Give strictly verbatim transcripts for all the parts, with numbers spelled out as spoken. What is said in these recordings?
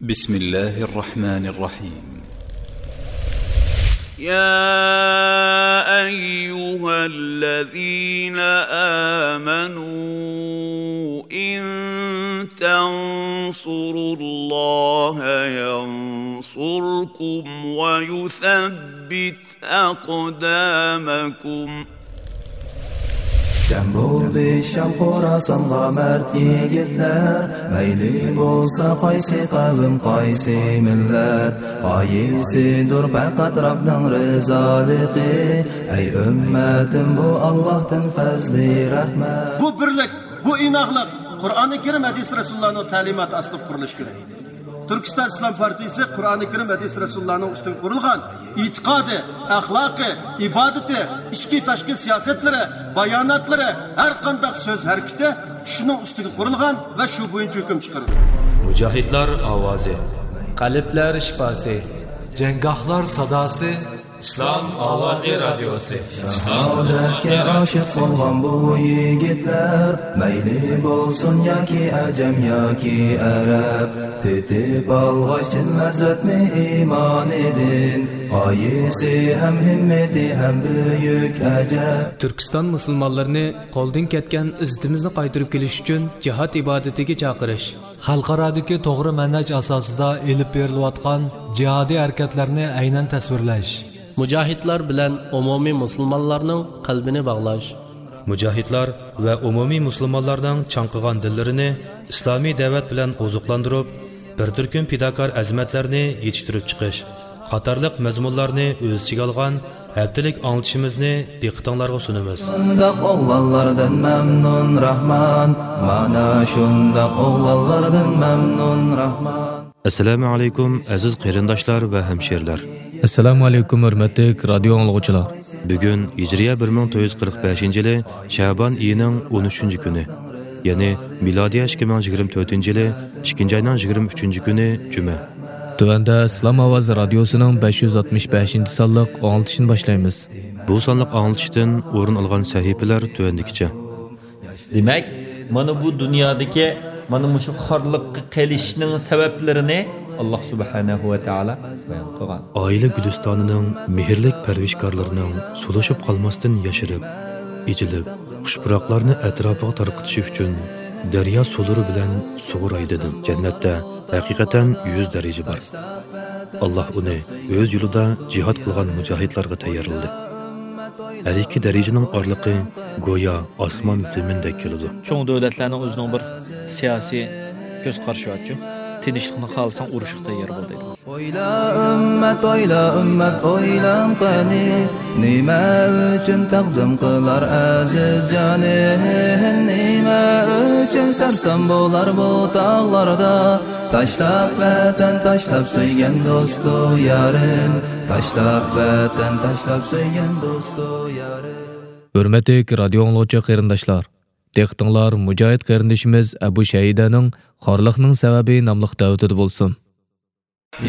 بسم الله الرحمن الرحيم. يا أيها الذين آمنوا إن تنصروا الله ينصركم ويثبت أقدامكم. جەم بولدى شام خوراسانغا مەرد يىگىتلەر، مەيلى بولسا قايسى قەۋم، قايسى مىللەت، غايىسىدۇر پەقەت رەبنىڭ رىزالىقى. ئەي ئۈممەتىم، بۇ ئاللاھتىن پەزلى رەھمەت. بۇ بىرلىك، بۇ ئىناقلىق قۇرئانى كەرىم، ھەدىس رەسۇلۇللانىڭ تەلىماتى ئاستىدا قۇرۇلۇشى كېرەك. تۈركىستان ئىسلام پارتىيىسى قۇرئانى كەرىم، ھەدىس رەسۇلۇللانىڭ ئۈستىگە قۇرۇلغان ئېتىقادى، ئەخلاقى، ئىبادىتى، ئىچكى تاشقى سىياسەتلىرى، باياناتلىرى، ھەر قانداق سۆز ھەرىكىتى شۇنىڭ ئۈستىگە قۇرۇلغان ۋە شۇ بويىچە ھۆكۈم چىقىرىدۇ. مۇجاھىدلار ئاۋازى. قەلبلەر شىپاسى. جەڭگاھلار ساداسى. ئىسلام ئاۋازى رادىيوسى. شاھادەتكە ئاشىق بولغان بۇ يىگىتلەر، مەيلى بولسۇن ياكى ئەجەم ياكى ئەرەب، تېتىپ ئالغاچ چىن لەززەتنى ئىمانىدىن، غايىسى ھەم ھىممىتى ھەم بۈيۈك ئەجەب. تۈركىستان مۇسۇلمانلىرىنى قولدىن كەتكەن ئىززىتىمىزنى قايتۇرۇپ كېلىش ئۈچۈن جىھاد ئىبادىتىگە چاقىرىش. خەلقئارادىكى توغرا مەنھەج ئاساسىدا ئېلىپ بېرىلىۋاتقان جىھادىي ھەرىكەتلەرنى ئەينەن تەسۋىرلەش. مۇجاھىدلار بىلەن ئومۇمىي مۇسۇلمانلارنىڭ قەلبىنى باغلاش. مۇجاھىدلار ۋە ئومۇمىي مۇسۇلمانلارنىڭ چاڭقىغان دىللىرىنى ئىسلامىي دەۋەت بىلەن ئوزۇقلاندۇرۇپ، بىر تۈركۈم پىداكار ئەزىمەتلەرنى يېتىشتۈرۈپ چىقىش قاتارلىق مەزمۇنلارنى ئۆز ئىچىگە ئالغان ھەپتىلىك ئاڭلىتىشىمىزنى دىققىتىڭلارغا سۇنىمىز. شۇنداق ئوغلانلاردىن مەمنۇن راھمان، مانا شۇنداق ئوغلانلاردىن مەمنۇن راھمان. ئەسسالامۇ ئەلەيكۇم، ئەزىز قېرىنداشلار ۋە ھەمشىرىلەر. ئەسسالامۇ ئەلەيكۇم، ھۆرمەتلىك رادىيو ئاڭلىغۇچىلار. بۈگۈن ھىجرىيە بىر مىڭ تۆت يۈز قىرىق بەشىنچى يىلى شەبان ئېيىنىڭ ئون ئۈچىنچى كۈنى، يەنى مىلادىيە ئىككى مىڭ يىگىرمە تۆتىنچى يىلى ئىككىنچى ئاينىڭ يىگىرمە ئۈچىنچى كۈنى جۈمە. تۆۋەندە ئىسلام ئاۋازى رادىيوسىنىڭ بەش يۈز ئاتمىش بەشىنچى سانلىق ئاڭلىتىشىنى باشلايمىز. بۇ سانلىق ئاڭلىتىشتىن ئورۇن ئالغان سەھىپىلەر تۆۋەندىكىچە. دېمەك، مانا بۇ دۇنيادىكى مانا مۇشۇ خارلىققا قېلىشنىڭ سەۋەبلىرىنى ئاللاھ سۇبھانەھۇ ۋە تائالا بايان قىلغان. ئائىلە گۈلىستانىنىڭ مېھىرلىك پەرۋىشكارلىرىنىڭ سولۇشۇپ قالماستىن ياشىرىپ، ئېچىلىپ، خۇش پۇراقلارنى ئەتراپىغا تارقىتىشى ئۈچۈن دەريا سۇلىرى بىلەن سۇغۇراي دېدىم. جەننەتتە ھەقىقەتەن يۈز دەرىجە بار. ئاللاھ ئۇنى ئۆز يولىدا جىھاد قىلغان مۇجاھىدلارغا تەييارلىدى. ھەر ئىككى دەرىجىنىڭ ئارىلىقى گويا ئاسمان زېمىندەك كېلىدۇ. چوڭ دۆلەتلەرنىڭ ئۆزىنىڭ بىر سىياسىي كۆز قارىشى بارچۇ. تىنچلىقنى خالىساڭ ئۇرۇشقا تەييار بول دەيدۇ. ئويلا ئۈممەت، ئويلا ئۈممەت، ئويلاڭ قېنى، نېمە ئۈچۈن تەقدىم قىلار ئەزىز جانىن؟ نېمە ئۈچۈن سەرسان بولار بۇ تاغلاردا؟ تاشلاپ ۋەتەن، تاشلاپ سۆيگەن دوستۇ يارىن، تاشلاپ ۋەتەن، تاشلاپ سۆيگەن دوستۇ يارىن. ھۆرمەتلىك رادىيو ئاڭلىغۇچى قېرىنداشلار، دىققىتىڭلار مۇجاھىد قېرىندىشىمىز ئەبۇ شەھىدەنىڭ خارلىقنىڭ سەۋەبى ناملىق دەۋىتىدە بولسۇن.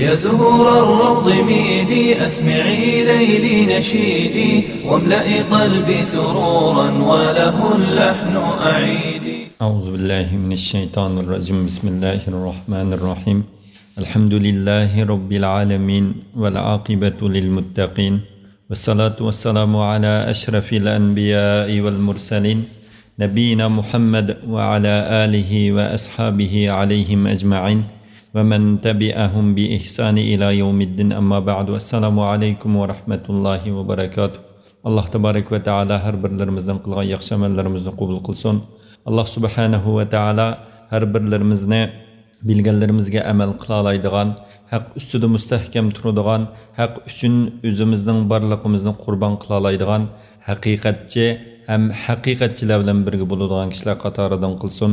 يا زهور الروض ميدي، أسمعي ليلي نشيدي، واملئي قلبي سرورا وله اللحن أعيدي. أعوذ بالله من الشيطان الرجيم. بسم الله الرحمن الرحيم. الحمد لله رب العالمين، والعاقبة للمتقين، والصلاة والسلام على أشرف الأنبياء والمرسلين، نبينا محمد وعلى آله وأصحابه عليهم أجمعين، ومن تبعهم بإحسان إلى يوم الدين. أما بعد، السلام عليكم ورحمة الله وبركاته. ئاللاھ تابارەك ۋە تائالا ھەر بىرلىرىمىزنىڭ قىلغان ياخشى ئەمەللىرىمىزنى قوبۇل قىلسۇن. ئاللاھ سۇبھانەھۇ ۋە تائالا ھەر بىرلىرىمىزنى بىلگەنلىرىمىزگە ئەمەل قىلالايدىغان، ھەق ئۈستىدە مۇستەھكەم تۇرىدىغان، ھەق ئۈچۈن ئۆزىمىزنىڭ بارلىقىمىزنى قۇربان قىلالايدىغان ھەقىقەتچى ھەم ھەقىقەتچىلەر بىلەن بىرگە بولىدىغان كىشىلەر قاتارىدىن قىلسۇن.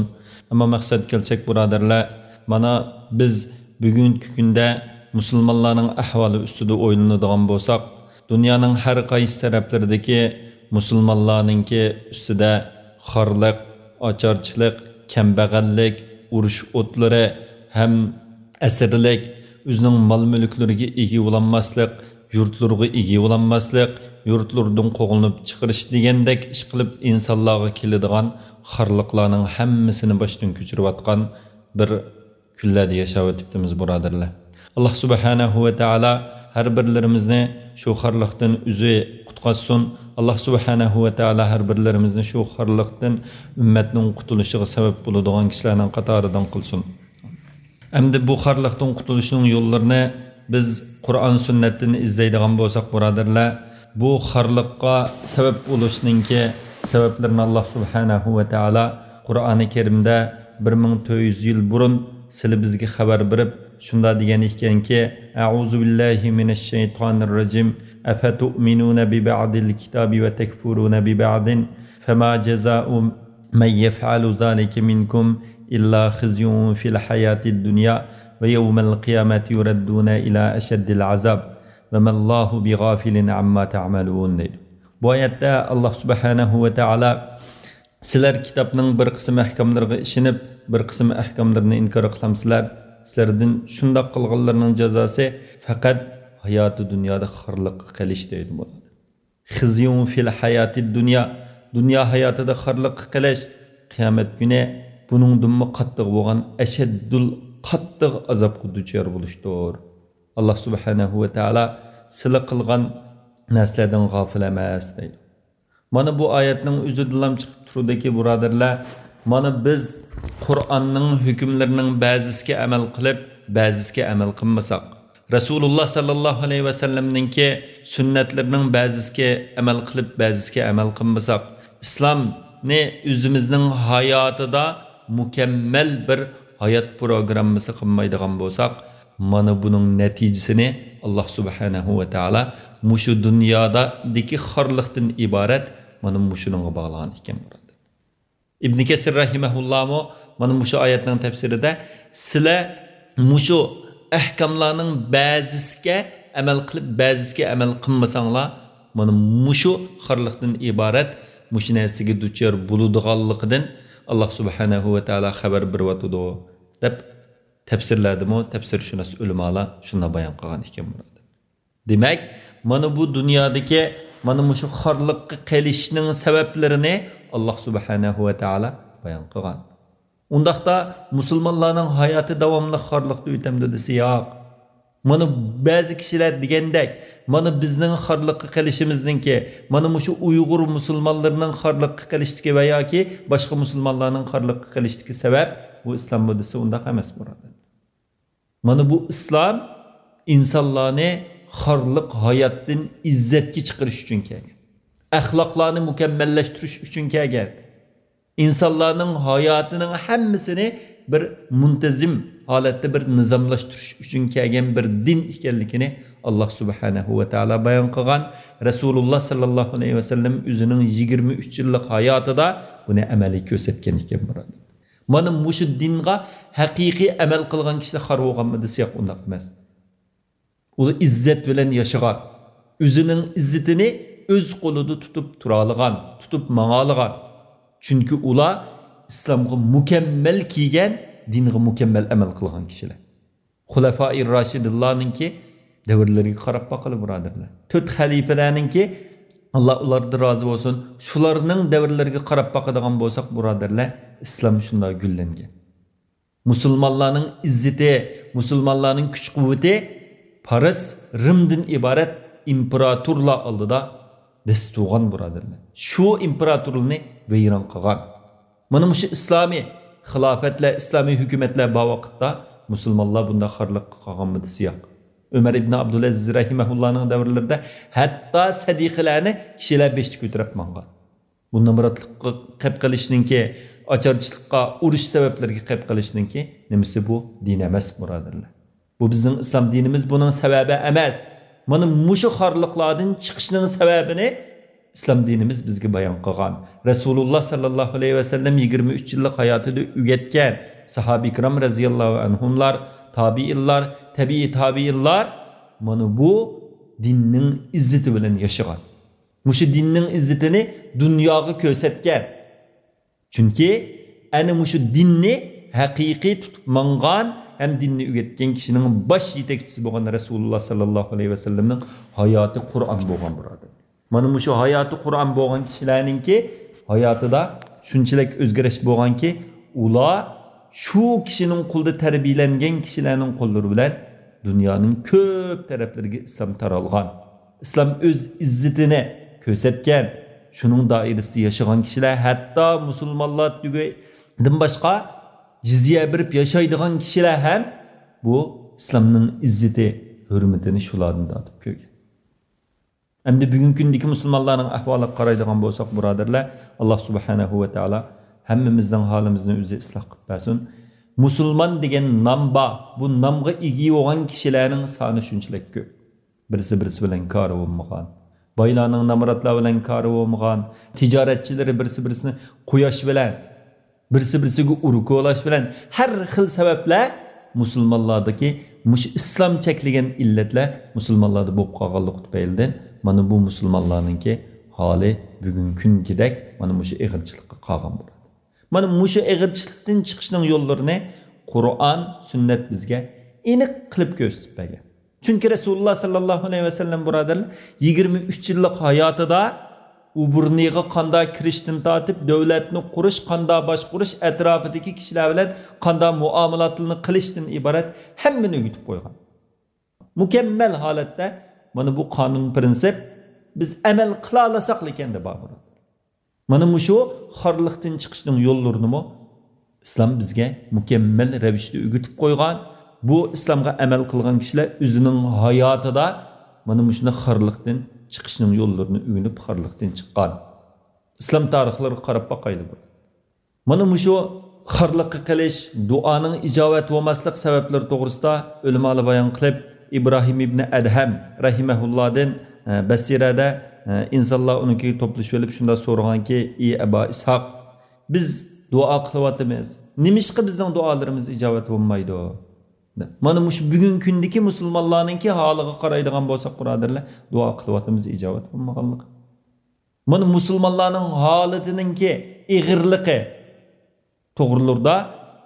ئەمما مەقسەتكە كەلسەك، بۇرادەرلەر، مانا بىز بۈگۈنكى كۈندە مۇسۇلمانلارنىڭ ئەھۋالى ئۈستىدە ئويلىنىدىغان بولساق، دۇنيانىڭ ھەر قايسى تەرەپلىرىدىكى مۇسۇلمانلارنىڭكى ئۈستىدە خارلىق، ئاچارچىلىق، كەمبەغەللىك، ئۇرۇش ئوتلىرى ھەم ئەسىرلىك، ئۆزىنىڭ مال-مۈلۈكلىرىگە ئىگە بولالماسلىق، يۇرتلىرىغا ئىگە بولالماسلىق، يۇرتلىرىدىن قوغلىنىپ چىقىرىش دېگەندەك ئىشقىلىپ ئىنسانلارغا كېلىدىغان خارلىقلارنىڭ ھەممىسىنى باشتىن كۆچۈرۈۋاتقان بىر كۈنلەردە ياشاۋېتىپتىمىز، بۇرادەرلەر. ئاللاھ سۇبھانەھۇ ۋە تائالا ھەر بىرلىرىمىزنى شۇ خارلىقتىن ئۆزى قۇتقازسۇن. ئاللاھ سۇبھانەھۇ ۋە تائالا ھەر بىرلىرىمىزنى شۇ خارلىقتىن ئۈممەتنىڭ قۇتۇلۇشىغا سەۋەب بولىدىغان كىشىلەرنىڭ قاتارىدىن قىلسۇن. ئەمدى بۇ خارلىقتىن قۇتۇلۇشنىڭ يوللىرىنى بىز قۇرئان سۈننەتتىن ئىزدەيدىغان بولساق، بۇرادەرلەر، بۇ خارلىققا سەۋەب بولۇشنىڭكى سەۋەبلىرىنى ئاللاھ سۇبھانەھۇ ۋە تائالا قۇرئانى كەرىمدە بىر مىڭ تۆت يۈز يىل بۇرۇن سىلى بىزگە خەۋەر بېرىپ، شۇنداق دېگەن ئىكەنكى، أعوذ بالله من الشيطان الرجيم. أفتؤمنون ببعض الكتاب وتكفرون ببعض فما جزاء من يفعل ذلك منكم إلا خزي في الحياة الدنيا ويوم القيامة يردون إلى أشد العذاب وما الله بغافل عما تعملون دەيدۇ. بۇ ئايەتتە ئاللاھ سۇبھانەھۇ ۋە تائالا، سىلەر كىتابنىڭ بىر قىسىم ئەھكاملىرىغا ئىشىنىپ، بىر قىسىم ئەھكاملىرىنى ئىنكار قىلامسىلەر؟ سىلەردىن شۇنداق قىلغانلارنىڭ جازاسى پەقەت ھاياتى دۇنيادا خارلىققا قېلىش دەيدۇ بۇلار. خزي في الحياة الدنيا، دۇنيا ھاياتىدا خارلىققا قېلىش، قىيامەت كۈنى بۇنىڭدىنمۇ قاتتىق بولغان ئەشەددۇل، قاتتىق ئازابقا دۇچار بولۇشتۇر. ئاللاھ سۇبھانەھۇ ۋە تائالا سىلى قىلغان نەرسىلەردىن غافىل ئەمەس دەيدۇ. مانا بۇ ئايەتنىڭ ئۆزىدىنلا چىقىپ تۇرىدۇكى، بۇرادەرلەر، مانا بىز قۇرئاننىڭ ھۆكۈملىرىنىڭ بەزىسىگە ئەمەل قىلىپ، بەزىسىگە ئەمەل قىلمىساق، رەسۇلۇللاھ ساللاللاھۇ ئەلەيھى ۋەسەللەمنىڭكى سۈننەتلىرىنىڭ بەزىسىگە ئەمەل قىلىپ، بەزىسىگە ئەمەل قىلمىساق، ئىسلامنى ئۆزىمىزنىڭ ھاياتىدا مۇكەممەل بىر ھايات پروگراممىسى قىلمايدىغان بولساق، مانا بۇنىڭ نەتىجىسىنى ئاللاھ سۇبھانەھۇ ۋە تائالا مۇشۇ دۇنيادىكى خارلىقتىن ئىبارەت مانا مۇشۇنىڭغا باغلىغان ئىكەن، بۇرادەر. ئىبنى كەسىر رەھىمەھۇللاھمۇ مانا مۇشۇ ئايەتنىڭ تەپسىرىدە، سىلەر مۇشۇ ئەھكاملارنىڭ بەزىسىگە ئەمەل قىلىپ، بەزىسىگە ئەمەل قىلمىساڭلار، مانا مۇشۇ خارلىقتىن ئىبارەت مۇشۇ نەرسىگە دۇچار بولىدىغانلىقىدىن ئاللاھ سۇبھانەھۇ ۋە تائالا خەۋەر بېرىۋاتىدۇ، دەپ تەپسىرلەردىمۇ تەپسىرشۇناس ئۆلىمالار شۇنداق بايان قىلغان ئىكەن، بۇرادەر. دېمەك، مانا بۇ دۇنيادىكى مانا مۇشۇ خارلىققا قېلىشنىڭ سەۋەبلىرىنى ئاللاھ سۇبھانەھۇ ۋە تائالا بايان قىلغان. ئۇنداقتا مۇسۇلمانلارنىڭ ھاياتى داۋاملىق خارلىقتا ئۆتەمدۇ دېسە، ياق. مانا بەزى كىشىلەر دېگەندەك، مانا بىزنىڭ خارلىققا قېلىشىمىزنىڭكى، مانا مۇشۇ ئۇيغۇر مۇسۇلمانلىرىنىڭ خارلىققا قېلىشتىكى ۋە ياكى باشقا مۇسۇلمانلارنىڭ خارلىققا قېلىشتىكى سەۋەب بۇ ئىسلاممۇ دېسە، ئۇنداق ئەمەس، بۇرادەر. مانا بۇ ئىسلام ئىنسانلارنى خارلىق ھاياتتىن ئىززەتكە چىقىرىش ئۈچۈن كەلگەن. ئەخلاقلارنى مۇكەممەللەشتۈرۈش ئۈچۈن كەلگەن. ئىنسانلارنىڭ ھاياتىنىڭ ھەممىسىنى بىر مۇنتەزىم ھالەتتە بىر نىزاملاشتۇرۇش ئۈچۈن كەلگەن بىر دىن ئىكەنلىكىنى ئاللاھ سۇبھانەھۇ ۋە تائالا بايان قىلغان. رەسۇلۇللاھ ساللاللاھۇ ئەلەيھى ۋەسەللەم ئۆزىنىڭ يىگىرمە ئۈچ يىللىق ھاياتىدا بۇنى ئەمەلىي كۆرسەتكەن ئىكەن، بۇرادەر. مانا مۇشۇ دىنغا ھەقىقىي ئەمەل قىلغان كىشىلەر خار بولغانمۇ دېسە، ياق، ئۇنداق ئەمەس. ئۇلار ئىززەت بىلەن ياشىغان، ئۆزىنىڭ ئىززىتىنى ئۆز قولىدا تۇتۇپ تۇرالىغان، تۇتۇپ ماڭالىغان. چۈنكى ئۇلار ئىسلامغا مۇكەممەل كىرگەن، دىنغا مۇكەممەل ئەمەل قىلغان كىشىلەر. خۇلەفائىر راشىدىنلارنىڭكى دەۋرلىرىگە قاراپ باقىلى، بۇرادەرلەر. تۆت خەلىپىلەرنىڭكى، ئاللاھ ئۇلاردىن رازى بولسۇن، شۇلارنىڭ دەۋرلىرىگە قاراپ باقىدىغان بولساق، بۇرادەرلەر، ئىسلام شۇنداق گۈللەنگەن. مۇسۇلمانلارنىڭ ئىززىتى، مۇسۇلمانلارنىڭ كۈچ-قۇۋۋىتى پارس، رىمدىن ئىبارەت ئىمپېراتورلار ئالدىدا دەس تۇرغان، بۇرادەرلەر. شۇ ئىمپېراتورلارنى ۋەيران قىلغان. مانا مۇشۇ ئىسلامىي خىلاپەتلەر، ئىسلامىي ھۆكۈمەتلەر بار ۋاقىتتا مۇسۇلمانلار بۇنداق خارلىققا قالغانمىدى؟ ياق. ئۆمەر ئىبن ئابدۇلئەزىز رەھىمەھۇللانىڭ دەۋرلىرىدە ھەتتا سەدىقىلەرنى كىشىلەر بېشىدا كۆتۈرۈپ ماڭغان. بۇ نامراتلىققا قېلىپ قېلىشنىڭكى، ئاچارچىلىققا، ئۇرۇش سەۋەبلىرىگە قېلىپ قېلىشنىڭكى نېمىسى بۇ؟ دىن ئەمەس، بۇرادەرلەر. بۇ بىزنىڭ ئىسلام دىنىمىز بۇنىڭ سەۋەبى ئەمەس. مانا مۇشۇ خارلىقلاردىن چىقىشنىڭ سەۋەبىنى ئىسلام دىنىمىز بىزگە بايان قىلغان. رەسۇلۇللاھ ساللاللاھۇ ئەلەيھى ۋەسەللەم يىگىرمە ئۈچ يىللىق ھاياتىدا ئۆگەتكەن، ساھابە ئىكرام رەزىياللاھۇ ئەنھۇملار، تابىئىنلار، تەبىئىي تابىئىنلار مانا بۇ دىننىڭ ئىززىتى بىلەن ياشىغان. مۇشۇ دىننىڭ ئىززىتىنى دۇنياغا كۆرسەتكەن. چۈنكى ئەنە مۇشۇ دىننى ھەقىقىي تۇتۇپ ماڭغان ھەم دىننى ئۆگەتكەن كىشىنىڭ باش يېتەكچىسى بولغان رەسۇلۇللاھ ساللاللاھۇ ئەلەيھى ۋەسەللەمنىڭ ھاياتى قۇرئان بولغان، بۇرادەر. مانا مۇشۇ ھاياتى قۇرئان بولغان كىشىلەرنىڭكى ھاياتىدا شۇنچىلىك ئۆزگىرىش بولغانكى، ئۇلار شۇ كىشىنىڭ قولىدا تەربىيەلەنگەن كىشىلەرنىڭ قوللىرى بىلەن دۇنيانىڭ كۆپ تەرەپلىرىگە ئىسلام تارالغان. ئىسلام ئۆز ئىززىتىنى كۆرسەتكەن. شۇنىڭ دائىرىسىدە ياشىغان كىشىلەر، ھەتتا مۇسۇلمانلار تۈگىدىن باشقا جىزيە بېرىپ ياشايدىغان كىشىلەر ھەم بۇ ئىسلامنىڭ ئىززىتى، ھۆرمىتىنى شۇلاردىن تارتىپ كۆرگەن. ئەمدى بۈگۈنكى كۈندىكى مۇسۇلمانلارنىڭ ئەھۋالىغا قارايدىغان بولساق، بۇرادەرلەر، ئاللا سۇبھانەھۇ ۋە تائالا ھەممىمىزنىڭ ھالىمىزنى ئۆزى ئىسلاھ قىلىپ بەرسۇن. مۇسۇلمان دېگەن نام بار. بۇ نامغا ئىگە بولغان كىشىلەرنىڭ سانى شۇنچىلىك كۆپ. بىرسى بىرسى بىلەن كارى بولمىغان. بايلارنىڭ نامراتلار بىلەن كارى بولمىغان. تىجارەتچىلىرى بىرسى بىرسىنى قۇياش بىلەن، بىرسى بىرسىگە ئۇرۇق كولاش بىلەن، ھەر خىل سەۋەبلەر مۇسۇلمانلاردىكى مۇشۇ ئىسلام چەكلىگەن ئىللەتلەر مۇسۇلمانلاردا بولۇپ قالغانلىقى تۈپەيلىدىن، مانا بۇ مۇسۇلمانلارنىڭكى ھالى بۈگۈنكى كۈنگىدەك مانا مۇشۇ ئېغىرچىلىققا قالغان بولىدۇ. مانا مۇشۇ ئېغىرچىلىقتىن چىقىشنىڭ يوللىرىنى قۇرئان، سۈننەت بىزگە ئېنىق قىلىپ كۆرسىتىپ بەرگەن. چۈنكى رەسۇلۇللا ساللاللاھۇ ئەلەيھى ۋەسەللەم، بۇرادەرلەر، يىگىرمە ئۈچ يىللىق ھاياتىدا ئۇ بۇرنىغا قانداق كىرىشتىن تارتىپ، دۆلەتنى قۇرۇش، قانداق باشقۇرۇش، ئەتراپىدىكى كىشىلەر بىلەن قانداق مۇئامىلاتلارنى قىلىشتىن ئىبارەت ھەممىنى ئۆگىتىپ قويغان. مۇكەممەل ھالەتتە مانا بۇ قانۇن پىرىنسىپ بىز ئەمەل قىلالىساقلىكەن دەپ بار، بۇرادەر. مانا مۇشۇ خارلىقتىن چىقىشنىڭ يوللىرىنىمۇ ئىسلام بىزگە مۇكەممەل رەۋىشتە ئۆگىتىپ قويغان. بۇ ئىسلامغا ئەمەل قىلغان كىشىلەر ئۆزىنىڭ ھاياتىدا مانا مۇشۇنداق خارلىقتىن چىقىشنىڭ يوللىرىنى ئۆگىنىپ، خارلىقتىن چىققان. ئىسلام تارىخلىرىغا قاراپ باقايلى بۇ. مانا مۇشۇ خارلىققا قېلىش، دۇئانىڭ ئىجابەت بولماسلىق سەۋەبلىرى توغرىسىدا ئۆلىمالار بايان قىلىپ، ئىبراھىم ئىبنى ئەدھەم رەھىمەھۇللادىن، ئە، بەسىرەدە، ئە، ئىنسانلار ئۇنىڭكىگە توپلىشىۋېلىپ شۇنداق سورىغانكى، ئى ئەبا ئىسھاق، بىز دۇئا قىلىۋاتىمىز. نېمىشقا بىزنىڭ دۇئالىرىمىز ئىجابەت بولمايدۇ؟ دەپ. مانا مۇشۇ بۈگۈنكى كۈندىكى مۇسۇلمانلارنىڭكى ھالىغا قارايدىغان بولساق، بۇرادەرلەر، دۇئا قىلىۋاتىمىز، ئىجابەت بولمىغانلىقى. مانا مۇسۇلمانلارنىڭ ھالىتىنىڭكى ئېغىرلىقى توغرىلىرىدا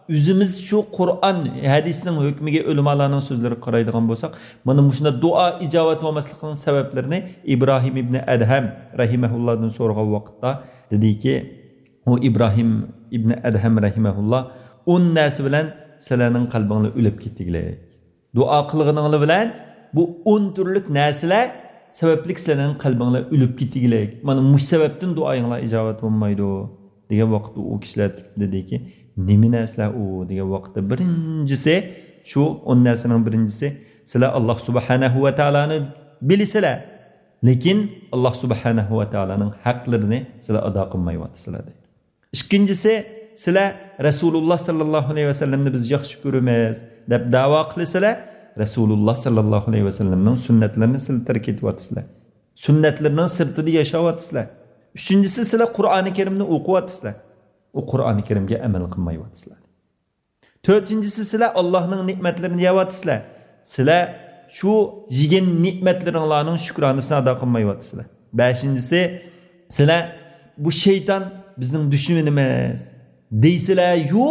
ئۆزىمىز شۇ قۇرئان، ھەدىسنىڭ ھۆكمىگە، ئۆلىمالارنىڭ سۆزلىرىگە قارايدىغان بولساق، مانا مۇشۇنداق دۇئا ئىجابەت بولماسلىقىنىڭ سەۋەبلىرىنى ئىبراھىم ئىبنى ئەدھەم رەھىمەھۇللادىن سورىغان ۋاقىتتا دېدىكى، ئۇ ئىبراھىم ئىبنى ئەدھەم رەھىمەھۇللا ئون نەرسە بىلەن سىلەرنىڭ قەلبىڭلار ئۆلۈپ كېتىگلىك. دۇئا قىلغىنىڭلار بىلەن بۇ ئون تۈرلۈك نەرسىلەر سەۋەبلىك سىلەرنىڭ قەلبىڭلار ئۆلۈپ كېتىگلىك. مانا مۇشۇ سەۋەبتىن دۇئايىڭلار ئىجابەت بولمايدۇ، دېگەن ۋاقىتتا ئۇ كىشىلەر تۇرۇپ دېدىكى، نېمە نەرسىلەر ئۇ؟ دېگەن ۋاقىتتا بىرىنچىسى، شۇ ئون نەرسىنىڭ بىرىنچىسى، سىلەر ئاللا سۇبھانەھۇ ۋە تائالانى بىلىسىلەر، لېكىن ئاللا سۇبھانەھۇ ۋە تائالانىڭ ھەقلىرىنى سىلەر ئادا قىلمايۋاتىسىلەر، دەيدۇ. ئىككىنچىسى، سىلەر رەسۇلۇللا ساللاللاھۇ ئەلەيھى ۋەسەللەمنى بىز ياخشى كۆرىمىز دەپ دەۋا قىلىسىلەر، رەسۇلۇللا ساللاللاھۇ ئەلەيھى ۋەسەللەمنىڭ سۈننەتلىرىنى سىلەر تەرك ئېتىۋاتىسىلەر. سۈننەتلىرىنىڭ سىرتىدا ياشاۋاتىسىلەر. ئۈچىنچىسى، سىلەر قۇرئانى كەرىمنى ئوقۇۋاتىسىلەر. ئۇ قۇرئانى كەرىمگە ئەمەل قىلمايۋاتىسىلەر. تۆتىنچىسى، سىلەر ئاللاھنىڭ نېمەتلىرىنى يەۋاتىسىلەر. سىلەر شۇ يېگەن نېمەتلىرىڭلارنىڭ شۈكرانىسىنى ئادا قىلمايۋاتىسىلەر. بەشىنچىسى، سىلەر بۇ شەيتان بىزنىڭ دۈشمىنىمىز دەيسىلەر-يۇ،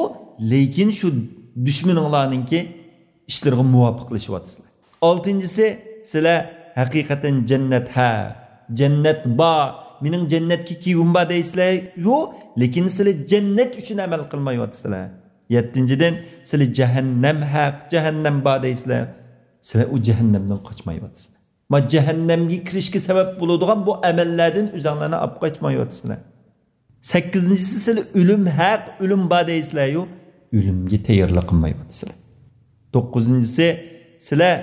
لېكىن شۇ دۈشمىنىڭلارنىڭكى ئىشلىرىغا مۇۋاپىقلىشىۋاتىسىلەر. ئالتىنچىسى، سىلەر ھەقىقەتەن جەننەت ھەق، جەننەت بار، مېنىڭ جەننەتكە كىرگۈم بار دەيسىلەر-يۇ، لېكىن سىلەر جەننەت ئۈچۈن ئەمەل قىلمايۋاتىسىلەر. يەتتىنچىدىن، سىلەر جەھەننەم ھەق، جەھەننەم بار دەيسىلەر، سىلەر ئۇ جەھەننەمدىن قاچمايۋاتىسىلەر. ما جەھەننەمگە كىرىشكە سەۋەب بولىدىغان بۇ ئەمەللەردىن ئۆزەڭلارنى ئاپ قاچمايۋاتىسىلەر. سەككىزىنچىسى، سىلەر ئۆلۈم ھەق، ئۆلۈم بار دەيسىلەر-يۇ، ئۆلۈمگە تەييارلىق قىلمايۋاتىسىلەر. توققۇزىنچىسى، سىلەر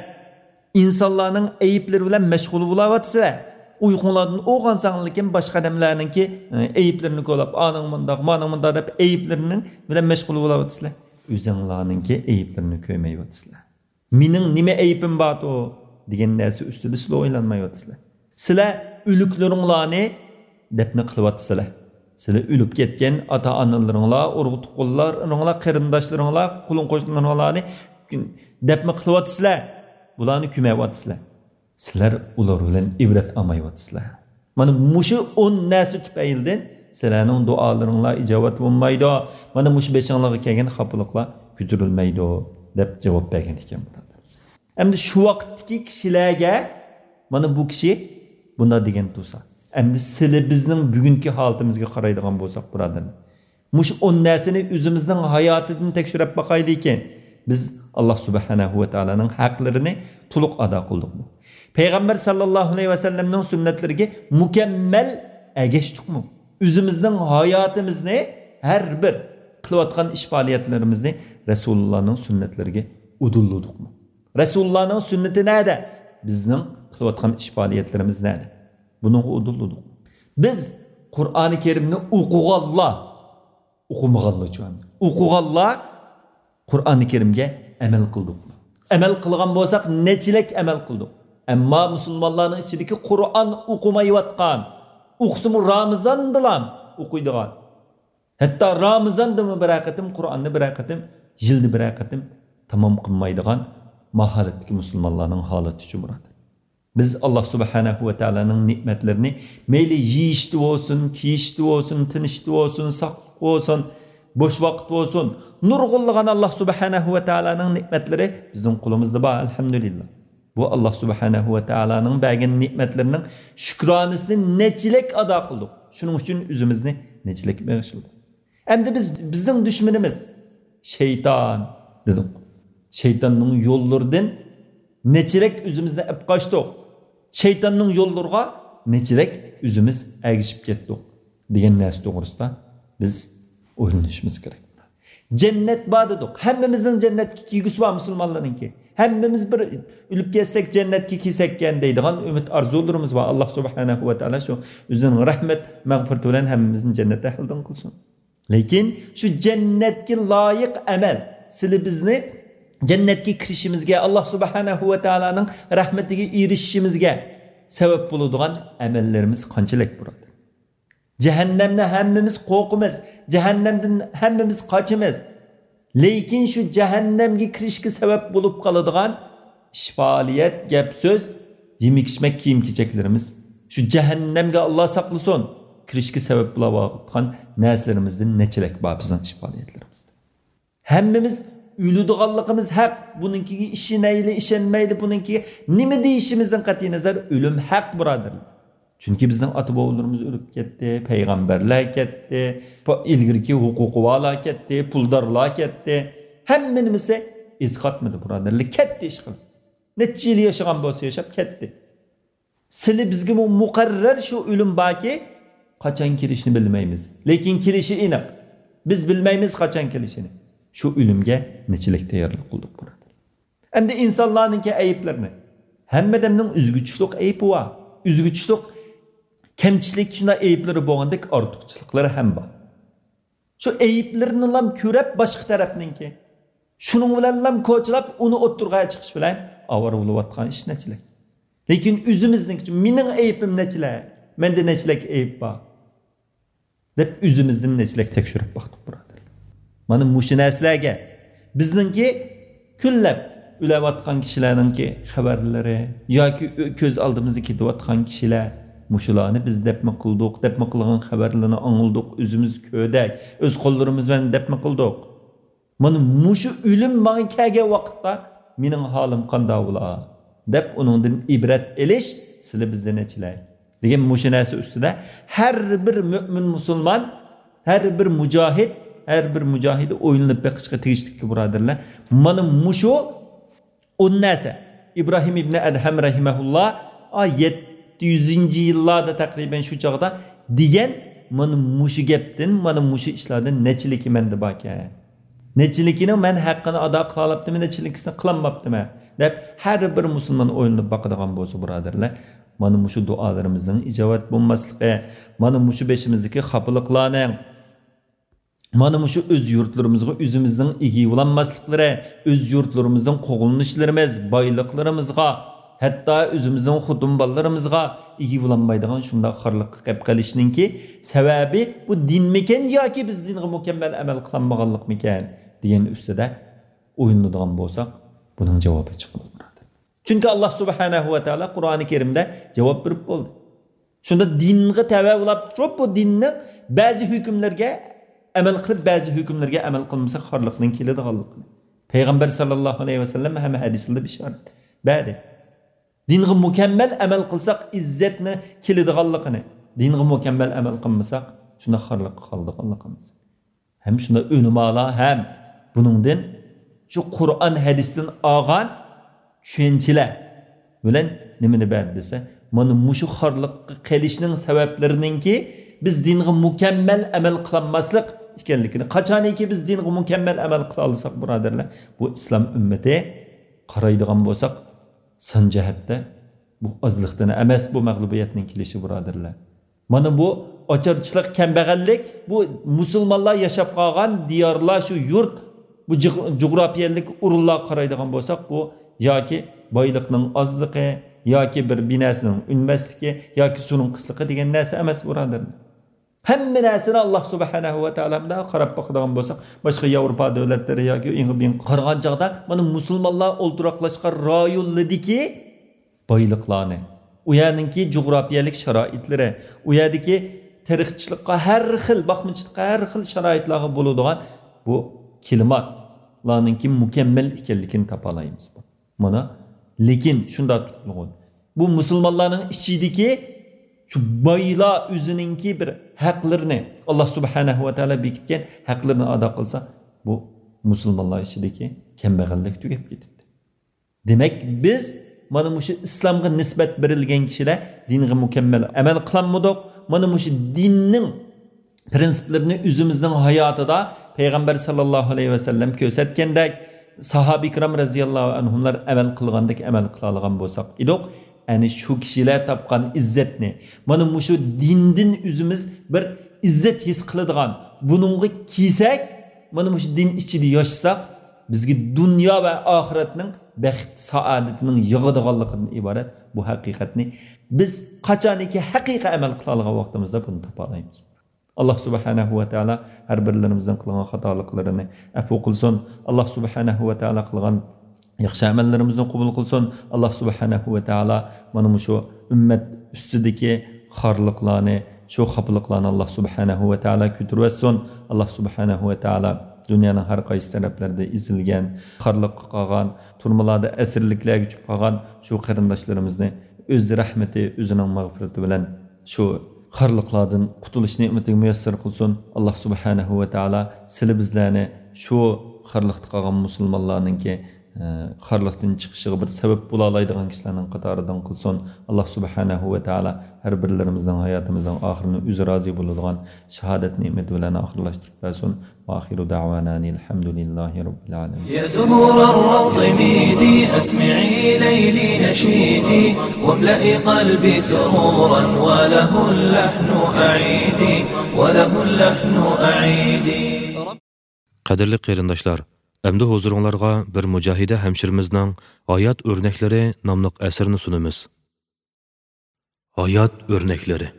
ئىنسانلارنىڭ ئەيىبلىرى بىلەن مەشغۇل بولاۋاتىسىلەر. ئۇيقۇڭلاردىن ئويغانساڭلىكىن بى باشقا ئادەملەرنىڭكى، ئە، ئەيىبلىرىنى كولاپ، ئانىڭ مۇنداق، مانىڭ مۇنداق دەپ ئەيىبلىرىنىڭ بىلەن مەشغۇل بولاۋاتىسىلەر. ئۆزەڭلارنىڭكى ئەيىبلىرىنى كۆرمەيۋاتىسىلەر. مېنىڭ نېمە ئەيىبىم باردۇ دېگەن نەرسە ئۈستىدە سىلەر ئويلانمايۋاتىسىلەر. سىلەر ئۆلۈكلىرىڭلارنى دەپنە قىلىۋاتىسىلەر. سىلەر ئۆلۈپ كەتكەن ئاتا-ئانىلىرىڭلار، ئۇرۇق-تۇغقانلىرىڭلار، قېرىنداشلىرىڭلار، قولۇڭ-قوشنىلىرىڭلارنى دەپنە قىلىۋاتىسىلەر. بۇلارنى كۆمەۋاتىسىلەر. سىلەر ئۇلار بىلەن ئىبرەت ئالمايۋاتىسىلەر. مانا مۇشۇ ئون نەرسە تۈپەيلىدىن سىلەرنىڭ دۇئالىرىڭلار ئىجابەت بولمايدۇ. مانا مۇشۇ بېشىڭلارغا كەلگەن خاپىلىقلار كۆتۈرۈلمەيدۇ، دەپ جاۋاب بەرگەن ئىكەن، بۇرادەر. ئەمدى شۇ ۋاقىتتىكى كىشىلەرگە مانا بۇ كىشى بۇنداق دېگەن تۇرسا، ئەمدى سىلى بىزنىڭ بۈگۈنكى ھالىتىمىزگە قارايدىغان بولساق، بۇرادەرلەر، مۇشۇ ئون نەرسىنى ئۆزىمىزنىڭ ھاياتىدىن تەكشۈرۈپ باقايلىكىن، بىز ئاللا سۇبھانەھۇ ۋە تائالانىڭ ھەقلىرىنى تولۇق ئادا قىلدۇقمۇ؟ پەيغەمبەر ساللاللاھۇ ئەلەيھى ۋەسەللەمنىڭ سۈننەتلىرىگە مۇكەممەل ئەگەشتۇقمۇ؟ ئۆزىمىزنىڭ ھاياتىمىزنى، ھەر بىر قىلىۋاتقان ئىش پائالىيەتلىرىمىزنى رەسۇلۇللانىڭ سۈننەتلىرىگە ئۇدۇللىدۇقمۇ؟ رەسۇلۇللانىڭ سۈننىتى نەدە؟ بىزنىڭ قىلىۋاتقان ئىش پائالىيەتلىرىمىز نەدە؟ بۇنىڭغا ئۇدۇللىدۇق. بىز قۇرئانى كەرىمنى ئوقۇغانلار، ئوقۇمىغانلارچۇ ئەمدى. ئوقۇغانلار قۇرئانى كەرىمگە ئەمەل قىلدۇقمۇ؟ ئەمەل قىلغان بولساق، نەچچىلەك ئەمەل قىلدۇق؟ ئەمما مۇسۇلمانلارنىڭ ئىچىدىكى قۇرئان ئوقۇمايۋاتقان، ئوقۇسىمۇ رامىزاندىلا ئوقۇيدىغان، ھەتتا رامىزاندىمۇ بىرەر قېتىم قۇرئاننى بىرەر قېتىم، يىلدا بىرەر قېتىم تامام قىلمايدىغان ماھالەتتىكى مۇسۇلمانلارنىڭ ھالىتىچۇ، بۇرادەر؟ بىز ئاللا سۇبھانەھۇ ۋە تائالانىڭ نېمەتلىرىنى مەيلى يېيىشتە بولسۇن، كىيىشتە بولسۇن، تىنىشتا بولسۇن، ساقلىق بولسۇن، بوش ۋاقىت بولسۇن، نۇرغۇنلىغان ئاللا سۇبھانەھۇ ۋە تائالانىڭ نېمەتلىرى بىزنىڭ قولىمىزدا بار، ئەلھەمدۇلىللا. بۇ ئاللا سۇبھانەھۇ ۋە تائالانىڭ بەرگەن نېمەتلىرىنىڭ شۈكرانىسىنى نەچچىلەك ئادا قىلدۇق. شۇنىڭ ئۈچۈن ئۆزىمىزنى نەچچىلەك بېغىشلىدۇق. ئەمدى بىز، بىزنىڭ دۈشمىنىمىز شەيتان دېدۇق. شەيتاننىڭ يوللىرىدىن نەچچىلەك ئۆزىمىزنى ئەپ قاچتۇق. شەيتاننىڭ يوللىرىغا نەچچىلەك ئۆزىمىز ئەگىشىپ كەتتۇق، دېگەن نەرسە توغرىسىدا بىز ئويلىنىشىمىز كېرەك. جەننەت بار دېدۇق. ھەممىمىزنىڭ جەننەتكە كىرگۈسى بار مۇسۇلمانلارنىڭكى. ھەممىمىز بىر ئۆلۈپ كەتسەك جەننەتكە كىرسەككەن دەيدىغان ئۈمىد ئارزۇلىرىمىز بار. ئاللا سۇبھانەھۇ ۋە تائالا شۇ ئۆزىنىڭ رەھمەت، مەغپىرىتى بىلەن ھەممىمىزنى جەننەت ئەھلىدىن قىلسۇن. لېكىن شۇ جەننەتكە لايىق ئەمەل، سىلى بىزنى جەننەتكە كىرىشىمىزگە، ئاللا سۇبھانەھۇ ۋە تائالانىڭ رەھمىتىگە ئېرىشىشىمىزگە سەۋەب بولىدىغان ئەمەللىرىمىز قانچىلىك، بۇرادەر؟ جەھەننەمنى ھەممىمىز قورقىمىز. جەھەننەمدىن ھەممىمىز قاچىمىز. لېكىن شۇ جەھەننەمگە كىرىشكە سەۋەب بولۇپ قالىدىغان ئىش پائالىيەت، گەپ سۆز، يېمەك ئىچمەك، كىيىم كېچەكلىرىمىز، شۇ جەھەننەمگە ئاللا ساقلىسۇن، كىرىشكە سەۋەب بولۇۋاتقان نەرسىلىرىمىزدىن نەچچىلەك بار بىزنىڭ ئىش پائالىيەتلىرىمىزدە؟ ھەممىمىز ئۆلىدىغانلىقىمىز ھەق. بۇنىڭكىگە ئىشىنەيلى، ئىشەنمەيلى، بۇنىڭكىگە نېمە دېيىشىمىزدىن قەتئىينەزەر، ئۆلۈم ھەق، بۇرادەرلەر. چۈنكى بىزنىڭ ئاتا-بوۋىلىرىمىز ئۆلۈپ كەتتى، پەيغەمبەرلەر كەتتى، پا-، ئىلگىرىكى ھوقۇقى بارلار كەتتى، پۇلدارلار كەتتى. ھەممە نېمىسى ئىز قاتمىدى، بۇرادەرلەر. كەتتى ئىشقىلىپ. نەچچە يىل ياشىغان بولسا ياشاپ كەتتى. سىلى بىزگىمۇ مۇقەررەر شۇ ئۆلۈم باركى، قاچان كېلىشىنى بىلمەيمىز. لېكىن كېلىشى ئېنىق. بىز بىلمەيمىز قاچان كېلىشىنى. شۇ ئۆلۈمگە نېچىلىك تەييارلىق قىلدۇق، بۇرادەر. ئەمدى ئىنسانلارنىڭكى ئەيىبلىرىنى. ھەممە ئادەمنىڭ ئۆزىگە چۈشلۈك ئەيىبى بار. ئۆزىگە چۈشلۈك كەمچىلىك، شۇنداق ئەيىبلىرى بولغاندەك ئارتۇقچىلىقلىرى ھەم بار. شۇ ئەيىبلىرىنىلام كۆرۈپ باشقا تەرەپنىڭكى، شۇنىڭ بىلەنلام كوچىلاپ ئۇنى ئوتتۇرىغا چىقىش بىلەن ئاۋارە بولۇۋاتقان ئىش نەچچىلىك. لېكىن ئۆزىمىزنىڭكى، مېنىڭ ئەيىبىم نەچچىلەك، مەندە نەچچىلەك ئەيىب بار دەپ ئۆزىمىزدىن نەچچىلەك تەكشۈرۈپ باقتۇق، بۇرادەر. مانا مۇشۇ نەرسىلەرگە بىزنىڭكى كۈنلەپ ئۆلۈۋاتقان كىشىلەرنىڭكى خەۋەرلىرى ياكى ئۆ-، كۆز ئالدىمىزدا كېتىۋاتقان كىشىلەر، مۇشۇلارنى بىز دەپمۇ قىلدۇق، دەپمۇ قىلغان خەۋەرلىرىنى ئاڭلىدۇق، ئۆزىمىز كۆردۇق، ئۆز قوللىرىمىز بىلەن دەپمۇ قىلدۇق. مانا مۇشۇ ئۆلۈم ماڭا كەلگەن ۋاقىتتا مېنىڭ ھالىم قانداق بولا؟ دەپ ئۇنىڭدىن ئىبرەت ئېلىش سىلى بىزدە نەچچىلەك؟ دېگەن مۇشۇ نەرسە ئۈستىدە ھەر بىر مۆمىن مۇسۇلمان، ھەر بىر مۇجاھىد، ھەر بىر مۇجاھىدە ئويلىنىپ بېقىشقا تېگىشلىككى، بۇرادەرلەر. مانا مۇشۇ ئون نەرسە. ئىبراھىم ئىبنى ئەدھەم رەھىمەھۇللا، ئا، يەتتە يۈزىنچى يىللاردا تەقرىبەن شۇ چاغدا دېگەن مانا مۇشۇ گەپتىن، مانا مۇشۇ ئىشلاردىن نەچچىلىكى مەندە باركەن؟ نەچچىلىكىنىڭ مەن ھەققىنى ئادا قىلالاپتىمەن، نەچچىلىكىسىنى قىلالماپتىمەن؟ دەپ ھەر بىر مۇسۇلمان ئويلىنىپ باقىدىغان بولسا، بۇرادەرلەر، مانا مۇشۇ دۇئالىرىمىزنىڭ ئىجابەت بولماسلىقى، مانا مۇشۇ بېشىمىزدىكى خاپىلىقلارنىڭ، مانا مۇشۇ ئۆز يۇرتلىرىمىزغا ئۆزىمىزنىڭ ئىگە بولالماسلىقلىرى، ئۆز يۇرتلىرىمىزنىڭ قوغلىنىشلىرىمىز، بايلىقلىرىمىزغا، ھەتتا ئۆزىمىزنىڭ خوتۇن بالىلىرىمىزغا ئىگە بولالمايدىغان شۇنداق خارلىققا كەپ قېلىشنىڭكى سەۋەبى بۇ دىنمىكەن ياكى بىز دىنغا مۇكەممەل ئەمەل قىلالمىغانلىقمىكەن دېگەن ئۈستىدە ئويلىنىدىغان بولساق، بۇنىڭ جاۋابى چىقىدۇ. چۈنكى ئاللا سۇبھانەھۇ ۋە تائالا قۇرئانى كەرىمدە جاۋاب بېرىپ بولدى. شۇنداق دىنغا تەۋە بولاپ تۇرۇپ، بۇ دىننىڭ بەزى ھۆكۈملىرىگە ئەمەل قىلىپ، بەزى ھۆكۈملىرىگە ئەمەل قىلمىسا خارلىقنىڭ كېلىدىغانلىقىنى پەيغەمبەر ساللاللاھۇ ئەلەيھى ۋەسەللەم ھەم ھەدىسلىرىدە بېشارەت بەردى. دىنغا مۇكەممەل ئەمەل قىلساق ئىززەتنى كېلىدىغانلىقىنى، دىنغا مۇكەممەل ئەمەل قىلمىساق شۇنداق خارلىققا قالىدىغانلىقىمىز. ھەم شۇنداق ئۆلىمالار ھەم بۇنىڭدىن شۇ قۇرئان ھەدىستىن ئالغان چۈشەنچىلەر بىلەن نېمىنى بەردى دېسە، مانا مۇشۇ خارلىققا قېلىشنىڭ سەۋەبلىرىنىڭكى بىز دىنغا مۇكەممەل ئەمەل قىلالماسلىق ئىكەنلىكىنى، قاچانكى بىز دىنغا مۇكەممەل ئەمەل قىلالىساق، بۇرادەرلەر، بۇ ئىسلام ئۈممىتى قارايدىغان بولساق، سان جەھەتتە بۇ ئازلىقتىن ئەمەس، بۇ مەغلۇبىيەتنىڭ كېلىشى، بۇرادەرلەر. مانا بۇ ئاچارچىلىق، كەمبەغەللىك، بۇ مۇسۇلمانلار ياشاپ قالغان دىيارلار، شۇ يۇرت، بۇ جىغ-، جۇغراپىيەلىك ئورۇنلارغا قارايدىغان بولساق، بۇ ياكى بايلىقنىڭ ئازلىقى، ياكى بىر بىناسىنىڭ ئۈنمەسلىكى، ياكى سۇنىڭ قىسلىقى دېگەن نەرسە ئەمەس، بۇرادەرلەر. ھەممە نەرسىنى ئاللاھ سۇبھانەھۇ ۋە تائالا مۇنداق قاراپ باقىدىغان بولساق، باشقا ياۋروپا دۆلەتلىرى ياكى ئىڭغا بىڭغا قارىغان چاغدا، مانا مۇسۇلمانلار ئولتۇراقلاشقان رايونلىرىدىكى بايلىقلارنى، ئۇ يەرنىڭكى جۇغراپىيەلىك شارائىتلىرى، ئۇ يەردىكى تېرىقچىلىققا ھەر خىل، باقمىچىلىققا ھەر خىل شارائىتلارغا بولىدىغان بۇ كىلىماتلارنىڭكى مۇكەممەل ئىكەنلىكىنى تاپالايمىز. مانا، لېكىن شۇنداق تۇتقىلىغۇن. بۇ مۇسۇلمانلارنىڭ ئىچىدىكى شۇ بايلار ئۆزىنىڭكى بىر ھەقلىرىنى، ئاللاھ سۇبھانەھۇ ۋە تائالا بېكىتكەن ھەقلىرىنى ئادا قىلسا، بۇ مۇسۇلمانلار ئىچىدىكى كەمبەغەللىك تۈگەپ كېتىدۇ. دېمەك، بىز مانا مۇشۇ ئىسلامغا نىسبەت بېرىلگەن كىشىلەر دىنغا مۇكەممەل ئەمەل قىلالمىدۇق. مانا مۇشۇ دىننىڭ پرىنسىپلىرىنى ئۆزىمىزنىڭ ھاياتىدا پەيغەمبەر ساللاللاھۇ ئەلەيھى ۋەسەللەم كۆرسەتكەندەك، ساھابە ئىكرام رەزىياللاھۇ ئەنھۇملار ئەمەل قىلغاندەك ئەمەل قىلالىغان بولساق ئىدۇق، ئەنە شۇ كىشىلەر تاپقان ئىززەتنى، مانا مۇشۇ دىندىن ئۆزىمىز بىر ئىززەت ھېس قىلىدىغان، بۇنىڭغا كىيسەك، مانا مۇشۇ دىن ئىچىدە ياشىساق، بىزگە دۇنيا ۋە ئاخىرەتنىڭ بەخت سائادىتىنىڭ ياغىدىغانلىقىدىن ئىبارەت بۇ ھەقىقەتنى بىز قاچانكى ھەقىقىي ئەمەل قىلالىغان ۋاقتىمىزدا بۇنى تاپالايمىز. ئاللاھ سۇبھانەھۇ ۋە تائالا ھەر بىرلىرىمىزنىڭ قىلغان خاتالىقلىرىنى ئەپۇ قىلسۇن. ئاللاھ سۇبھانەھۇ ۋە تائالا قىلغان ياخشى ئەمەللىرىمىزنى قوبۇل قىلسۇن. ئاللاھ سۇبھانەھۇ ۋە تائالا مانا مۇشۇ ئۈممەت ئۈستىدىكى خارلىقلارنى، شۇ خاپىلىقلارنى ئاللاھ سۇبھانەھۇ ۋە تائالا كۆتۈرۈۋەتسۇن. ئاللاھ سۇبھانەھۇ ۋە تائالا دۇنيانىڭ ھەر قايسى تەرەپلىرىدە ئېزىلگەن، خارلىققا قالغان، تۈرمىلاردا ئەسىرلىكلەرگە چۈشۈپ قالغان شۇ قېرىنداشلىرىمىزنى ئۆز رەھمىتى، ئۆزىنىڭ مەغپىرىتى بىلەن شۇ خارلىقلاردىن قۇتۇلۇش نېمىتىگە مۇيەسسەر قىلسۇن. ئاللاھ سۇبھانەھۇ ۋە تائالا سىلى بىزلەرنى شۇ خارلىقتا قالغان مۇسۇلمانلارنىڭكى، ئە، خارلىقتىن چىقىشىغا بىر سەۋەب بولالايدىغان كىشىلەرنىڭ قاتارىدىن قىلسۇن. ئاللاھ سۇبھانەھۇ ۋە تائالا ھەر بىرلىرىمىزنىڭ ھاياتىمىزنىڭ ئاخىرىنى ئۆزى رازى بولىدىغان شاھادەت نېمىتى بىلەن ئاخىرلاشتۇرۇپ بەرسۇن. وآخر دعوانا أن الحمد لله رب العالمين. يا زهور الروض ميدي، أسمعي ليلي نشيدي، واملئي قلبي سرورا، وله اللحن أعيدي، وله اللحن أعيدي. قەدىرلىك قېرىنداشلار، ئەمدى ھۇزۇرۇڭلارغا بىر مۇجاھىدە ھەمشىرىمىزنىڭ ھايات ئۆرنەكلىرى ناملىق ئەسىرىنى سۇنىمىز. ھايات ئۆرنەكلىرى.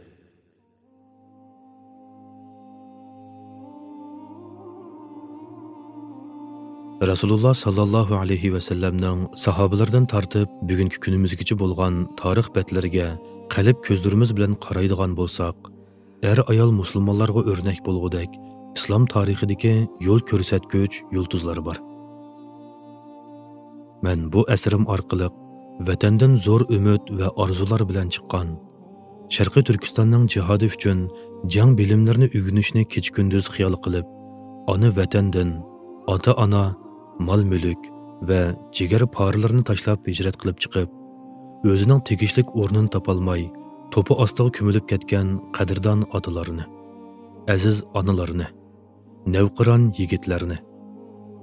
رەسۇلۇللا ساللاللاھۇ ئەلەيھى ۋەسەللەمنىڭ ساھابىلىرىدىن تارتىپ بۈگۈنكى كۈنىمىزگىچە بولغان تارىخ بەتلىرىگە قەلب كۆزلىرىمىز بىلەن قارايدىغان بولساق، ئەر-ئايال مۇسۇلمانلارغا ئۆرنەك بولغۇدەك ئىسلام تارىخىدىكى يول كۆرسەتكۈچ يۇلتۇزلار بار. مەن بۇ ئەسىرىم ئارقىلىق ۋەتەندىن زور ئۈمىد ۋە ئارزۇلار بىلەن چىققان، شەرقىي تۈركىستاننىڭ جىھادى ئۈچۈن جەڭ بىلىملىرىنى ئۆگىنىشنى كېچە-كۈندۈز خىيال قىلىپ، ئانا ۋەتەندىن ئاتا-ئانا، مال-مۈلۈك ۋە جىگەر پارىلىرىنى تاشلاپ ھىجرەت قىلىپ چىقىپ، ئۆزىنىڭ تېگىشلىك ئورنىنى تاپالماي، توپا ئاستىغا كۆمۈلۈپ كەتكەن قەدىردان ئاتىلارنى، ئەزىز ئانىلارنى، نەۋقىران يىگىتلەرنى،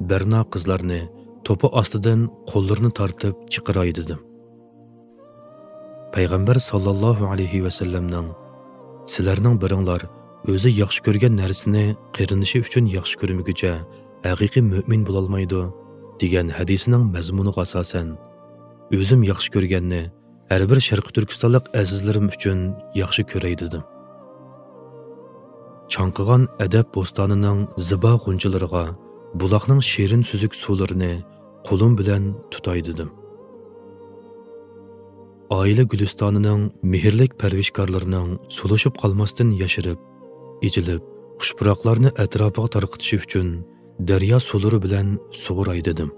بەرنا قىزلارنى توپا ئاستىدىن قوللىرىنى تارتىپ چىقىراي دېدىم. پەيغەمبەر ساللاللاھۇ ئەلەيھى ۋەسەللەمنىڭ «سىلەرنىڭ بىرىڭلار ئۆزى ياخشى كۆرگەن نەرسىنى قېرىندىشى ئۈچۈن ياخشى كۆرمىگۈچە ھەقىقىي مۆمىن بولالمايدۇ» دېگەن ھەدىسىنىڭ مەزمۇنىغا ئاساسەن، ئۆزۈم ياخشى كۆرگەننى ھەر بىر شەرقىي تۈركىستانلىق ئەزىزلىرىم ئۈچۈن ياخشى كۆرەي دېدىم. چاڭقىغان ئەدەپ بوستانىنىڭ زىبا غۇنچىلىرىغا بۇلاقنىڭ شېرىن سۈزۈك سۇلىرىنى قولۇم بىلەن تۇتاي دېدىم. ئائىلە گۈلىستانىنىڭ مېھىرلىك پەرۋىشكارلىرىنىڭ سولۇشۇپ قالماستىن ياشىرىپ، ئېچىلىپ، خۇش پۇراقلارنى ئەتراپىغا تارقىتىشى ئۈچۈن دەريا سۇلىرى بىلەن سۇغۇراي دېدىم.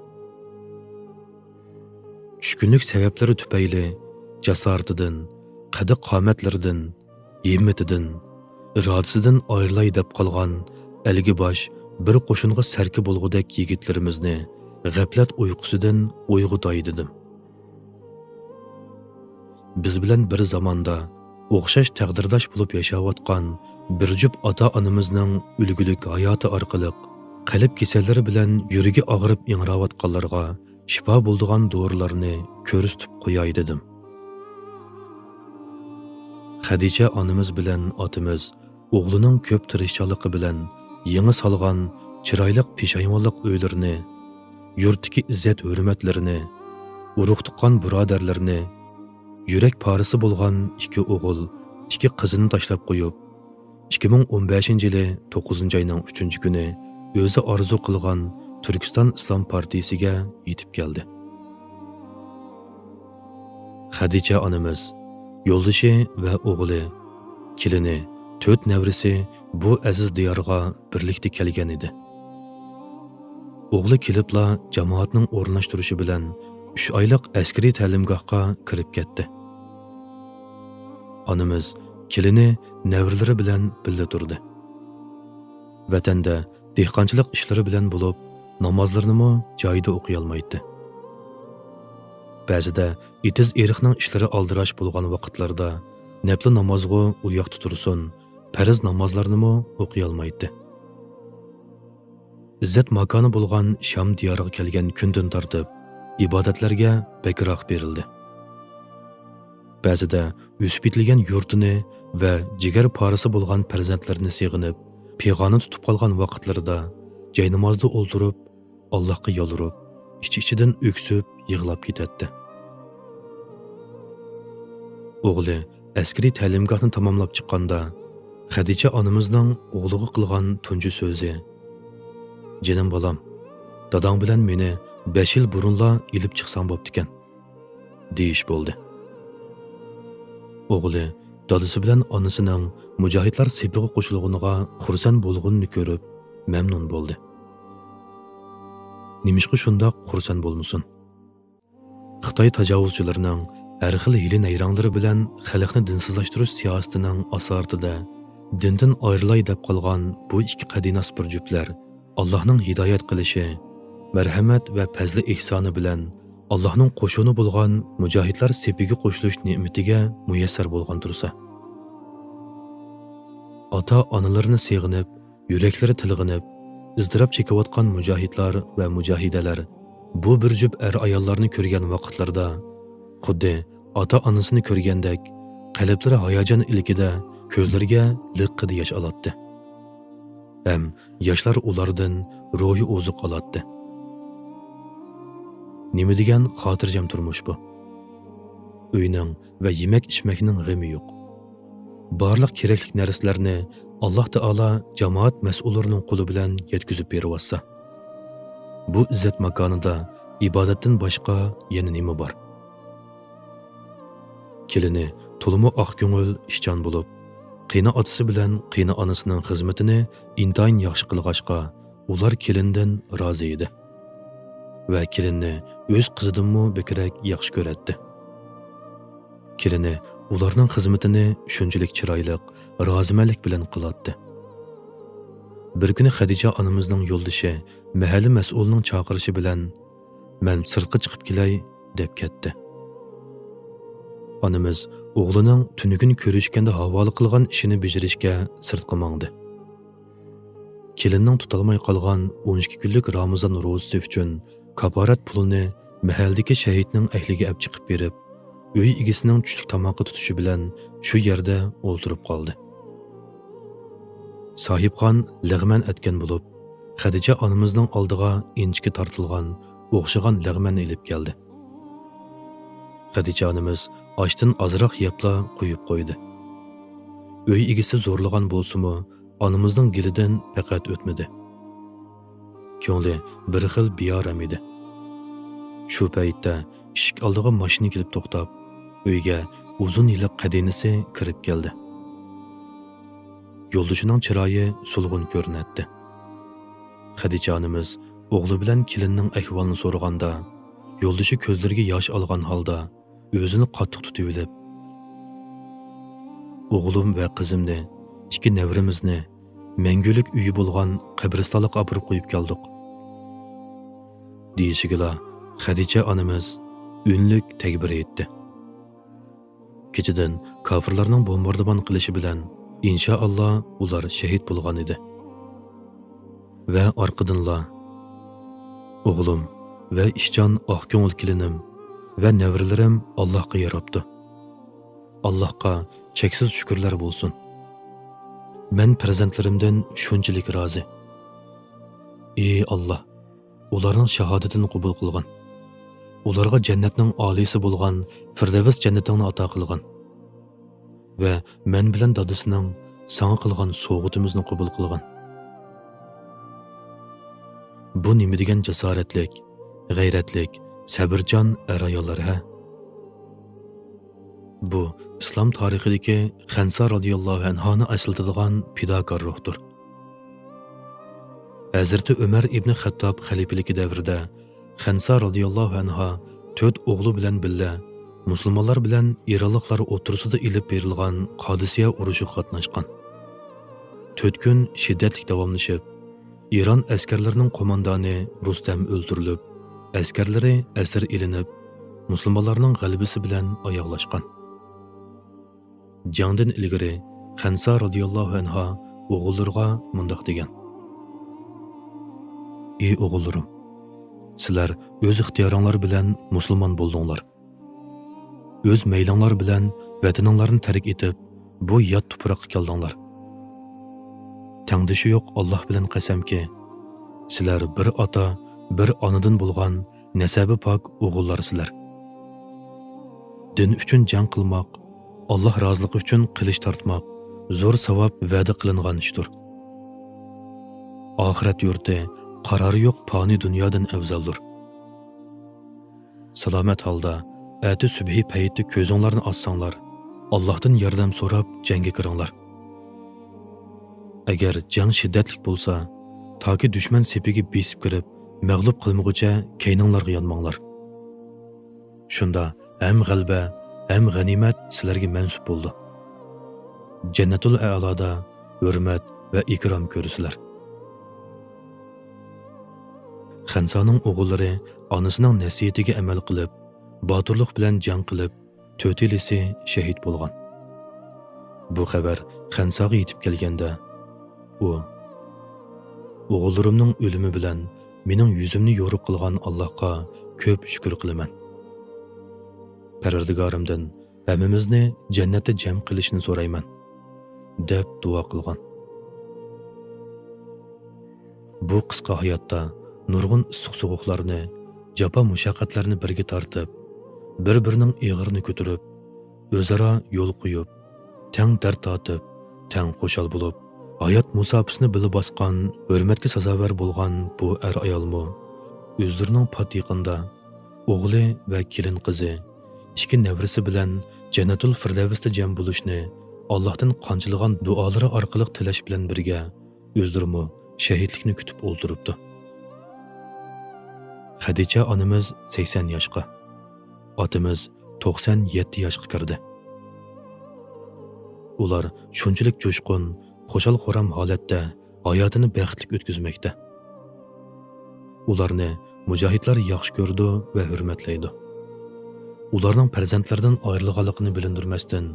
چۈشكۈنلۈك سەۋەبلىرى تۈپەيلى جاسارىتىدىن، قەددى-قامەتلىرىدىن، ھىممىتىدىن، ئىرادىسىدىن ئايرىلاي دەپ قالغان ئەلگە باش بىر قوشۇنغا سەركە بولغۇدەك يىگىتلىرىمىزنى غەپلەت ئۇيقۇسىدىن ئويغىتاي دېدىم. بىز بىلەن بىر زاماندا ئوخشاش تەقدىرداش بولۇپ ياشاۋاتقان بىر جۈپ ئاتا-ئانىمىزنىڭ ئۈلگىلىك ھاياتى ئارقىلىق قەلب كېسەللىرى بىلەن يۈرىكى ئاغرىپ ئىڭراۋاتقانلارغا شىپا بولىدىغان دورىلارنى كۆرسىتىپ قوياي دېدىم. خەدىچە ئانىمىز بىلەن ئاتىمىز ئوغلىنىڭ كۆپ تىرىشچانلىقى بىلەن يېڭى سالغان چىرايلىق پېشايۋانلىق ئۆيلىرىنى، يۇرتتىكى ئىززەت-ھۆرمەتلىرىنى، ئۇرۇق-تۇغقان بۇرادەرلىرىنى، يۈرەك پارىسى بولغان ئىككى ئوغۇل، ئىككى قىزىنى تاشلاپ قويۇپ، ئىككى مىڭ ئون بەشىنچى يىلى توققۇزىنچى ئاينىڭ ئۈچىنچى كۈنى ئۆزى ئارزۇ قىلغان تۈركىستان ئىسلام پارتىيىسىگە يېتىپ كەلدى. خەدىچە ئانىمىز، يولدىشى ۋە ئوغلى، كېلىنى، تۆت نەۋرىسى بۇ ئەزىز دىيارغا بىرلىكتە كەلگەن ئىدى. ئوغلى كېلىپلا جامائەتنىڭ ئورۇنلاشتۇرۇشى بىلەن ئۈچ ئايلىق ئەسكىرىي تەلىمگاھقا كىرىپ كەتتى. ئانىمىز، كېلىنى، نەۋرىلىرى بىلەن بىللە تۇردى. ۋەتەندە دېھقانچىلىق ئىشلىرى بىلەن بولۇپ، نامازلىرىنىمۇ جايىدا ئوقۇيالمايتتى. بەزىدە ئېتىز-ئېرىقنىڭ ئىشلىرى ئالدىراش بولغان ۋاقىتلاردا نەپلى نامازغۇ ئۇ ياقتا تۇرسۇن، پەرز نامازلارنىمۇ ئوقۇيالمايتتى. ئىززەت ماكانى بولغان شام دىيارىغا كەلگەن كۈندىن تارتىپ، ئىبادەتلەرگە بەكرەك بېرىلدى. بەزىدە ئۆسۈپ يېتىلگەن يۇرتىنى ۋە جىگەر پارىسى بولغان پەرزەنتلىرىنى سېغىنىپ، پىغانى تۇتۇپ قالغان ۋاقىتلىرىدا جاينامازدا ئولتۇرۇپ، ئاللاھقا يالۋۇرۇپ، ئىچ-ئىچىدىن ئۆكسۈپ يىغلاپ كېتەتتى. ئوغلى ئەسكىرىي تەلىمگاھنى تاماملاپ چىققاندا، خەدىچە ئانىمىزنىڭ ئوغلىغا قىلغان تۇنجى سۆزى، «جېنىم بالام، داداڭ بىلەن مېنى بەش يىل بۇرۇنلا ئېلىپ چىقساڭ بوپتىكەن» دېيىش بولدى. ئوغلى دادىسى بىلەن ئانىسىنىڭ مۇجاھىدلار سېپىغا قوشۇلغىنىغا خۇرسەن بولغىنىنى كۆرۈپ، مەمنۇن بولدى. نېمىشقا شۇنداق خۇرسەن بولمىسۇن؟ خىتاي تاجاۋۇزچىلىرىنىڭ ھەر خىل ھىيلە-نەيرەڭلىرى بىلەن خەلقنى دىنسىزلاشتۇرۇش سىياسىتىنىڭ ئاسارىتىدە دىندىن ئايرىلاي دەپ قالغان بۇ ئىككى قەدىناس بىر جۈپلەر ئاللاھنىڭ ھىدايەت قىلىشى، مەرھەمەت ۋە پەزلى ئېھسانى بىلەن ئاللاھنىڭ قوشۇنى بولغان مۇجاھىدلار سېپىگە قوشۇلۇش نېمىتىگە مۇيەسسەر بولغان تۇرسا. ئاتا-ئانىلىرىنى سېغىنىپ، يۈرەكلىرى تىلغىنىپ، ئىزتىراپ چېكىۋاتقان مۇجاھىدلار ۋە مۇجاھىدەلەر بۇ بىر جۈپ ئەر-ئاياللارنى كۆرگەن ۋاقىتلىرىدا، خۇددى ئاتا-ئانىسىنى كۆرگەندەك، قەلبلىرى ھاياجان ئىلكىدە كۆزلىرىگە لىققىدە ياش ئالاتتى. ھەم ياشلار ئۇلاردىن روھىي ئوزۇق ئالاتتى. نېمە دېگەن خاتىرجەم تۇرمۇش بۇ! ئۆينىڭ ۋە يېمەك-ئىچمەكنىڭ غېمى يوق. بارلىق كېرەكلىك نەرسىلەرنى ئاللاھ تائالا جامائەت مەسئۇللىرىنىڭ قولى بىلەن يەتكۈزۈپ بېرىۋاتسا، بۇ ئىززەت ماكانىدا ئىبادەتتىن باشقا يەنە نېمە بار؟ كېلىنى تولىمۇ ئاق كۆڭۈل، ئىشچان بولۇپ، قېيىنئاتىسى بىلەن قېيىنئانىسىنىڭ خىزمىتىنى ئىنتايىن ياخشى قىلغاچقا، ئۇلار كېلىندىن رازى ئىدى ۋە كېلىننى ئۆز قىزىدىنمۇ بەكرەك ياخشى كۆرەتتى. كېلىنى ئۇلارنىڭ خىزمىتىنى شۇنچىلىك چىرايلىق، رازىمەنلىك بىلەن قىلاتتى. بىر كۈنى خەدىچە ئانىمىزنىڭ يولدىشى مەھەللە مەسئۇلىنىڭ چاقىرىشى بىلەن، مەن سىرتقا چىقىپ كېلەي، دەپ كەتتى. ئانىمىز ئوغلىنىڭ تۈنۈگۈن كۆرۈشكەندە ھاۋالە قىلغان ئىشىنى بېجىرىشكە سىرتقا ماڭدى. كېلىننىڭ تۇتالماي قالغان ئون ئىككى كۈنلۈك رامىزان روزىسى ئۈچۈن كاپارەت پۇلىنى مەھەللىدىكى شەھىتنىڭ ئەھلىگە ئەپ چىقىپ بېرىپ، ئۆي ئىگىسىنىڭ چۈشلۈك تاماققا تۇتۇشى بىلەن شۇ يەردە ئولتۇرۇپ قالدى. ساھىبخان لەغمەن ئەتكەن بولۇپ، خەدىچە ئانىمىزنىڭ ئالدىغا ئىنچىكە تارتىلغان، ئوخشىغان لەغمەننى ئېلىپ كەلدى. خەدىچە ئانىمىز ئاشتىن ئازراق يەپلا قويۇپ قويدى. ئۆي ئىگىسى زورلىغان بولسىمۇ، ئانىمىزنىڭ گېلىدىن پەقەت ئۆتمىدى. كۆڭلى بىر خىل بىئارام ئىدى. شۇ پەيتتە ئىشىك ئالدىغا ماشىنا كېلىپ توختاپ، ئۆيگە ئۇزۇن يىللىق قەدىنىسى كىرىپ كەلدى. يولدىشىنىڭ چىرايى سولغۇن كۆرۈنەتتى. خەدىچە ئانىمىز ئوغلى بىلەن كېلىننىڭ ئەھۋالىنى سورىغاندا، يولدىشى كۆزلىرىگە ياش ئالغان ھالدا ئۆزىنى قاتتىق تۇتۇۋېلىپ، «ئوغلۇم ۋە قىزىمنى، ئىككى نەۋرىمىزنى، مەڭگۈلۈك ئۆيى بولغان قەبرىستانلىققا ئاپىرىپ قويۇپ كەلدۇق» دېيىشىگىلا، خەدىچە ئانىمىز ئۈنلۈك تەكبىر ئېيتتى. كېچىدىن كاپىرلارنىڭ بومباردىمان قىلىشى بىلەن، ئىنشائاللا، ئۇلار شېھىت بولغان ئىدى. ۋە ئارقىدىنلا، «ئوغلۇم ۋە ئىشچان ئاق كۆڭۈل كېلىنىم ۋە نەۋرىلىرىم ئاللاھقا ياراپتۇ. ئاللاھقا چەكسىز شۈكۈرلەر بولسۇن. مەن پەرزەنتلىرىمدىن شۇنچىلىك رازى. ئى ئاللاھ، ئۇلارنىڭ شاھادىتىنى قوبۇل قىلغىن. ئۇلارغا جەننەتنىڭ ئالىيسى بولغان فىردەۋس جەننىتىڭنى ئاتا قىلغىن. ۋە مەن بىلەن دادىسىنىڭ ساڭا قىلغان سوۋغىتىمىزنى قوبۇل قىلغىن.» بۇ نېمە دېگەن جاسارەتلىك، غەيرەتلىك، سەبرىچان ئەر-ئاياللار ھە! بۇ ئىسلام تارىخىدىكى خەنسا رازىياللاھۇ ئەنھانى ئەسلىتىدىغان پىداكار روھتۇر. ھەزرىتى ئۆمەر ئىبنى خەتتاب خەلىپىلىكى دەۋرىدە خەنسا رازىياللاھۇ ئەنھا تۆت ئوغلى بىلەن بىللە مۇسۇلمانلار بىلەن ئىرانلىقلار ئوتتۇرىسىدا ئېلىپ بېرىلغان قادىسىيە ئۇرۇشىغا قاتناشقان. تۆت كۈن شىددەتلىك داۋاملىشىپ، ئىران ئەسكەرلىرىنىڭ قوماندانى رۇستەم ئۆلتۈرۈلۈپ، ئەسكەرلىرى ئەسىر ئېلىنىپ، مۇسۇلمانلارنىڭ غەلىبىسى بىلەن ئاياغلاشقان. جەڭدىن ئىلگىرى خەنسا رازىياللاھۇ ئەنھا ئوغۇللىرىغا مۇنداق دېگەن: «ئى ئوغۇللىرىم، سىلەر ئۆز ئىختىيارىڭلار بىلەن مۇسۇلمان بولدۇڭلار. ئۆز مەيلىڭلار بىلەن ۋەتىنىڭلارنى تەرك ئېتىپ، بۇ يات تۇپراققا كەلدىڭلار. تەڭدىشى يوق ئاللاھ بىلەن قەسەمكى، سىلەر بىر ئاتا، بىر ئانىدىن بولغان نەسەبى پاك ئوغۇللارسىلەر. دىن ئۈچۈن جەڭ قىلماق، ئاللاھ رازىلىقى ئۈچۈن قىلىچ تارتماق زور ساۋاب ۋەدە قىلىنغان ئىشتۇر. ئاخىرەت يۇرتى قارارى يوق پانىي دۇنيادىن ئەۋزەلدۇر. سالامەت ھالدا ئەتە سۈبھى پەيتتە كۆزۈڭلارنى ئاچساڭلار، ئاللاھتىن ياردەم سوراپ جەڭگە كىرىڭلار. ئەگەر جەڭ شىددەتلىك بولسا، تاكى دۈشمەن سېپىگە بېسىپ كىرىپ، مەغلۇپ قىلمىغۇچە كەينىڭلارغا يانماڭلار. شۇندا ھەم غەلىبە، ھەم غەنىيمەت سىلەرگە مەنسۇپ بولىدۇ. جەننەتۇل ئەئلادا ھۆرمەت ۋە ئىكرام كۆرىسىلەر.» خەنسانىڭ ئوغۇللىرى ئانىسىنىڭ نەسىھىتىگە ئەمەل قىلىپ، باتۇرلۇق بىلەن جەڭ قىلىپ، تۆتىلىسى شېھىت بولغان. بۇ خەۋەر خەنساغا يېتىپ كەلگەندە، ئۇ: «ئوغۇللىرىمنىڭ ئۆلۈمى بىلەن مېنىڭ يۈزۈمنى يورۇق قىلغان ئاللاھقا كۆپ شۈكۈر قىلىمەن. پەرۋەردىگارىمدىن ھەممىمىزنى جەننەتتە جەم قىلىشنى سورايمەن» دەپ دۇئا قىلغان. بۇ قىسقا ھاياتتا نۇرغۇن ئىسسىق-سوغۇقلارنى، جاپا-مۇشەققەتلەرنى بىرگە تارتىپ، بىر-بىرىنىڭ ئېغىرىنى كۆتۈرۈپ، ئۆزئارا يول قويۇپ، تەڭ دەرد تارتىپ، تەڭ خۇشال بولۇپ، ھايات مۇساپىسىنى بىللە باسقان، ھۆرمەتكە سازاۋەر بولغان بۇ ئەر-ئايالمۇ ئۆزلىرىنىڭ پات يېقىندا ئوغلى ۋە كېلىن قىزى، ئىككى نەۋرىسى بىلەن جەننەتۇل فىردەۋستە جەم بولۇشنى ئاللاھتىن قانچىلىغان دۇئالىرى ئارقىلىق تىلەش بىلەن بىرگە، ئۆزلىرىمۇ شەھىدلىكنى كۈتۈپ ئولتۇرۇپتۇ. خەدىچە ئانىمىز سەكسەن ياشقا، ئاتىمىز توقسان يەتتە ياشقا كىردى. ئۇلار شۇنچىلىك جۇشقۇن، خۇشال-خۇرام ھالەتتە ھاياتىنى بەختلىك ئۆتكۈزمەكتە. ئۇلارنى مۇجاھىدلار ياخشى كۆرىدۇ ۋە ھۆرمەتلەيدۇ. ئۇلارنىڭ پەرزەنتلىرىدىن ئايرىلغانلىقىنى بىلىندۈرمەستىن،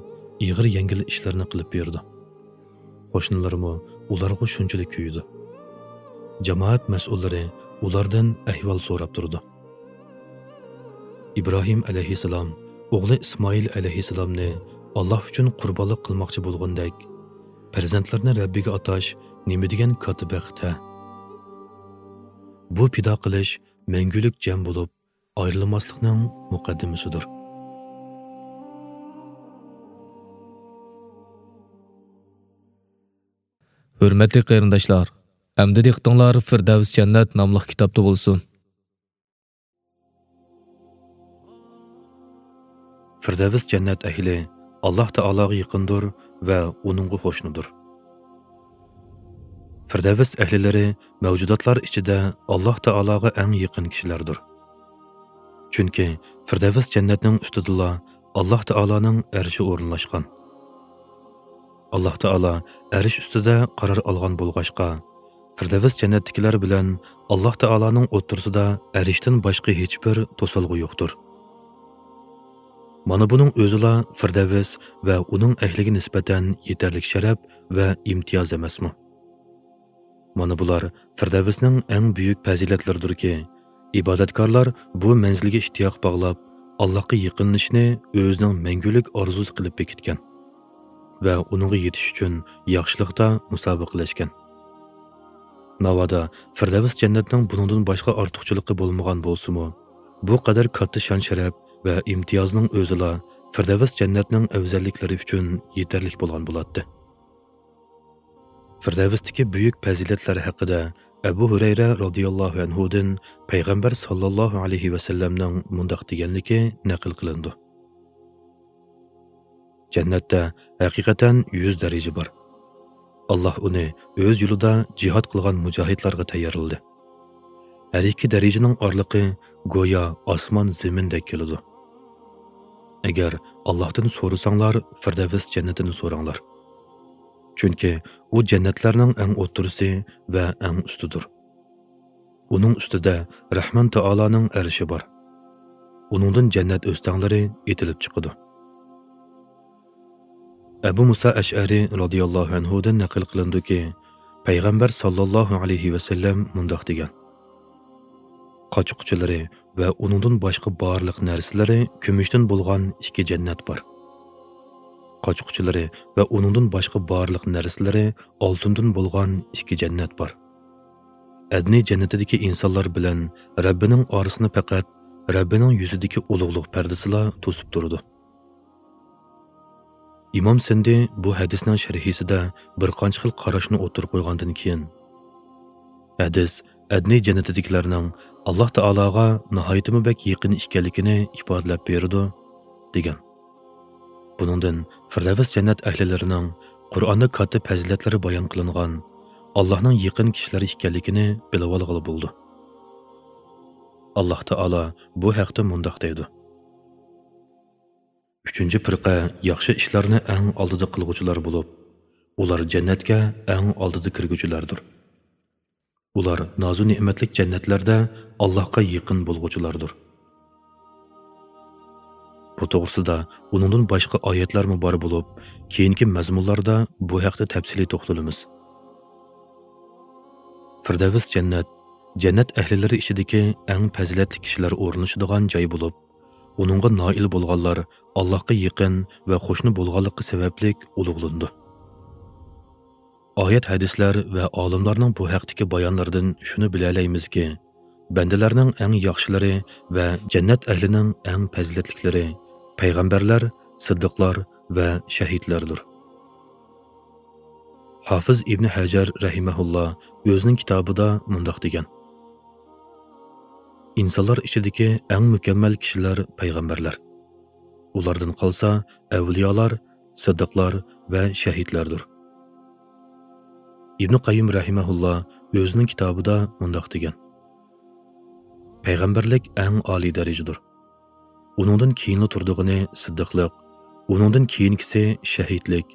ئېغىر-يەڭگىل ئىشلىرىنى قىلىپ بېرىدۇ. قوشنىلىرىمۇ ئۇلارغا شۇنچىلىك كۆيىدۇ. جامائەت مەسئۇللىرى ئۇلاردىن ئەھۋال سوراپ تۇرىدۇ. ئىبراھىم ئەلەيھىسسالام ئوغلى ئىسمائىل ئەلەيھىسسالامنى ئاللاھ ئۈچۈن قۇربانلىق قىلماقچى بولغىنىدەك، پەرزەنتلىرىنى رەببىگە ئاتاش نېمە دېگەن كاتتا بەخت ھە! بۇ پىدا قىلىش مەڭگۈلۈك جەم بولۇپ ئايرىلماسلىقنىڭ مۇقەددىمىسىدۇر. ھۆرمەتلىك قېرىنداشلار، ئەمدى دىققىتىڭلار فىردەۋس جەننەت ناملىق كىتابتا بولسۇن. فىردەۋس جەننەت ئەھلى ئاللاھ تائالاغا يېقىندۇر ۋە ئۇنىڭغا قوشنىدۇر. فىردەۋس ئەھلىلىرى مەۋجۇداتلار ئىچىدە ئاللاھ تائالاغا ئەڭ يېقىن كىشىلەردۇر. چۈنكى فىردەۋس جەننەتنىڭ ئۈستىدىلا ئاللاھ تائالانىڭ ئەرشى ئورۇنلاشقان. ئاللاھ تائالا ئەرش ئۈستىدە قارار ئالغان بولغاچقا، فىردەۋس جەننەتتىكىلەر بىلەن ئاللاھ تائالانىڭ ئوتتۇرىسىدا ئەرشتىن باشقا ھېچبىر توسالغۇ يوقتۇر. مانا بۇنىڭ ئۆزىلا فىردەۋس ۋە ئۇنىڭ ئەھلىگە نىسبەتەن يېتەرلىك شەرەپ ۋە ئىمتىياز ئەمەسمۇ؟ مانا بۇلار فىردەۋسنىڭ ئەڭ بۈيۈك پەزىلەتلىرىدۇركى، ئىبادەتكارلار بۇ مەنزىلگە ئىشتىياق باغلاپ، ئاللاھقا يېقىنلىشىشنى ئۆزىنىڭ مەڭگۈلۈك ئارزۇسى قىلىپ بېكىتكەن ۋە ئۇنىڭغا يېتىش ئۈچۈن ياخشىلىقتا مۇسابىقىلەشكەن. ناۋادا فىردەۋس جەننەتنىڭ بۇنىڭدىن باشقا ئارتۇقچىلىقى بولمىغان بولسىمۇ، بۇ قەدەر كاتتا شان-شەرەپ ۋە ئىمتىيازنىڭ ئۆزىلا فىردەۋس جەننەتنىڭ ئەۋزەللىكلىرى ئۈچۈن يېتەرلىك بولغان بولاتتى. فىردەۋستىكى بۈيۈك پەزىلەتلەر ھەققىدە ئەبۇ ھۇرەيرە رازىياللاھۇ ئەنھۇدىن پەيغەمبەر ساللاللاھۇ ئەلەيھى ۋەسەللەمنىڭ مۇنداق دېگەنلىكى نەقىل قىلىنىدۇ: جەننەتتە ھەقىقەتەن يۈز دەرىجە بار. ئاللاھ ئۇنى ئۆز يولىدا جىھاد قىلغان مۇجاھىدلارغا تەييارلىدى. ھەر ئىككى دەرىجىنىڭ ئارىلىقى گويا ئاسمان زېمىندەك كېلىدۇ. ئەگەر ئاللاھتىن سورىساڭلار، فىردەۋس جەننىتىنى سوراڭلار. چۈنكى ئۇ جەننەتلەرنىڭ ئەڭ ئوتتۇرىسى ۋە ئەڭ ئۈستىدۇر. ئۇنىڭ ئۈستىدە رەھمان تائالانىڭ ئەرشى بار. ئۇنىڭدىن جەننەت ئۆستەڭلىرى ئېتىلىپ چىقىدۇ. ئەبۇ مۇسا ئەشئەرى رازىياللاھۇ ئەنھۇدىن نەقىل قىلىنىدۇكى، پەيغەمبەر ساللاللاھۇ ئەلەيھى ۋەسەللەم مۇنداق دېگەن: قاچا-قۇچىلىرى ۋە ئۇنىڭدىن باشقا بارلىق نەرسىلىرى كۈمۈشتىن بولغان ئىككى جەننەت بار. قاچا-قۇچىلىرى ۋە ئۇنىڭدىن باشقا بارلىق نەرسىلىرى ئالتۇندىن بولغان ئىككى جەننەت بار. ئەدنى جەننىتىدىكى ئىنسانلار بىلەن رەببىنىڭ ئارىسىنى پەقەت رەببىنىڭ يۈزىدىكى ئۇلۇغلۇق پەردىسىلا توسۇپ تۇرىدۇ. ئىمام سىندى بۇ ھەدىسنىڭ شەرھىسىدە بىر قانچە خىل قاراشنى ئوتتۇرىغا قويغاندىن كېيىن، ھەدىس ئەدنى جەننىتىدىكىلەرنىڭ ئاللاھ تائالاغا ناھايىتىمۇ بەك يېقىن ئىكەنلىكىنى ئىپادىلەپ بېرىدۇ، دېگەن. بۇنىڭدىن فىردەۋس جەننەت ئەھلىلىرىنىڭ قۇرئاندا كاتتا پەزىلەتلىرى بايان قىلىنغان ئاللاھنىڭ يېقىن كىشىلىرى ئىكەنلىكىنى بىلىۋالغىلى بولىدۇ. ئاللاھ تائالا بۇ ھەقتە مۇنداق دەيدۇ: ئۈچىنچى پىرقە ياخشى ئىشلارنى ئەڭ ئالدىدا قىلغۇچىلار بولۇپ، ئۇلار جەننەتكە ئەڭ ئالدىدا كىرگۈچىلەردۇر. ئۇلار نازۇ نېمەتلىك جەننەتلەردە ئاللاھقا يېقىن بولغۇچىلاردۇر. بۇ توغرىسىدا ئۇنىڭدىن باشقا ئايەتلەرمۇ بار بولۇپ، كېيىنكى مەزمۇنلاردا بۇ ھەقتە تەپسىلىي توختىلىمىز. فىردەۋس جەننەت، جەننەت ئەھلىلىرى ئىچىدىكى ئەڭ پەزىلەتلىك كىشىلەر ئورۇنلىشىدىغان جاي بولۇپ، ئۇنىڭغا نائىل بولغانلار ئاللاھقا يېقىن ۋە قوشنا بولغانلىقى سەۋەبلىك ئۇلۇغلىنىدۇ. ئايەت ھەدىسلەر ۋە ئالىملارنىڭ بۇ ھەقتىكى بايانلىرىدىن شۇنى بىلەلەيمىزكى، بەندىلەرنىڭ ئەڭ ياخشىلىرى ۋە جەننەت ئەھلىنىڭ ئەڭ پەزىلەتلىكلىرى پەيغەمبەرلەر، سىددىقلار ۋە شەھىدلەردۇر. ھافىز ئىبنى ھەجەر رەھىمەھۇللا ئۆزىنىڭ كىتابىدا مۇنداق دېگەن: ئىنسانلار ئىچىدىكى ئەڭ مۇكەممەل كىشىلەر پەيغەمبەرلەر. ئۇلاردىن قالسا ئەۋلىيالار، سىددىقلار ۋە شەھىدلەردۇر. ئىبنى قەييىم رەھىمەھۇللا ئۆزىنىڭ كىتابىدا مۇنداق دېگەن: پەيغەمبەرلىك ئەڭ ئالىي دەرىجىدۇر. ئۇنىڭدىن كېيىنلا تۇرىدىغىنى سىددىقلىق، ئۇنىڭدىن كېيىنكىسى شەھىدلىك،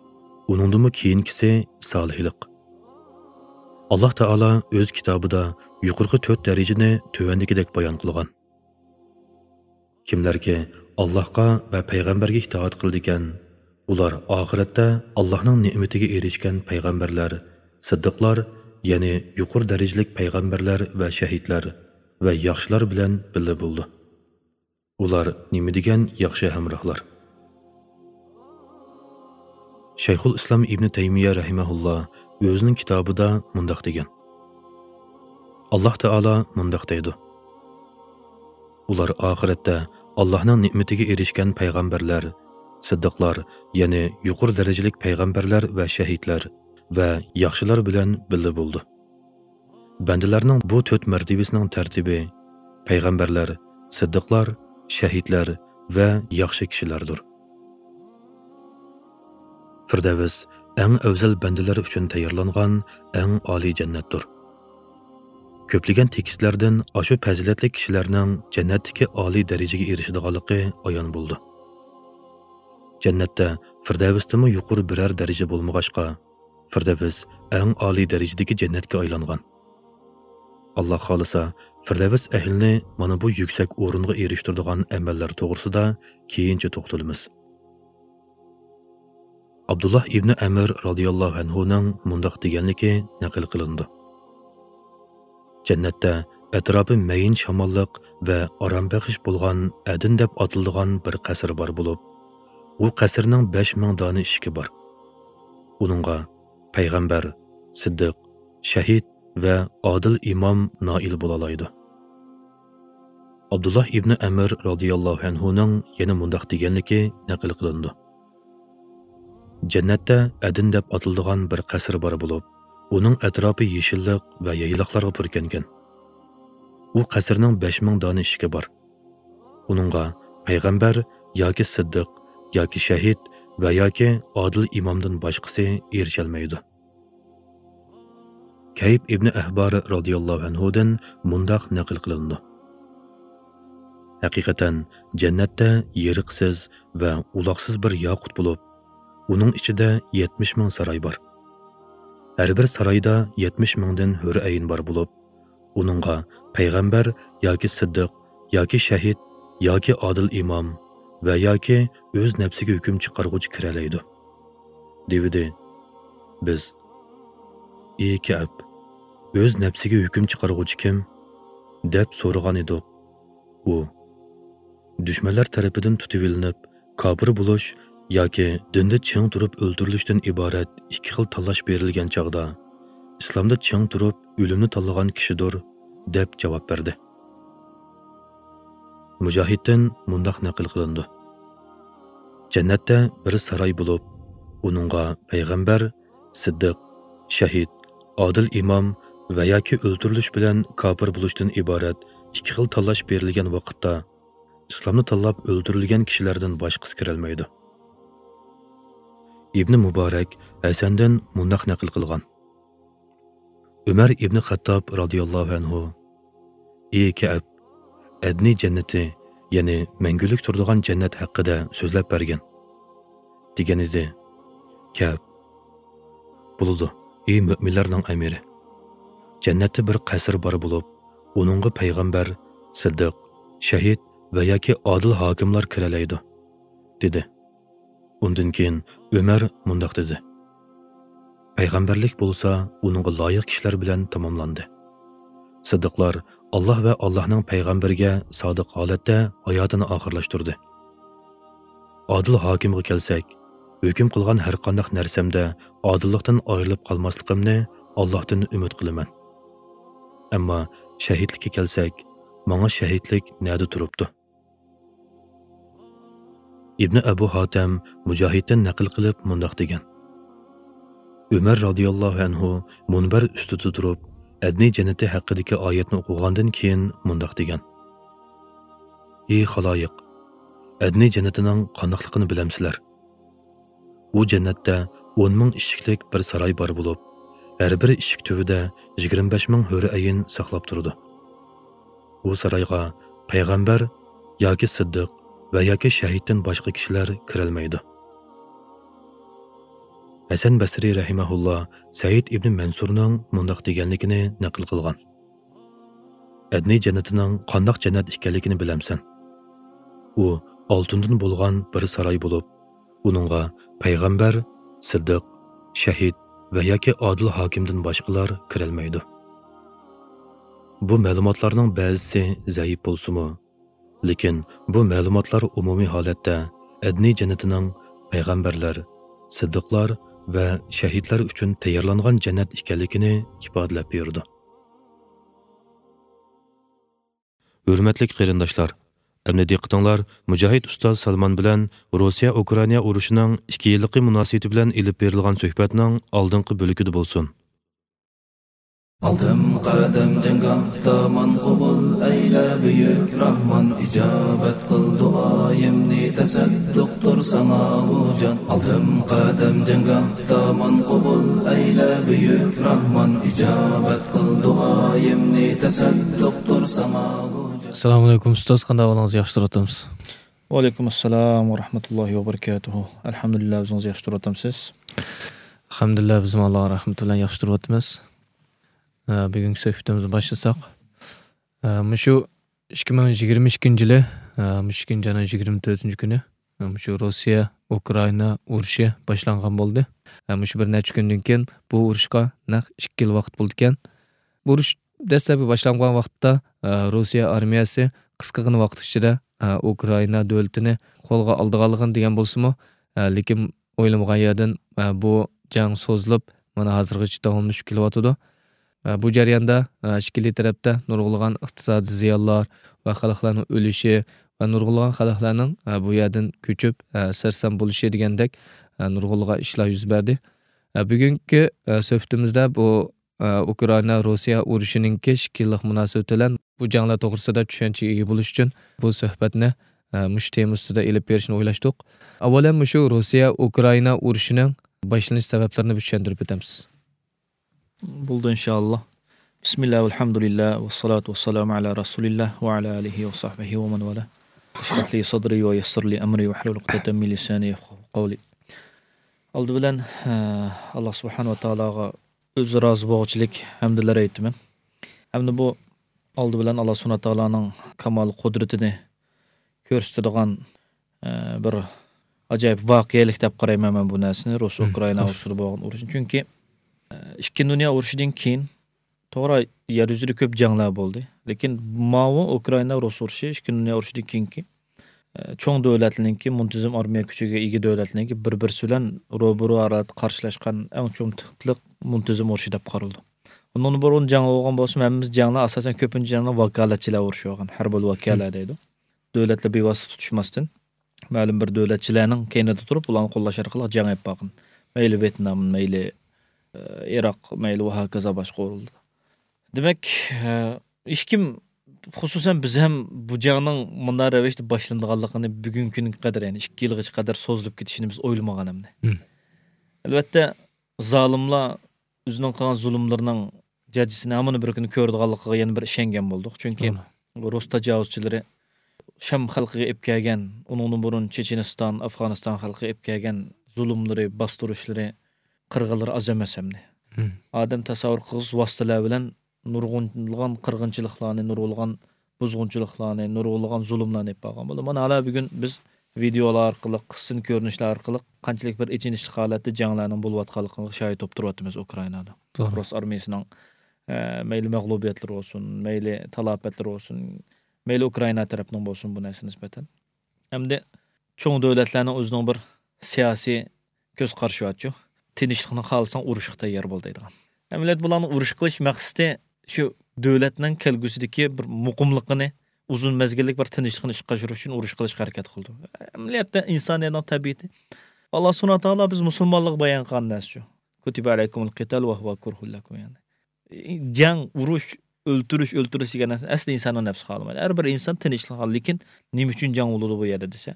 ئۇنىڭدىنمۇ كېيىنكىسى سالىھلىق. ئاللاھ تائالا ئۆز كىتابىدا يۇقىرىقى تۆت دەرىجىنى تۆۋەندىكىدەك بايان قىلغان: كىملەركى ئاللاھقا ۋە پەيغەمبەرگە ئىتائەت قىلىدىكەن، ئۇلار ئاخىرەتتە ئاللاھنىڭ نېمىتىگە ئېرىشكەن پەيغەمبەرلەر، سىددىقلار، يەنى يۇقىرى دەرىجىلىك پەيغەمبەرلەر ۋە شەھىدلەر ۋە ياخشىلار بىلەن بىللە بولىدۇ. ئۇلار نېمە دېگەن ياخشى ھەمراھلار! شەيخۇل ئىسلام ئىبنى تەيمىيە رەھىمەھۇللا ئۆزىنىڭ كىتابىدا مۇنداق دېگەن: ئاللاھ تائالا مۇنداق دەيدۇ: ئۇلار ئاخىرەتتە ئاللاھنىڭ نېمىتىگە ئېرىشكەن پەيغەمبەرلەر، سىددىقلار، يەنى يۇقىرى دەرىجىلىك پەيغەمبەرلەر ۋە شەھىدلەر ۋە ياخشىلار بىلەن بىللە بولىدۇ. بەندىلەرنىڭ بۇ تۆت مەرتىۋىسىنىڭ تەرتىپى پەيغەمبەرلەر، سىددىقلار، شەھىدلەر ۋە ياخشى كىشىلەردۇر. فىردەۋس ئەڭ ئەۋزەل بەندىلەر ئۈچۈن تەييارلانغان ئەڭ ئالىي جەننەتتۇر. كۆپلىگەن تېكىستلەردىن ئاشۇ پەزىلەتلىك كىشىلەرنىڭ جەننەتتىكى ئالىي دەرىجىگە ئېرىشىدىغانلىقى ئايان بولىدۇ. جەننەتتە فىردەۋستىمۇ يۇقىرى بىرەر دەرىجە بولمىغاچقا، فىردەۋس ئەڭ ئالىي دەرىجىدىكى جەننەتكە ئايلانغان. ئاللا خالىسا، فىردەۋس ئەھلىنى مانا بۇ يۈكسەك ئورۇنغا ئېرىشتۈرىدىغان ئەمەللەر توغرىسىدا كېيىنچە توختىلىمىز. ئابدۇللا ئىبنى ئەمىر رازىياللاھۇ ئەنھۇنىڭ مۇنداق دېگەنلىكى نەقىل قىلىنىدۇ: جەننەتتە ئەتراپى مەيىن شاماللىق ۋە ئارام بەخش بولغان ئەدىن دەپ ئاتىلىدىغان بىر قەسىر بار بولۇپ، ئۇ قەسىرنىڭ بەش مىڭ دانە ئىشىكى بار. ئۇنىڭغا پەيغەمبەر، سىددىق، شەھىد ۋە ئادىل ئىمام نائىل بولالايدۇ. ئابدۇللا ئىبنى ئەمىر رازىياللاھۇ ئەنھۇنىڭ يەنە مۇنداق دېگەنلىكى نەقىل قىلىنىدۇ: جەننەتتە ئەدىن دەپ ئاتىلىدىغان بىر قەسىر بار بولۇپ، ئۇنىڭ ئەتراپى يېشىللىق ۋە يايلاقلارغا پۈركەنگەن. ئۇ قەسىرنىڭ بەش مىڭ دانە ئىشىكى بار. ئۇنىڭغا پەيغەمبەر ياكى سىددىق ياكى شەھىد ۋە ياكى ئادىل ئىمامدىن باشقىسى ئېرىشەلمەيدۇ. كەيب ئىبنى ئەھبار رازىياللاھۇ ئەنھۇدىن مۇنداق نەقىل قىلىنىدۇ: ھەقىقەتەن، جەننەتتە يېرىقسىز ۋە ئۇلاقسىز بىر ياقۇت بولۇپ، ئۇنىڭ ئىچىدە يەتمىش مىڭ ساراي بار. ھەر بىر سارايدا يەتمىش مىڭدىن ھۆر ئەين بار بولۇپ، ئۇنىڭغا پەيغەمبەر ياكى سىددىق ياكى شەھىد ياكى ئادىل ئىمام ۋە ياكى ئۆز نەپسىگە ھۆكۈم چىقارغۇچى كىرەلەيدۇ. دېۋىدى. بىز، ئى كەئب، ئۆز نەپسىگە ھۆكۈم چىقارغۇچى كىم؟ دەپ سورىغان ئىدۇق. ئۇ، دۈشمەنلەر تەرىپىدىن تۇتۇۋېلىنىپ، كاپىر بولۇش ياكى دىندا چىڭ تۇرۇپ ئۆلتۈرۈلۈشتىن ئىبارەت ئىككى خىل تاللاش بېرىلگەن چاغدا، ئىسلامدا چىڭ تۇرۇپ ئۆلۈمنى تاللىغان كىشىدۇر، دەپ جاۋاب بەردى. مۇجاھىدتىن مۇنداق نەقىل قىلىنىدۇ: جەننەتتە بىر ساراي بولۇپ، ئۇنىڭغا پەيغەمبەر، سىددىق، شەھىد، ئادىل ئىمام ۋە ياكى ئۆلتۈرۈلۈش بىلەن كاپىر بولۇشتىن ئىبارەت ئىككى خىل تاللاش بېرىلگەن ۋاقىتتا، ئىسلامنى تاللاپ ئۆلتۈرۈلگەن كىشىلەردىن باشقىسى كىرەلمەيدۇ. ئىبنى مۇبارەك ھەسەندىن مۇنداق نەقىل قىلغان: ئۆمەر ئىبنى خەتتاب رازىياللاھۇ ئەنھۇ، ئى كەئب، ئەدنى جەننىتى، يەنى مەڭگۈلۈك تۇرىدىغان جەننەت ھەققىدە سۆزلەپ بەرگىن، دېگەن ئىدى. كەئب، بولىدۇ، ئى مۆمىنلەرنىڭ ئەمىرى. جەننەتتە بىر قەسىر بار بولۇپ، ئۇنىڭغا پەيغەمبەر، سىددىق، شەھىد ۋە ياكى ئادىل ھاكىملار كىرەلەيدۇ، دېدى. ئۇندىن كېيىن ئۆمەر مۇنداق دېدى: پەيغەمبەرلىك بولسا ئۇنىڭغا لايىق كىشىلەر بىلەن تاماملاندى. سىددىقلار ئاللا ۋە ئاللانىڭ پەيغەمبىرىگە سادىق ھالەتتە ھاياتىنى ئاخىرلاشتۇردى. ئادىل ھاكىمغا كەلسەك، ھۆكۈم قىلغان ھەرقانداق نەرسەمدە ئادىللىقتىن ئايرىلىپ قالماسلىقىمنى ئاللاھتىن ئۈمىد قىلىمەن. ئەمما شەھىدلىككە كەلسەك، ماڭا شەھىدلىك نەدە تۇرۇپتۇ؟ ئىبنى ئەبۇ ھاتەم مۇجاھىدتىن نەقىل قىلىپ مۇنداق دېگەن: ئۆمەر رازىياللاھۇ ئەنھۇ مۇنبەر ئۈستىدە تۇرۇپ، ئەدنى جەننىتى ھەققىدىكى ئايەتنى ئوقۇغاندىن كېيىن مۇنداق دېگەن: ئى خالايىق، ئەدنى جەننىتىنىڭ قانداقلىقىنى بىلەمسىلەر؟ ئۇ جەننەتتە ئون مىڭ ئىشىكلىك بىر ساراي بار بولۇپ، ھەر بىر ئىشىك تۈۋىدە يىگىرمە بەش مىڭ ھۆر ئەين ساقلاپ تۇرىدۇ. ئۇ سارايغا پەيغەمبەر ياكى سىددىق ۋە ياكى شەھىدتىن باشقا كىشىلەر كىرەلمەيدۇ. ھەسەن بەسرى رەھىمەھۇللا سەئىد ئىبنى مەنسۇرنىڭ مۇنداق دېگەنلىكىنى نەقىل قىلغان: ئەدنى جەننىتىنىڭ قانداق جەننەت ئىكەنلىكىنى بىلەمسەن؟ ئۇ ئالتۇندىن بولغان بىر ساراي بولۇپ، ئۇنىڭغا پەيغەمبەر، سىددىق، شەھىد ۋە ياكى ئادىل ھاكىمدىن باشقىلار كىرەلمەيدۇ. بۇ مەلۇماتلارنىڭ بەزىسى زەئىپ بولسىمۇ، لېكىن بۇ مەلۇماتلار ئومۇمىي ھالەتتە ئەدنى جەننىتىنىڭ پەيغەمبەرلەر، سىددىقلار ۋە شەھىدلەر ئۈچۈن تەييارلانغان جەننەت ئىكەنلىكىنى ئىپادىلەپ بېرىدۇ. ھۆرمەتلىك قېرىنداشلار، ئەمدى دىققىتىڭلار مۇجاھىد ئۇستاز سالمان بىلەن روسىيە ئۇكرائىنا ئۇرۇشىنىڭ ئىككى يىللىقى مۇناسىۋىتى بىلەن ئېلىپ بېرىلغان سۆھبەتنىڭ ئالدىنقى بۆلىكىدە بولسۇن. ئالدىم قەدەم جەڭگاھدا ماڭقۇبۇل ئەيلە بۈيۈك راھمان، ئىجابەت قىل دۇئايىمنى، تەسەددۇقتۇر ساڭا بۇ جان. ئالدىم قەدەم جەڭگاھدا ماڭقۇبۇل ئەيلە بۈيۈك راھمان، ئىجابەت قىل دۇئايىمنى، تەسەددۇقتۇر ساڭا بۇ جان. ئەسسالامۇئەلەيكۇم ئۇستاز، قانداق ئەھۋالىڭىز؟ ياخشى تۇرۇۋاتامسىز؟ ۋەئەلەيكۇم ئەسسالام ۋە رەھمەتۇللاھى ۋە بەرىكاتۇھۇ. ئەلھەمدۇلىللا، ئۆزىڭىز ياخشى تۇرۇۋاتامسىز؟ ئەلھەمدۇلىللا، بىزمۇ ئاللا رەھمىتى بىلەن ياخشى تۇرۇۋاتىمىز. ئە، بۈگۈنكى سۆھبىتىمىزنى باشلىساق، ئە، مۇشۇ ئىككى مىڭ يىگىرمە ئىككىنچى يىلى، ئە، مۇشۇ ئىككىنچى ئاينىڭ يىگىرمە تۆتىنچى كۈنى، ئە، مۇشۇ روسىيە ئۇكرائىنا ئۇرۇشى باشلانغان بولدى. ئە، مۇشۇ بىر نەچچە كۈندىن كېيىن بۇ ئۇرۇشقا نەق ئىككى يىل ۋاقىت بولىدىكەن. بۇ ئۇرۇش دەسلەپكى باشلانغان ۋاقىتتا، ئە، روسىيە ئارمىيەسى قىسقىغىنە ۋاقىت ئىچىدە، ئە، ئۇكرائىنا دۆلىتىنى قولغا ئالىدىغانلىقىنى دېگەن بولسىمۇ، ئە، لېكىن ئويلىمىغان يەردىن، ئە، بۇ جەڭ سوزۇلۇپ، مانا ھازىرغىچە داۋاملىشىپ كېلىۋاتىدۇ. ئە، بۇ جەرياندا، ئە، ئىككىلى تەرەپتە نۇرغۇنلىغان ئىقتىسادىي زىيانلار ۋە خەلقلەرنىڭ ئۆلۈشى ۋە نۇرغۇنلىغان خەلقلەرنىڭ، ئە، بۇ يەردىن كۆچۈپ، ئە، سەرسان بولۇشى دېگەندەك، ئە، نۇرغۇنلىغان ئىشلار يۈز بەردى. ئە، بۈگۈنكى، ئە، سۆھبىتىمىزدە بۇ، ئە، ئۇكرائىنا روسىيە ئۇرۇشىنىڭكى ئىككى يىللىق مۇناسىۋىتى بىلەن بۇ جەڭلەر توغرىسىدا چۈشەنچىگە ئىگە بولۇش ئۈچۈن بۇ سۆھبەتنى، ئە، مۇشۇ تېما ئۈستىدە ئېلىپ بېرىشنى ئويلاشتۇق. ئاۋۋالەن مۇشۇ روسىيە ئۇكرائىنا ئۇرۇشىنىڭ باشلىنىش سەۋەبلىرىنى بىر چۈشەندۈرۈپ ئۆتەمسىز؟ بولدى، ئىنشائاللا. بىسمىللا، ۋەلھەمدۇلىللا، ۋەسسالاتۇ ۋەسسالامۇ ئەلا رەسۇلىللا ۋە ئەلا ئالىھى ۋە سەھبىھى ۋە مەن ۋالا. ئىشرەھ لى سەدرى ۋە يەسسىر لى ئەمرى ۋەھلۇل ئۇقدەتەن مىن لىسانى يەفقەھۇ قەۋلى. ئالدى بىلەن، ئە، ئاللا سۇبھانەھۇ ۋە تائالاغا ئۆزى رازى بولغۇچىلىك ھەمدىلەر ئېيتىمەن. ھەمدە بۇ ئالدى بىلەن ئاللا سۇبھانەھۇ ۋە تائالانىڭ كامال قۇدرىتىنى كۆرسىتىدىغان، ئە، بىر ئاجايىپ ۋەقەلىك دەپ قارايمەن مەن بۇ نەرسىنى، روس مم، ئۇكرائىنا توغرا. ئۇرۇشىدا بولغان ئۇرۇشنى. چۈنكى، ئە، ئىككى دۇنيا ئۇرۇشىدىن كېيىن توغرا يەر يۈزىدە كۆپ جەڭلەر بولدى. لېكىن ماۋۇ ئۇكرائىنا روس ئۇرۇشى ئىككى دۇنيا ئۇرۇشىدىن كېيىنكى، ئە، چوڭ دۆلەتلەرنىڭكى، مۇنتىزىم ئارمىيە كۈچىگە ئىگە دۆلەتلەرنىڭكى بىر-بىرسى بىلەن روبىرو ھالەتتە قارشىلاشقان ئەڭ چوڭ تىپلىق مۇنتىزىم ئۇرۇشى دەپ قارىلىدۇ. ئۇنىڭدىن بۇرۇن جەڭ بولغان بولسىمۇ، ھەممىمىز جەڭلەر ئاساسەن كۆپىنچە جەڭلەر ۋاكالەتچىلەر ئۇرۇشى بولغان، ھەربىي ۋاكالە دەيدۇ. دۆلەتلەر بىۋاسىتە تۇتۇشماستىن، مەلۇم بىر دۆلەتچىلەرنىڭ كەينىدە تۇرۇپ، ئۇلارنى قوللاش ئارقىلىق جەڭ ئېلىپ بارغان. مەيلى ۋيېتنام، مەيلى، ئە، ئىراق، مەيلى ۋە ھاكازا باشقا ئورۇندا. دېمەك، ئە، ھېچكىم، خۇسۇسەن بىز ھەم بۇ جەڭنىڭ مۇنداق رەۋىشتە باشلىنىدىغانلىقىنى بۈگۈنكى كۈنگە قەدەر، يەنى ئىككى يىلغىچە قەدەر سوزۇلۇپ كېتىشىنى بىز ئويلىمىغان ئەمدى. مم. ئەلۋەتتە، زالىملار ئۆزىنىڭ قىلغان زۇلۇملىرىنىڭ جاجىسىنى ھامان بىر كۈنى كۆرىدىغانلىقىغا يەنە بىر ئىشەنگەن بولدۇق. چۈنكى توغرا. رۇس تاجاۋۇزچىلىرى شام خەلقىگە ئېلىپ كەلگەن، ئۇنىڭدىن بۇرۇن چېچېنىستان، ئافغانىستان خەلقىگە ئېلىپ كەلگەن زۇلۇملىرى، باستۇرۇشلىرى، قىرغىنلىرى ئاز ئەمەس ئەمدى. مم. ئادەم تەسەۋۋۇر قىلغۇسىز ۋاسىتىلەر بىلەن نۇرغۇنلىغان قىرغىنچىلىقلارنى، نۇرغۇنلىغان بۇزغۇنچىلىقلارنى، نۇرغۇنلىغان زۇلۇملارنى ئېلىپ بارغان بولدى. مانا ھالا بۈگۈن بىز ۋىدېئولار ئارقىلىق، قىسسىنى كۆرۈنۈشلەر ئارقىلىق قانچىلىك بىر ئېچىنىشلىق ھالەتتە جەڭلەرنىڭ بولۇۋاتقانلىقىغا شاھىت بولۇپ تۇرۇۋاتىمىز ئۇكرائىنادا. توغرا. رۇس ئارمىيىسىنىڭ، ئە، مەيلى مەغلۇبىيەتلىرى بولسۇن، مەيلى تالاپەتلىرى بولسۇن، مەيلى ئۇكرائىنا تەرەپنىڭ بولسۇن بۇ نەرسە نىسبەتەن. ئەمدى چوڭ دۆلەتلەرنىڭ ئۆزىنىڭ بىر سىياسىي كۆز قارىشى بارچۇ. تىنچلىقنى خالىساڭ ئۇرۇشقا تەييار بول دەيدىغان. ئەمەلىيەتتە بۇلارنىڭ ئۇرۇش قىلىش مەقسىتى شۇ دۆلەتنىڭ كەلگۈسىدىكى بىر مۇقىملىقىنى، ئۇزۇن مەزگىللىك بىر تىنچلىقنى ئىشقا ئاشۇرۇش ئۈچۈن ئۇرۇش قىلىشقا ھەرىكەت قىلىدۇ. ئەمەلىيەتتە ئىنسانىيەتنىڭ تەبىئىتى. ئاللا سۇبھانەھۇ ۋە تائالا بىز مۇسۇلمانلارغا بايان قىلغان نەرسە شۇ. كۇتىبە ئەلەيكۇمۇل قىتال ۋە ھۇۋە كۇرھۇل لەكۇم، يەنى. جەڭ، ئۇرۇش، ئۆلتۈرۈش، ئۆلتۈرۈش دېگەن نەرسە ئەسلى ئىنساننىڭ نەپسى خالىمايدۇ. ھەر بىر ئىنسان تىنچلىق خالايدۇ. لېكىن نېمە ئۈچۈن جەڭ بولىدۇ بۇ يەردە دېسە،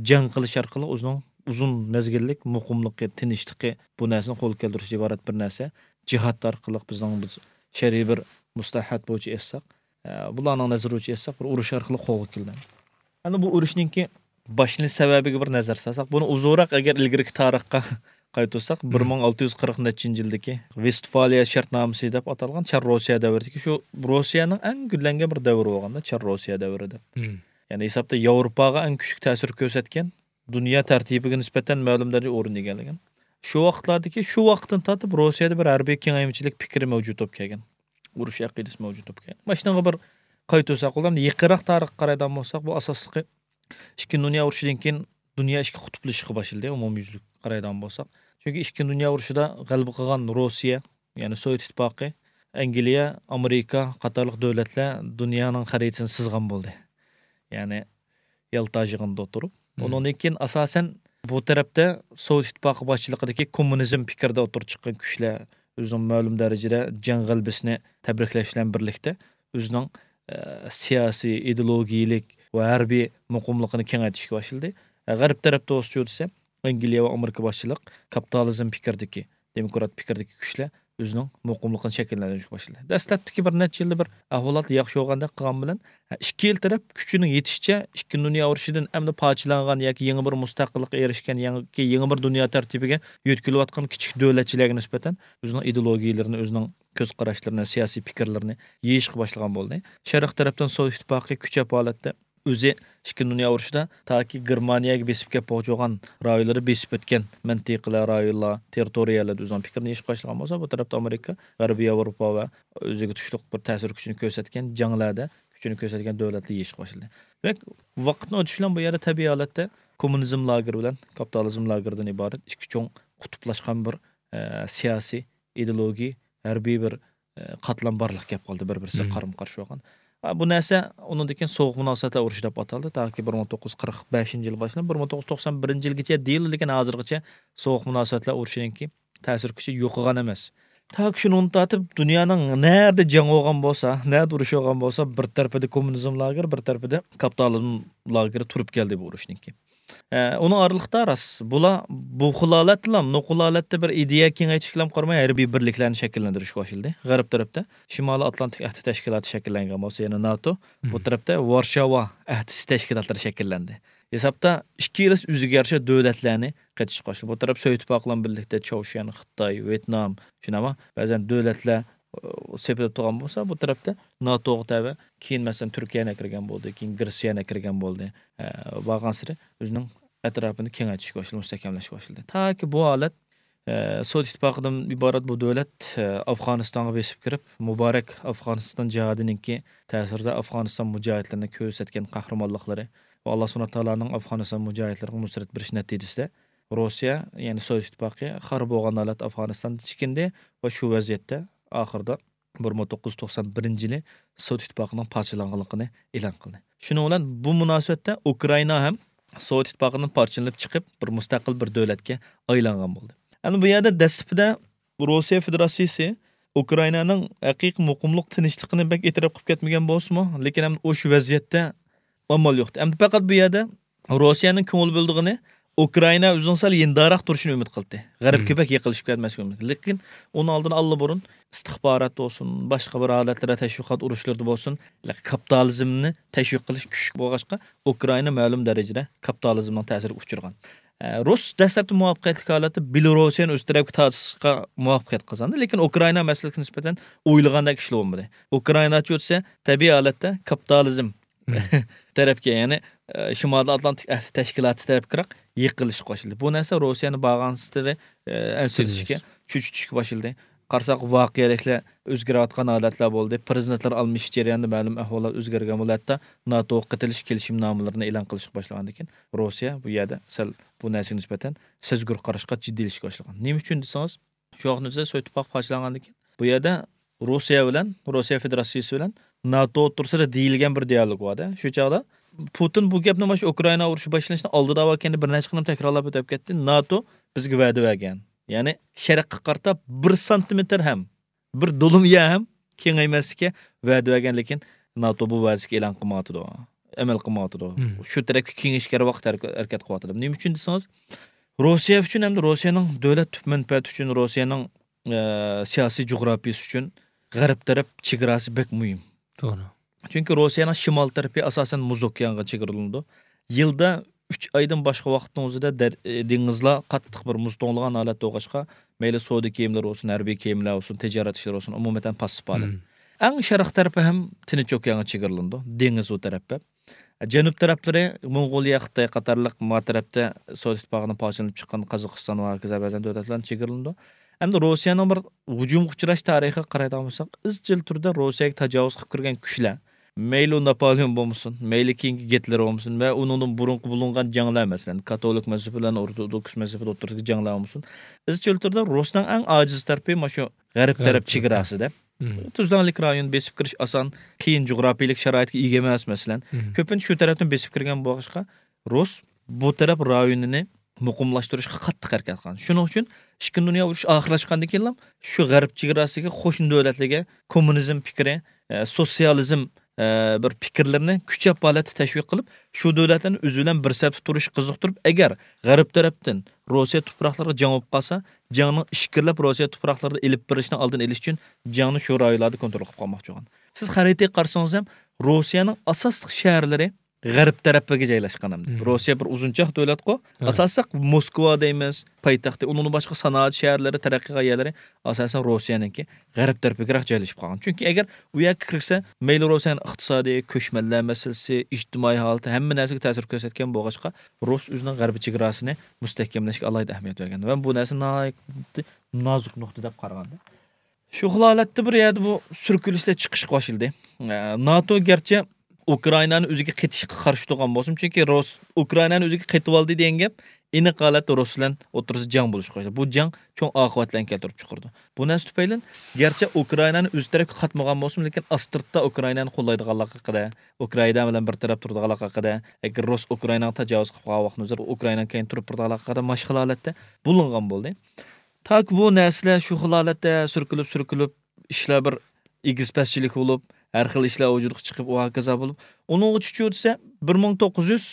جەڭ قىلىش ئارقىلىق ئۆزىنىڭ ئۇزۇن مەزگىللىك مۇقىملىقى، تىنچلىقى، بۇ نەرسىنى قولغا كەلتۈرۈشتىن ئىبارەت بىر نەرسە. جىھاد ئارقىلىق بىزنىڭ، بىز شەرئىي بىر مۇستەلاھات بويىچە ئېيتساق، ئە، بۇلارنىڭ نەزىرى بويىچە ئېيتساق، بىر ئۇرۇش ئارقىلىق قولغا كېلىدۇ. ئەمدى بۇ ئۇرۇشنىڭكى باشلىنىش سەۋەبىگە بىر نەزەر سالساق، بۇنى ئۇزۇنراق ئەگەر ئىلگىرىكى تارىخقا قايتۇرساق، مم. بىر مىڭ ئالتە يۈز قىرىق نەچچىنچى يىلدىكى ۋېستفالىيە شەرتنامىسى دەپ ئاتالغان چار روسىيە دەۋرىدىكى، شۇ روسىيەنىڭ ئەڭ گۈللەنگەن بىر دەۋرى بولغاندا، چار روسىيە دەۋرى دەپ. مم. يەنى ھېسابتا ياۋروپاغا ئەڭ كۈچلۈك تەسىر كۆرسەتكەن، دۇنيا تەرتىپىگە نىسبەتەن مەلۇم دەرىجىدە ئورۇن ئىگىلىگەن. شۇ ۋاقىتلاردىكى، شۇ ۋاقىتتىن تارتىپ روسىيەدە بىر ھەربىي كېڭەيمىچىلىك پىكرى مەۋجۇت بولۇپ كەلگەن. ئۇرۇش ئەقىدىسى مەۋجۇت بولۇپ كەلگەن. مانا شۇنىڭغا بىر قايتۇرساق، ئۇلارنى يېقىنراق تارىخقا قارايدىغان بولساق، بۇ ئاساسلىقى ئىككىنچى دۇنيا ئۇرۇشىدىن كېيىن دۇنيا ئىككى قۇتۇپلىشىشقا باشلىدى، ئومۇميۈزلۈك قارايدىغان بولساق. چۈنكى ئىككىنچى دۇنيا ئۇرۇشىدا غەلىبە قىلغان روسىيە، يەنى سوۋېت ئىتتىپاقى، ئەنگلىيە، ئامېرىكا قاتارلىق دۆلەتلەر دۇنيانىڭ خەرىتىسىنى سىزغان بولدى. يەنى يالتا يىغىنىدا ئولتۇرۇپ. مم. ئۇنىڭدىن كېيىن ئاساسەن بۇ تەرەپتە سوۋېت ئىتتىپاقى باشچىلىقىدىكى كوممۇنىزم پىكرىدە ئولتۇرۇپ چىققان كۈچلەر ئۆزىنىڭ مەلۇم دەرىجىدە جەڭ غەلىبىسىنى تەبرىكلەش بىلەن بىرلىكتە ئۆزىنىڭ، ئە، سىياسىي، ئىدېئولوگىيەلىك ۋە ھەربىي مۇقىملىقىنى كېڭەيتىشكە باشلىدى. ئە، غەرب تەرەپتە بولسىچۇ دېسە، ئەنگلىيە ۋە ئامېرىكا باشچىلىق كاپىتالىزم پىكرىدىكى، دېموكرات پىكىردىكى كۈچلەر ئۆزىنىڭ مۇقىملىقىنى شەكىللەندۈرۈشكە باشلىدى. دەسلەپتىكى بىر نەچچە يىلدا بىر ئەھۋالات ياخشى بولغاندەك قىلغان بىلەن، ئىككى يىل تەرەپ كۈچىنىڭ يېتىشىچە ئىككى دۇنيا ئۇرۇشىدىن ئەمدى پارچىلانغان ياكى يېڭى بىر مۇستەقىللىققا ئېرىشكەن ياكى يېڭى بىر دۇنيا تەرتىپىگە يۆتكىلىۋاتقان كىچىك دۆلەتچىلەرگە نىسبەتەن ئۆزىنىڭ ئىدېئولوگىيەلىرىنى، ئۆزىنىڭ كۆز قاراشلىرىنى، سىياسىي پىكىرلىرىنى يېيىشقا باشلىغان بولدى. شەرق تەرەپتىن سوۋېت ئىتتىپاقى كۈچەپ ھالەتتە ئۆزى ئىككىنچى دۇنيا ئۇرۇشىدا تاكى گېرمانىيەگە بېسىپ كەپ بولغان رايونلىرى بېسىپ ئۆتكەن مەنتىقىلەر، رايونلار، تېررىتورىيەلەردە ئۆزىنىڭ پىكرىنى يېيىشقا باشلىغان بولسا، بۇ تەرەپتە ئامېرىكا، غەربىي ياۋروپا ۋە ئۆزىگە تۇشلۇق بىر تەسىر كۈچىنى كۆرسەتكەن جەڭلەردە كۈچىنى كۆرسەتكەن دۆلەتلەر يېيىشقا باشلىدى. دېمەك، ۋاقىتنىڭ ئۆتۈشى بىلەن بۇ يەردە تەبىئىي ھالەتتە كوممۇنىزم لاگېرى بىلەن كاپىتالىزم لاگېرىدىن ئىبارەت ئىككى چوڭ قۇتۇپلاشقان بىر، ئە، سىياسىي، ئىدېئولوگىي، ھەربىي بىر، ئە، قاتلام بارلىققا كەپ قالدى، بىر-بىرسىگە قارىمۇ قارشى بولغان. ئا، بۇ نەرسە ئۇنىڭدىن كېيىن سوغۇق مۇناسىۋەتلەر ئۇرۇشى دەپ ئاتالدى. تاكى بىر مىڭ توققۇز يۈز قىرىق بەشىنچى يىل باشلىنىپ، بىر مىڭ توققۇز يۈز توقسان بىرىنچى يىلگىچە دېيىلدى، لېكىن ھازىرغىچە سوغۇق مۇناسىۋەتلەر ئۇرۇشىنىڭكى تەسىر كۈچى يوقىغان ئەمەس. تاكى شۇنىڭدىن تارتىپ دۇنيانىڭ نەدە جەڭ بولغان بولسا، نەدە ئۇرۇش بولغان بولسا، بىر تەرىپىدە كوممۇنىزم لاگېرى، بىر تەرىپىدە كاپىتالىزم لاگېرى تۇرۇپ كەلدى بۇ ئۇرۇشنىڭكى. ئە، ئۇنىڭ ئارىلىقتا راست، بۇلار بۇ خىل ھالەتتىلا، نوقۇل ھالەتتە بىر ئىدىيە كېڭەيتىشكىلا قارىماي، ھەربىي بىرلىكلەرنى شەكىللەندۈرۈشكە باشلىدى. غەرب تەرەپتە شىمالىي ئاتلانتىك ئەھدى تەشكىلاتى شەكىللەنگەن بولسا، يەنى ناتو، بۇ تەرەپتە ۋارشاۋا ئەھدىسى تەشكىلاتلىرى شەكىللەندى. ھېسابتا ئىككىلىسى ئۆزىگە يارىشا دۆلەتلەرنى قېتىشقا باشلىدى. بۇ تەرەپ سوۋېت ئىتتىپاقى بىلەن بىرلىكتە چاۋشيەن، خىتاي، ۋيېتنام، شۇنداقمۇ بەزەن دۆلەتلەر، ئۇ، سېپىدە تۇرغان بولسا، بۇ تەرەپتە ناتوغا تەۋە، كېيىن، مەسىلەن، تۈركىيەنى ئەكىرگەن بولدى، كېيىن گرېتسىيەنى ئەكىرگەن بولدى. ئە، بارغانسېرى ئۆزىنىڭ ئەتراپىنى كېڭەيتىشكە باشلىدى، مۇستەھكەملەشكە باشلىدى. تاكى بۇ ھالەت، ئە، سوۋېت ئىتتىپاقىدىن ئىبارەت بۇ دۆلەت، ئە، ئافغانىستانغا بېسىپ كىرىپ، مۇبارەك ئافغانىستان جىھادىنىڭكى تەسىرىدە ئافغانىستان مۇجاھىدلىرىنى كۆرسەتكەن قەھرىمانلىقلىرى ۋە ئاللا سۇبھانەھۇ تائالانىڭ ئافغانىستان مۇجاھىدلىرىغا نۇسرەت بېرىش نەتىجىسىدە، روسىيە، يەنى سوۋېت ئىتتىپاقى خار بولغان ھالەتتە ئافغانىستاندىن چېكىندى ۋە شۇ ۋەزىيەتتە ئاخىرىدا بىر مىڭ توققۇز يۈز توقسان بىرىنچى يىلى سوۋېت ئىتتىپاقىنىڭ پارچىلانغانلىقىنى ئېلان قىلدى. شۇنىڭ بىلەن بۇ مۇناسىۋەتتە ئۇكرائىنا ھەم سوۋېت ئىتتىپاقىدىن پارچىلىنىپ چىقىپ، بىر مۇستەقىل بىر دۆلەتكە ئايلانغان بولدى. ئەمدى بۇ يەردە دەسلىپىدە روسىيە فېدېراتسىيىسى ئۇكرائىنانىڭ ھەقىقىي مۇقىملىق، تىنچلىقىنى بەك ئېتىراپ قىلىپ كەتمىگەن بولسىمۇ، لېكىن ئەمدى ئۇ شۇ ۋەزىيەتتە ئامال يوق. ئەمدى پەقەت بۇ يەردە روسىيەنىڭ كۆڭۈل بۆلىدىغىنى ئۇكرائىنا ئۆزىنىڭ سەل يېنىداراق تۇرۇشىنى ئۈمىد قىلدى. غەربكە بەك يېقىنلىشىپ كەتمەسلىكى ئۈمىد. لېكىن ئۇنىڭ ئالدىنى ئاللىبۇرۇن ئىستىخبارات بولسۇن، باشقا بىر ھالەتلەردە تەشۋىقات ئۇرۇشلىرىدا بولسۇن، كاپىتالىزمنى تەشۋىق قىلىش كۈچلۈك بولغاچقا، ئۇكرائىنا مەلۇم دەرىجىدە كاپىتالىزمنىڭ تەسىرىگە ئۇچرىغان. ئە، رۇس دەسلەپتە مۇۋەپپەقىيەتلىك ھالەتتە بېلوروسىيەنى ئۆز تەرەپكە تارتىشقا مۇۋەپپەقىيەت قازاندى، لېكىن ئۇكرائىنا مەسىلىسىگە نىسبەتەن ئويلىغاندەك ئىشلار بولمىدى. ئۇكرائىناچە ئۆتسە، تەبىئىي ھالەتتە كاپىتالىزم تەرەپكە، يەنى، ئە، شىمالىي ئاتلانتىك ئەھدى تەشكىلاتى تەرەپكىراق يېقىنلىشىپ باشلىدى. بۇ نەرسە روسىيەنى بارغانسېرى، ئە، ئەنسىرىتىشكە، چۆچۈتۈشكە باشلىدى. قارىساق، ۋەقەلىكلەر ئۆزگىرىۋاتقان ھالەتلەر بولدى. پىرېزىدېنتلار ئالمىشىش جەريانىدا مەلۇم ئەھۋاللار ئۆزگەرگەن بولدى. ھەتتا ناتوغا قېتىلىش كېلىشىمنامىلىرىنى ئېلان قىلىشقا باشلىغاندىن كېيىن، روسىيە بۇ يەردە سەل بۇ نەرسىگە نىسبەتەن سەزگۈر قاراشقا جىددىيلىشىشكە باشلىغان. نېمە ئۈچۈن دېسىڭىز، شۇ ۋاقىتتا سوۋېت ئىتتىپاقى پارچىلاندىن كېيىن، بۇ يەردە روسىيە بىلەن، روسىيە فېدېراتسىيىسى بىلەن ناتو ئوتتۇرىسىدا دېيىلگەن بىر دىيالوگ بار-دە. شۇ چاغدا پۇتىن بۇ گەپنى مانا شۇ ئۇكرائىنا ئۇرۇشى باشلىنىشتىن ئالدىدا باركەندە بىر نەچچە قېتىم تەكرارلاپ ئۆتۈپ كەتتى. ناتو بىزگە ۋەدە بەرگەن. يەنى شەرققە قارىتا بىر سانتىمېتىر ھەم، بىر دولىمۇ يەر ھەم كېڭەيمەسلىككە ۋەدە بەرگەن، لېكىن ناتو بۇ ۋەدىسىگە ئېلان قىلمايۋاتىدۇ. ئەمەل قىلمايۋاتىدۇ. شۇ تەرەپكە كېڭىيىشكە ھەر ۋاقىت ھەرىكە-، ھەرىكەت قىلىۋاتىدۇ. نېمە ئۈچۈن دېسىڭىز، روسىيە ئۈچۈن ھەمدە روسىيەنىڭ دۆلەت تۈپ مەنپەئەتى ئۈچۈن، روسىيەنىڭ، ئە، سىياسىي جۇغراپىيىسى ئۈچۈن غەرب تەرەپ چېگراسى بەك مۇھىم. توغرا. چۈنكى روسىيەنىڭ شىمال تەرىپى ئاساسەن مۇز ئوكيانغا چېگرىلىنىدۇ. يىلدا ئۈچ ئايدىن باشقا ۋاقىتنىڭ ئۆزىدە دەر-، ئى، دېڭىزلار قاتتىق بىر مۇز توڭلىغان ھالەتتە بولغاچقا، مەيلى سودا كېمىلىرى بولسۇن، ھەربىي كېمىلەر بولسۇن، تىجارەت ئىشلىرى بولسۇن، ئومۇمەن پاسسىپ ھالەت. ئەڭ شەرق تەرىپى ھەم تىنچ ئوكيانغا چېگرىلىنىدۇ، دېڭىز ئۇ تەرەپ. جەنۇب تەرەپلىرى موڭغۇلىيە، خىتاي قاتارلىق ما تەرەپتە سوۋېت ئىتتىپاقىدىن پارچىلىنىپ چىققان قازاقىستان ۋە ھاكازا بەزەن دۆلەتلەرنى چېگرىلىنىدۇ. ئەمدى روسىيەنىڭ بىر ھۇجۇمغا ئۇچراش تارىخىغا قارايدىغان بولساق، ئىزچىل تۈردە روسىيەگە تاجاۋۇز قىلىپ كىرگەن كۈچلەر، مەيلى ئۇ ناپولېئون بولمىسۇن، مەيلى كېيىنكى گىتلېر بولمىسۇن ۋە ئۇنىڭدىن بۇرۇنقى بولۇنغان جەڭلەر، مەسىلەن، كاتولىك مەزھىپى بىلەن ئورتودوكس مەزھىپى ئوتتۇرىسىدىكى جەڭلەر بولمىسۇن، ئىزچىل تۈردە رۇسنىڭ ئەڭ ئاجىز تەرىپى مانا شۇ غەرب تەرەپ چېگراسىدا. تۈزلەڭلىك رايون بېسىپ كىرىش ئاسان، قىيىن جۇغراپىيىلىك شارائىتقا ئىگە ئەمەس، مەسىلەن. كۆپىنچە شۇ تەرەپتىن بېسىپ كىرگەن بولغاچقا، رۇس بۇ تەرەپ رايونىنى مۇقىملاشتۇرۇشقا قاتتىق ھەرىكەت قىلغان. شۇنىڭ ئۈچۈن ئىككىنچى دۇنيا ئۇرۇشى ئاخىرلاشقاندىن كېيىنلا شۇ غەرب چېگراسىدىكى قوشنا دۆلەتلەرگە كوممۇنىزم پىكرى، ئە، سوتسىيالىزم ئە، بىر پىكىرلىرىنى كۈچەپ ھالەتتە تەشۋىق قىلىپ، شۇ دۆلەتلەرنى ئۆزى بىلەن بىر سەپتە تۇرۇشقا قىزىقتۇرۇپ، ئەگەر غەرب تەرەپتىن روسىيە تۇپراقلىرىغا جەڭ بولۇپ قالسا، جەڭنىڭ ئىچكىرىلەپ روسىيە تۇپراقلىرىدا ئېلىپ بېرىلىشىنىڭ ئالدىنى ئېلىش ئۈچۈن جەڭنى شۇ رايونلاردا كونترول قىلىپ قالماقچى بولغان. سىز خەرىتىگە قارىسىڭىز ھەم، روسىيەنىڭ ئاساسلىق شەھەرلىرى غەرب تەرەپكە جايلاشقان ئەمدى. مم. روسىيە بىر ئۇزۇنچاق دۆلەتقۇ. ھە. ئاساسلىق موسكۋا دەيمىز، پايتەختى، ئۇنىڭدىن باشقا سانائەت شەھەرلىرى، تەرەققىي قىلغان يەرلىرى ئاساسەن روسىيەنىڭكى غەرب تەرىپىگىرەك جايلىشىپ قالغان. چۈنكى ئەگەر ئۇ يەرگە كىرسە، مەيلى روسىيەنىڭ ئىقتىسادىي، كۆچمەنلەر مەسىلىسى، ئىجتىمائىي ھالىتى، ھەممە نەرسىگە تەسىر كۆرسەتكەن بولغاچقا، رۇس ئۆزىنىڭ غەربىي چېگراسىنى مۇستەھكەملەشكە ئالاھىدە ئەھمىيەت بەرگەن. ۋە بۇ نەرسە ناھايىتى نازۇك نۇقتا دەپ قارىغاندا. شۇ خىل ھالەتتە بىر يەردە بۇ سۈركىلىشلەر چىقىشقا باشلىدى. ئە، ناتو گەرچە ئۇكرائىنانى ئۆزىگە قېتىشقا قارشى تۇرغان بولسىمۇ، چۈنكى رۇس ئۇكرائىنانى ئۆزىگە قېتىۋالدى دېگەن گەپ ئېنىق ھالەتتە رۇس بىلەن ئوتتۇرىسىدا جەڭ بولۇشقا باشلىدى. بۇ جەڭ چوڭ ئاقىۋەتلەرنى كەلتۈرۈپ چىقىرىدۇ. بۇ نەرسە تۈپەيلىدىن گەرچە ئۇكرائىنانى ئۆز تەرەپكە قاتمىغان بولسىمۇ، لېكىن ئاستىرتتا ئۇكرائىنانى قوللايدىغانلىقى ھەققىدە، ئۇكرائىنا بىلەن بىر تەرەپ تۇرىدىغانلىقى ھەققىدە، ئەگەر رۇس ئۇكرائىناغا تاجاۋۇز قىلىپ قالغان ۋاقتىنىڭ ئۆزىدە ئۇكرائىنانىڭ كەينىدە تۇرۇپ بېرىدىغانلىقى ھەققىدە ماشقىلا ھالەتتە بولۇنغان بولدى. تاكى بۇ نەرسىلەر شۇ خىل ھالەتتە سۈركىلىپ، سۈركىلىپ، ئىشلار بىر ئېگىز-پەسچىلىك بولۇپ، ھەر خىل ئىشلار ۋۇجۇدقا چىقىپ، ئۇ ھاكازا بولۇپ، ئۇنىڭغىچە چۈشۈرسە، بىر مىڭ توققۇز يۈز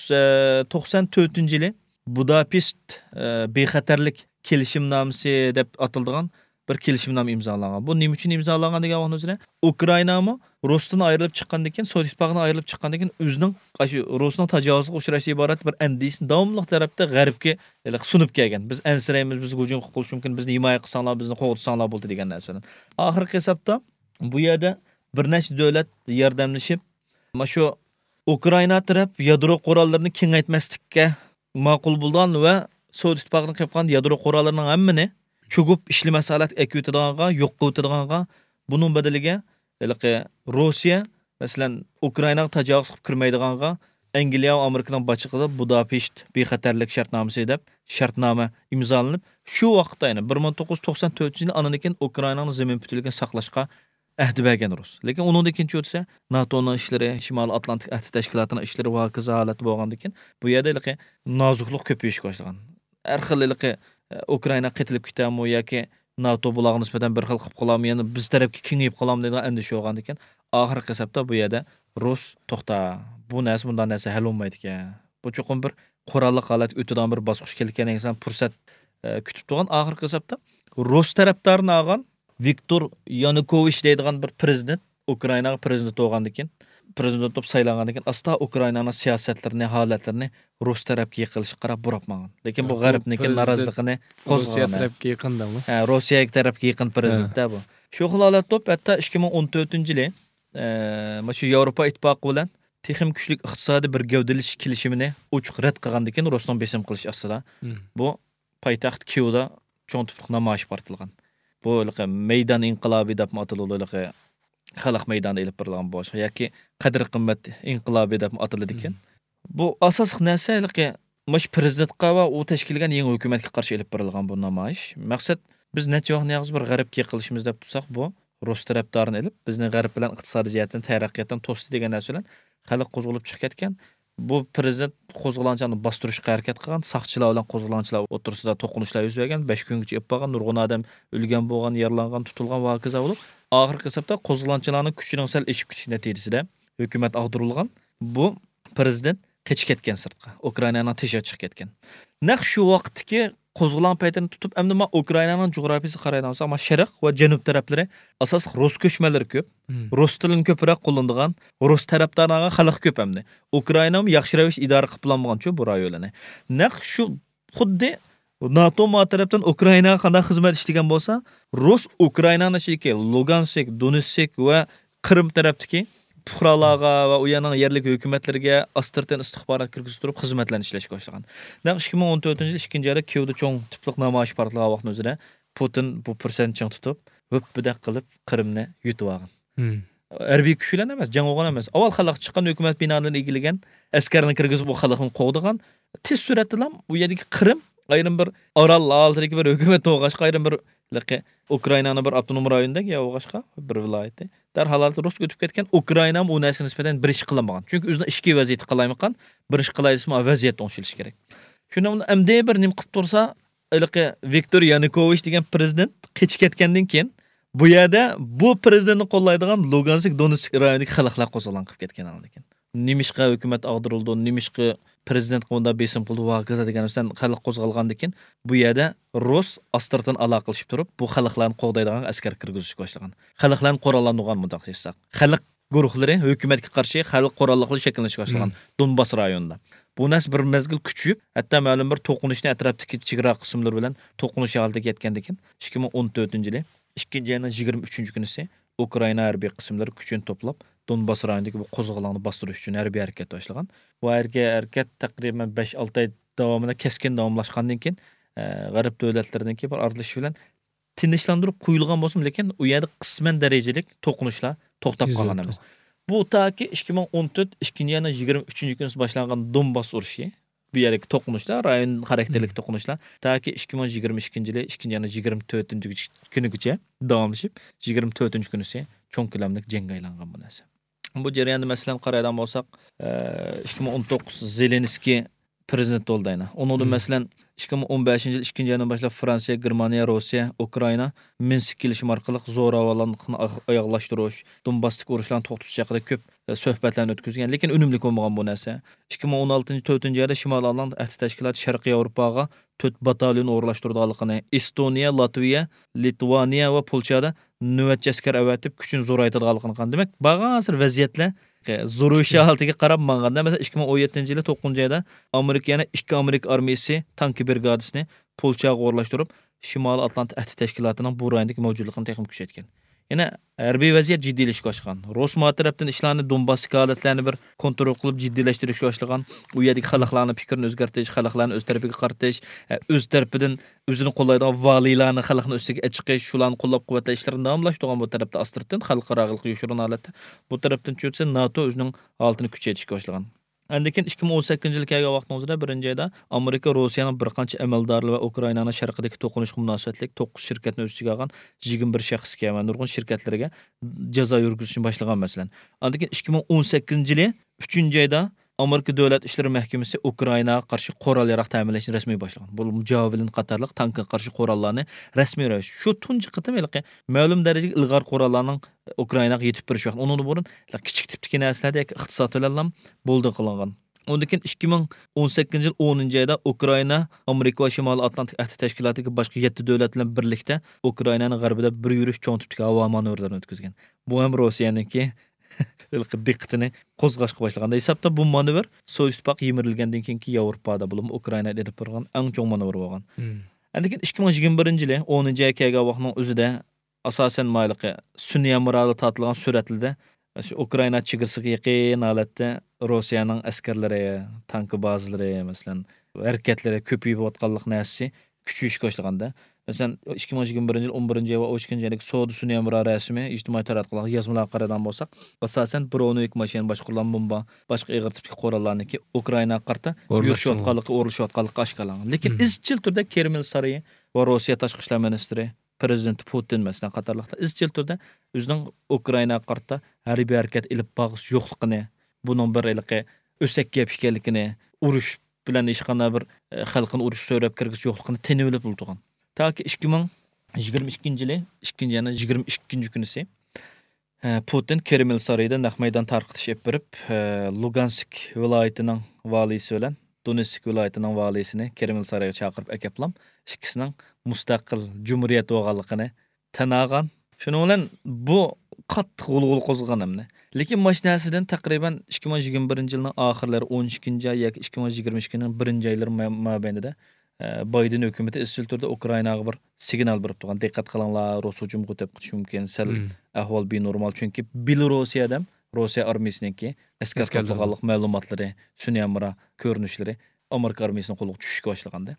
توقسان تۆتىنچى يىلى بۇداپېشت، ئە، بىخەتەرلىك كېلىشىمنامىسى دەپ ئاتىلىدىغان بىر كېلىشىمنامە ئىمزالانغان. بۇ نېمە ئۈچۈن ئىمزالانغان دېگەن ۋاقتىمىزدا، ئۇكرائىنامۇ رۇستىن ئايرىلىپ چىققاندىن كېيىن، سوۋېت ئىتتىپاقىدىن ئايرىلىپ چىققاندىن كېيىن، ئۆزىنىڭ ئاشۇ رۇسنىڭ تاجاۋۇزىغا ئۇچراشى ئىبارەت بىر ئەندىشىسىنى داۋاملىق تەرەپتە غەربكە ھېلىقى سۇنۇپ كەلگەن. بىز ئەنسىرەيمىز، بىزگە ھۇجۇم قىلىپ قېلىشى مۇمكىن، بىزنى ھىمايە قىلساڭلار، بىزنى قوغدىساڭلار بولدى دېگەن نەرسىلەر. ئاخىرقى ھېسابتا بۇ يەردە بىر نەچچە دۆلەت ياردەملىشىپ، مانا شۇ ئۇكرائىنا تەرەپ يادرو قوراللىرىنى كېڭەيتمەسلىككە ماقۇل بولغان ۋە سوۋېت ئىتتىپاقىدىن قېلىپ قالغان يادرو قوراللىرىنىڭ ھەممىنى چۆكۈپ ئىشلىمەس ھالەتكە ئەكىۋېتىدىغانغا، يوق قىلىۋېتىدىغانغا، بۇنىڭ بەدىلىگە ھېلىقى روسىيە، مەسىلەن، ئۇكرائىناغا تاجاۋۇز قىلىپ كىرمەيدىغانغا، ئەنگلىيە ۋە ئامېرىكىنىڭ باشچىلىقىدا بۇداپېشت بىخەتەرلىك شەرتنامىسى دەپ شەرتنامە ئىمزالىنىپ، شۇ ۋاقىتتا، يەنى بىر مىڭ توققۇز يۈز توقسان تۆتىنچى يىلى ئاندىن كېيىن ئۇكرائىنانىڭ زېمىن پۈتۈنلۈكىنى ساقلاشقا ئەھدە بەرگەن رۇس. لېكىن ئۇنىڭدىن كېيىن چۈشۈرسە، ناتونىڭ ئىشلىرى، شىمالىي ئاتلانتىك ئەھدى تەشكىلاتىنىڭ ئىشلىرى ۋە ھاكازا ھالەتتە بولغاندىن كېيىن، بۇ يەردە ھېلىقى نازۇكلۇق كۆپىيىشكە باشلىغان. ھەر خىل ھېلىقى، ئە، ئۇكرائىنا قېتىلىپ كېتەرمۇ ياكى ناتو بۇلارغا نىسبەتەن بىر خىل قىلىپ قالارمۇ، يەنە بىز تەرەپكە كېڭىيىپ قالارمۇ دەيدىغان ئەندىشە بولغاندىكىن، ئاخىرقى ھېسابتا بۇ يەردە رۇس، توختا، بۇ نەرسە، مۇنداق نەرسە ھەل بولمايدىكەن. بۇ چوقۇم بىر قوراللىق ھالەتكە ئۆتىدىغان بىر باسقۇچ كېلىدىكەن دېگەن پۇرسەت، ئە، كۈتۈپ تۇرغان. ئاخىرقى ھېسابتا رۇس تەرەپدارىنى ئالغان ۋىكتور يانۇكوۋىچ دەيدىغان بىر پىرېزىدېنت ئۇكرائىناغا پىرېزىدېنت بولغاندىن كېيىن، پىرېزىدېنت بولۇپ سايلانغاندىن كېيىن، ئاستا ئۇكرائىنانىڭ سىياسەتلىرىنى، ھالەتلىرىنى رۇس تەرەپكە يېقىنلىشىشقا قاراپ بۇراپ ماڭغان. لېكىن بۇ ھە، بۇ غەربنىڭكى پىرېزىدېنت نارازىلىقىنى روسىيە قوزغىغان. تەرەپكە يېقىندىمۇ؟ ھە، روسىيەگە تەرەپكە يېقىن پىرېزىدېنت ھە. بۇ. شۇ خىل ھالەتتە بولۇپ، ھەتتا ئىككى مىڭ ئون تۆتىنچى يىلى، ئە، مانا شۇ ياۋروپا ئىتتىپاقى بىلەن تېخىمۇ كۈچلۈك ئىقتىسادىي بىر گەۋدىلىشىش كېلىشىمىنى ئوچۇق رەت قىلغاندىن كېيىن، رۇسنىڭ بېسىم قىلىشى ئاستىدا، مم. بۇ پايتەخت كىيېۋدا چوڭ تىپلىق نامايىش پارتلىغان. بۇ ھېلىقى مەيدان ئىنقىلابى دەپمۇ ئاتىلىدۇ، ھېلىقى خەلق مەيدانىدا ئېلىپ بېرىلغان بولۇشقا ياكى قەدىر قىممەت ئىنقىلابى دەپمۇ ئاتىلىدىكەن. مم. بۇ ئاساسلىق نەرسە ھېلىقى مۇشۇ پىرېزىدېنتقا ۋە ئۇ تەشكىللىگەن يېڭى ھۆكۈمەتكە قارشى ئېلىپ بېرىلغان بۇ نامايىش. مەقسەت، بىز نەچچە ۋاقىتنى يالغۇز بىر غەربكە يېقىنلىشىمىز دەپ تۇرساق، بۇ رۇس تەرەپدارىنى ئېلىپ، بىزنى غەرب بىلەن ئىقتىسادىي جەھەتتىن تەرەققىياتتىن توستى دېگەن نەرسە بىلەن خەلق قوزغىلىپ چىقىپ كەتكەن. بۇ پىرېزىدېنت قوزغىلاڭچىلارنى باستۇرۇشقا ھەرىكەت قىلغان، ساقچىلار بىلەن قوزغىلاڭچىلار ئوتتۇرىسىدا توقۇنۇشلار يۈز بەرگەن، بەش كۈنگىچە ئېلىپ بارغان، نۇرغۇن ئادەم ئۆلگەن بولغان، يارىلانغان، تۇتۇلغان ۋە ھاكازا بولۇپ، ئاخىرقى ھېسابتا قوزغىلاڭچىلارنىڭ كۈچىنىڭ سەل ئېشىپ كېتىشى نەتىجىسىدە ھۆكۈمەت ئاغدۇرۇلغان. بۇ پىرېزىدېنت قېچىپ كەتكەن سىرتقا، ئۇكرائىنانىڭ تېشىغا چىقىپ كەتكەن. نەق شۇ ۋاقىتتىكى قوزغىلاڭ پەيتىنى تۇتۇپ، ئەمدى ما ئۇكرائىنانىڭ جۇغراپىيىسىغا قارايدىغان بولساق، ما شەرق ۋە جەنۇب تەرەپلىرى ئاساسلىق رۇس كۆچمەنلىرى كۆپ. مم. رۇس تىلىنى كۆپرەك قوللىنىدىغان، رۇس تەرەپدارلارغا خەلق كۆپ ئەمدى. ئۇكرائىنامۇ ياخشى رەۋىشتە ئىدارە قىلىپ بولالمىغان شۇ بۇ رايونلارنى. نەق شۇ خۇددى ناتو ما تەرەپتىن ئۇكرائىناغا قانداق خىزمەت ئىشلىگەن بولسا، رۇس ئۇكرائىنانىڭ ئىچىدىكى لۇگانسك، دونېتسك ۋە قىرىم تەرەپتىكى پۇقرالارغا ۋە ئۇ يەرنىڭ يەرلىك ھۆكۈمەتلىرىگە ئاستىرتىن ئىستىخبارات كىرگۈزۈپ تۇرۇپ خىزمەتلەرنى ئىشلەشكە باشلىغان. نەق ئىككى مىڭ ئون تۆتىنچى يىل ئىككىنچى ئايدا كىيېۋدا چوڭ تىپلىق نامايىش پارتلىغان ۋاقىتنىڭ ئۆزىدە پۇتىن بۇ پۇرسەتنى چىڭ تۇتۇپ، ھۆپپىدەك قىلىپ قىرىمنى يۇتۇۋالغان. مم. ھەربىي كۈچ بىلەن ئەمەس، جەڭ قىلغان ئەمەس. ئاۋۋال خەلق چىققان ھۆكۈمەت بىنالىرىنى ئىگىلىگەن، ئەسكەرنى كىرگۈزۈپ، ئۇ خەلقنى قوغدىغان. تېز سۈرئەتتىلا ئۇ يەردىكى قىرىم ئايرىم بىر ئارال ھالىتىدىكى بىر ھۆكۈمەت بولغاچقا، ئايرىم بىر ھېلىقى ئۇكرائىنانىڭ بىر ئاپتونوم رايونىدەك يا بولغاچقا بىر ۋىلايىتى. دەرھال ھالەتتە رۇسكا ئۆتۈپ كەتكەن، ئۇكرائىنامۇ ئۇ نەرسىگە نىسبەتەن بىر ئىش قىلالمىغان. چۈنكى ئۆزىنىڭ ئىچكى ۋەزىيىتى قالايمىقان، بىر ئىش قىلاي دېسىمۇ، ۋەزىيەت ئوڭشىلىشى كېرەك. شۇنىڭ بىلەن ئەمدى بىر نېمە قىلىپ تۇرسا، ھېلىقى ۋىكتور يانۇكوۋىچ دېگەن پىرېزىدېنت قېچىپ كەتكەندىن كېيىن، بۇ يەردە بۇ پىرېزىدېنتنى قوللايدىغان لۇگانسك، دونېتسك رايونىدىكى خەلقلەر قوزغىلاڭ قىلىپ كەتكەن ئاندىن كېيىن. نېمىشقا ھۆكۈمەت ئاغدۇرۇلىدۇ، نېمىشقا پىرېزىدېنتقا مۇنداق بېسىم قىلدى، ۋاكازا دېگەن سەن خەلق قوزغالغاندىن كېيىن، بۇ يەردە رۇس ئاستىرتىن ئالاقىلىشىپ تۇرۇپ، بۇ خەلقلەرنى قوغدايدىغان ئەسكەر كىرگۈزۈشكە باشلىغان. خەلقلەرنى قوراللاندۇرغان مۇنداق دېسەك. خەلق گۇرۇھلىرى ھۆكۈمەتكە قارشى خەلق قوراللىقلىرى شەكىللىنىشكە باشلىغان دونباس رايونىدا. بۇ نەرسە بىر مەزگىل كۈچىيىپ، ھەتتا مەلۇم بىر توقۇنۇشنى ئەتراپتىكى چېگرا قىسىملىرى بىلەن توقۇنۇش ھالىتىگە يەتكەندىن كېيىن، ئىككى مىڭ ئون تۆتىنچى يىلى ئىككىنچى ئاينىڭ يىگىرمە ئۈچىنچى كۈنىسى ئۇكرائىنا ھەربىي قىسىملىرى كۈچىنى توپلاپ، دونباس رايونىدىكى بۇ قوزغىلاڭنى باستۇرۇش ئۈچۈن ھەربىي ھەرىكەت باشلىغان. بۇ ھەربىي ھەرىكەت تەقرىبەن بەش ئالتە ئاي داۋامىدا كەسكىن داۋاملاشقاندىن كېيىن، ئە، غەرب دۆلەتلىرىنىڭكى بىر ئارىلىشىشى بىلەن تىنچلاندۇرۇپ قويۇلغان بولسىمۇ، لېكىن ئۇ يەردە قىسمەن دەرىجىلىك توقۇنۇشلار توختاپ قالغان ئەمەس. بۇ تاكى ئىككى مىڭ ئون تۆت ئىككىنچى ئاينىڭ يىگىرمە ئۈچىنچى كۈنى باشلانغان دونباس ئۇرۇشى، بۇ يەردىكى توقۇنۇشلار، رايون خاراكتېرلىك توقۇنۇشلار تاكى ئىككى مىڭ يىگىرمە ئىككىنچى يىلى ئىككىنچى ئاينىڭ يىگىرمە تۆتىنچى كۈنىگىچە داۋاملىشىپ، يىگىرمە تۆتىنچى كۈنىسى چوڭ كۆلەملىك جەڭگە ئايلانغان بۇ نەرسە. بۇ جەرياندا، مەسىلەن، قارايدىغان بولساق، ئىككى مىڭ ئون توققۇز زېلېنسكىي پىرېزىدېنت بولدى ئەنە. ئۇنىڭدىن، مەسىلەن، ئىككى مىڭ ئون بەشىنچى يىل ئىككىنچى ئايدىن باشلاپ فرانسىيە، گېرمانىيە، روسىيە، ئۇكرائىنا مىنسك كېلىشىمى ئارقىلىق زوراۋانلىقنى ئاياغلاشتۇرۇش، دونباستىكى ئۇرۇشلارنى توختىتىش ھەققىدە كۆپ، ئە، سۆھبەتلەرنى ئۆتكۈزگەن، لېكىن ئۈنۈملۈك بولمىغان بۇ نەرسە. ئىككى مىڭ ئون ئالتىنچى، تۆتىنچى ئايدا شىمالىي ئاتلانت ئەھدى تەشكىلاتى شەرقىي ياۋروپاغا تۆت باتاليون ئورۇنلاشتۇرىدىغانلىقىنى، ئېستونىيە، لاتۋىيە، لىتۋانىيە ۋە پولشادا نۆۋەتچى ئەسكەر ئەۋەتىپ، كۈچىنى زورايتىدىغانلىقىنى قىلغان. دېمەك، بارغانسېرى ۋەزىيەتلەر زورىيىش ھالىتىگە قاراپ ماڭغاندا، مەسىلەن، ئىككى مىڭ ئون يەتتىنچى يىلى توققۇزىنچى ئايدا ئامېرىكا يەنە ئىككى ئامېرىكا ئارمىيىسى تانكى برىگادىسىنى پولشاغا ئورۇنلاشتۇرۇپ، شىمالىي ئاتلانت ئەھدى تەشكىلاتىنىڭ بۇ رايوندىكى مەۋجۇتلۇقىنى تېخىمۇ كۈچەيتكەن. يەنە ھەربىي ۋەزىيەت جىددىيلىشىشكە باشلىغان. روسمار تەرەپتىن ئىشلارنى، دونباستىكى ھالەتلەرنى بىر كونترول قىلىپ جىددىيلەشتۈرۈشكە باشلىغان. ئۇ يەردىكى خەلقلەرنىڭ پىكرىنى ئۆزگەرتىش، خەلقلەرنى ئۆز تەرىپىگە قارىتىش، ئە، ئۆز تەرىپىدىن ئۆزىنى قوللايدىغان ۋالىيلارنى خەلقنىڭ ئۈستىگە ئەچىقىش، شۇلارنى قوللاپ قۇۋۋەتلەش ئىشلىرىنى داۋاملاشتۇرغان بۇ تەرەپتە ئاستىرتىن، خەلقئارا ھالقا يوشۇرۇن ھالەتتە. بۇ تەرەپتىن چۈشۈرسە، ناتو ئۆزىنىڭ ھالىتىنى كۈچەيتىشكە باشلىغان. ئاندىن كېيىن ئىككى مىڭ ئون سەككىزىنچى يىل كەلگەن ۋاقتىمىزدا بىرىنچى ئايدا ئامېرىكا روسىيەنىڭ بىر قانچە ئەمەلدارى ۋە ئۇكرائىنانىڭ شەرقىدىكى توقۇنۇشقا مۇناسىۋەتلىك توققۇز شىركەتنى ئۆز ئىچىگە ئالغان يىگىرمە بىر شەخسكە ۋە نۇرغۇن شىركەتلەرگە جازا يۈرگۈزۈشنى باشلىغان، مەسىلەن. ئاندىن كېيىن ئىككى مىڭ ئون سەككىزىنچى يىلى ئۈچىنچى ئايدا ئامېرىكا دۆلەت ئىشلىرى مەھكىمىسى ئۇكرائىناغا قارشى قورال ياراغ تەمىنلەشنى رەسمىي باشلىغان. بۇ جاۋېلىن قاتارلىق تانكىغا قارشى قوراللارنى رەسمىي رەۋىشتە. شۇ تۇنجى قېتىم ھېلىقى مەلۇم دەرىجىدە ئىلغار قوراللارنىڭ ئۇكرائىناغا يېتىپ بېرىشى ۋاقتى. ئۇنىڭدىن بۇرۇن كىچىك تىپتىكى نەرسىلەردە ياكى ئىقتىساد بىلەنلا بولدى قىلىنغان. ئۇنىڭدىن كېيىن ئىككى مىڭ ئون سەككىزىنچى يىل ئونىنچى ئايدا ئۇكرائىنا ئامېرىكا ۋە شىمالىي ئاتلانتىك ئەھدى تەشكىلاتىدىكى باشقا يەتتە دۆلەت بىلەن بىرلىكتە ئۇكرائىنانىڭ غەربىدە بىر يۈرۈش چوڭ تىپتىكى ھاۋا مانېۋىرلىرىنى ئۆتكۈزگەن. بۇ ھەم روسىيەنىڭكى ھېلىقى دىققىتىنى قوزغاشقا باشلىغان. ھېسابتا بۇ مانېۋىر سوۋېت ئىتتىپاقى يىمىرىلگەندىن كېيىنكى ياۋروپادا، بولۇپمۇ ئۇكرائىنادا ئېلىپ بارغان ئەڭ چوڭ مانېۋىر بولغان. ئاندىن كېيىن ئىككى مىڭ يىگىرمە بىرىنچى يىلى ئونىنچى ئاي كەلگەن ۋاقىتنىڭ ئۆزىدە ئاساسەن مايلىقى سۈنئىي ھەمراھلىق تارتىلغان سۈرەتلىرىدە ئۇكرائىنا چېگرىسىغا يېقىن ھالەتتە روسىيەنىڭ ئەسكەرلىرى، تانكا بازىلىرى، مەسىلەن، ھەرىكەتلىرى كۆپىيىۋاتقانلىق نەرسىسى كۈچىيىشكە باشلىغاندا. مەسىلەن، ئىككى مىڭ يىگىرمە بىرىنچى يىل ئون بىرىنچى ئاي ۋە ئون ئىككىنچى ئايدىكى سودا سۈنئىي ھەمراھ رەسىمى ئىجتىمائىي تاراتقۇلارغا يازمىلارغا قارىغان بولساق، ئاساسەن برونېۋىك ماشىنا باشقۇرۇلغان بومبا، باشقا ئېغىر تىپتىكى قوراللارنىڭكى ئۇكرائىنا قارىتا ئورۇنلاشتۇرۇلغان. يۈرۈشۈۋاتقانلىقى، ئورۇنلىشىۋاتقانلىقى ئاشكارىلانغان. لېكىن مم. ئىزچىل تۈردە كرېمىل سارىيى ۋە روسىيە تاشقى ئىشلار مىنىستىرى، پىرېزىدېنت پۇتىن، مەسىلەن، قاتارلىقلار ئىزچىل تۈردە ئۆزىنىڭ ئۇكرائىناغا قارىتا ھەربىي ھەرىكەت ئېلىپ بارغۇسى يوقلۇقىنى، بۇنىڭ بىر ھېلىقى ئۆسەك گەپ ئىكەنلىكىنى، ئۇرۇش بىلەن ھېچقانداق بىر، ئە، خەلقنى ئۇرۇش سۆرەپ كىرگۈسى يوقلۇقىنى تېنىۋېلىپ تۇرغان. تاكى ئىككى مىڭ يىگىرمە ئىككىنچى يىلى، ئىككىنچى ئاينىڭ يىگىرمە ئىككىنچى كۈنىسى، ئە، پۇتىن كرېمىل سارىيىدا نەق مەيدان تارقىتىش ئېلىپ بېرىپ، ئە، لۇگانسك ۋىلايىتىنىڭ ۋالىيسى بىلەن دونېتسك ۋىلايىتىنىڭ ۋالىيسىنى كرېمىل سارىيىغا چاقىرىپ ئەكەپلام، ئىككىسىنىڭ مۇستەقىل جۇمھۇرىيەت بولغانلىقىنى تەن ئالغان. شۇنىڭ بىلەن بۇ قاتتىق غۇلغۇلا قوزغىغان ئەمدى. لېكىن ماش نەرسىدىن تەقرىبەن ئىككى مىڭ يىگىرمە بىرىنچى يىلنىڭ ئاخىرلىرى، ئون ئىككىنچى ئاي ياكى ئىككى مىڭ يىگىرمە ئىككىنىڭ بىرىنچى ئايلىرى ما-، مابەينىدە، ئە، بايدېن ھۆكۈمىتى ئىزچىل تۈردە ئۇكرائىناغا بىر سىگنال بېرىپ تۇرغان. دىققەت قىلىڭلار، روس ھۇجۇم قوتۇپ قېتىشى مۇمكىن، سەل مم. ئەھۋال بىنورمال. چۈنكى بىلوروسىيەدە روسىيە ئارمىيىسىنىڭكى ئەسكەر ئەسكەرلىرى. توپلىغانلىق مەلۇماتلىرى، سۈنئىي ھەمراھ كۆرۈنۈشلىرى ئامېرىكا ئارمىيىسىنىڭ قولىغا چۈشۈشكە باشلىغاندا.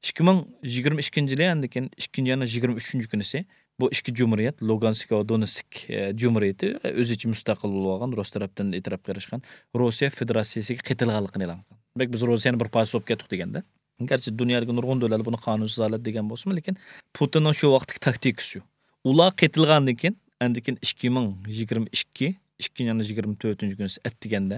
ئىككى مىڭ يىگىرمە ئىككىنچى يىلى، ئاندىن كېيىن ئىككىنچى ئاينىڭ يىگىرمە ئۈچىنچى كۈنىسى بۇ ئىككى جۇمھۇرىيەت، لۇگانسك ۋە دونېتسك، ئە، جۇمھۇرىيىتى، ئە، ئۆزى ئىچى مۇستەقىل بولۇۋالغان، رۇس تەرەپتىن ئېتىراپقا ئېرىشكەن، روسىيە فېدېراتسىيىسىگە قېتىلغانلىقىنى ئېلان قىلغان. دېمەك، بىز روسىيەنى بىر پارچە بولۇپ كەتتۇق دېگەندە. گەرچە دۇنيادىكى نۇرغۇن دۆلەتلەر بۇنى قانۇنسىز ھالەت دېگەن بولسىمۇ، لېكىن پۇتىننىڭ شۇ ۋاقىتتىكى تاكتىكىسى شۇ. ئۇلار قېتىلغاندىن كېيىن، ئاندىن كېيىن ئىككى مىڭ يىگىرمە ئىككى، ئىككىنچى ئاينىڭ يىگىرمە تۆتىنچى كۈنى ئەتىگەندە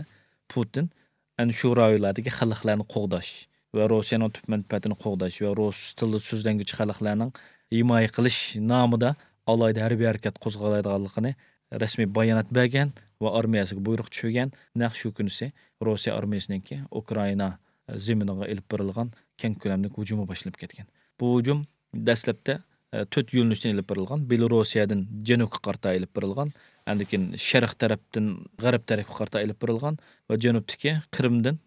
پۇتىن ئەنە شۇ رايونلاردىكى خەلقلەرنى قوغداش ۋە روسىيەنىڭ تۈپ مەنپەئەتىنى قوغداش ۋە رۇس تىلىدا سۆزلەنگۈچى خەلقلەرنىڭ ھىمايە قىلىش نامىدا ئالاھىدە ھەربىي ھەرىكەت قوزغالايدىغانلىقىنى رەسمىي بايانات بەرگەن ۋە ئارمىيەسىگە بۇيرۇق چۈشۈرگەن. نەق شۇ كۈنىسى روسىيە ئارمىيەسىنىڭكى ئۇكرائىنا زېمىنىغا ئېلىپ بېرىلغان كەڭ كۆلەملىك ھۇجۇمى باشلىنىپ كەتكەن. بۇ ھۇجۇم دەسلەپتە، ئە، تۆت يۆنىلىشتىن ئېلىپ بېرىلغان. بىلوروسىيەدىن جەنۇبقا قارىتا ئېلىپ بېرىلغان. ئاندىن كېيىن شەرق تەرەپتىن غەرب تەرەپكە قارىتا ئېلىپ بېرىلغان ۋە جەنۇبتىكى قىرىمدىن،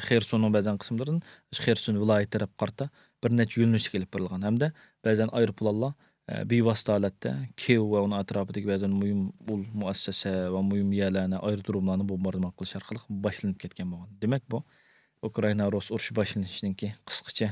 خېرسوننىڭ بەزەن قىسىملىرىدىن خېرسون ۋىلايىتى تەرەپكە قارىتا بىر نەچچە يۆنىلىشلىك ئېلىپ بېرىلغان ھەمدە بەزەن ئايروپىلانلار، ئە، بىۋاسىتە ھالەتتە كىيېۋ ۋە ئۇنىڭ ئەتراپىدىكى بەزەن مۇھىم ئۇل مۇئەسسەسە ۋە مۇھىم يەرلەرنى، ئايرودروملارنى بومباردىمان قىلىش ئارقىلىق باشلىنىپ كەتكەن بولغان. دېمەك، بۇ ئۇكرائىنا روس ئۇرۇشى باشلىنىشىنىڭكى قىسقىچە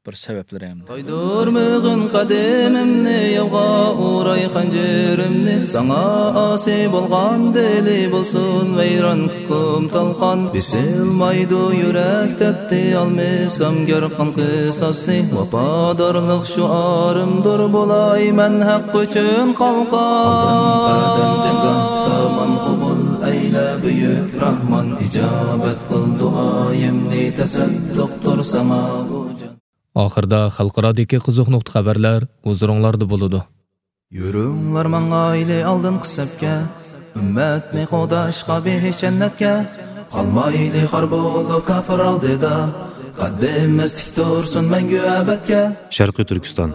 بىر سەۋەبلىرى ھەمدە. تايدۇرمىغىن قەدىمىمنى، ياۋغا ئۇراي خەنجىرىمنى، ساڭا ئاسىي بولغان دىلى بولسۇن ۋەيران، كۇكۇم تالقان. بېسىلمايدۇ يۈرەك تەپتى، ئالمىسام گەر قان قىساسنى، ۋاپادارلىق شوئارىمدۇر، بولاي مەن ھەق ئۈچۈن قالقان. ئالدىم قەدەم جەڭگاھ، تامام قوبۇل ئەيلە بۈيۈك راھمان، ئىجابەت قىل دۇئايىمنى، تەسەددۇقتۇر ساڭا بۇ جان. ئاخىردا خەلقئارادىكى قىزىق نۇقتا خەۋەرلەر ھۇزۇرۇڭلاردا بولىدۇ. يۈرۈڭلار ماڭايلى ئالدىنقى سەپكە، ئۈممەتنى قوغداشقا بېھىش جەننەتكە. قالمايلى خار بولۇپ كاپىر ئالدىدا، قەددىمىز تىك تۇرسۇن مەڭگۈ ئەبەدكە. شەرقىي تۈركىستان.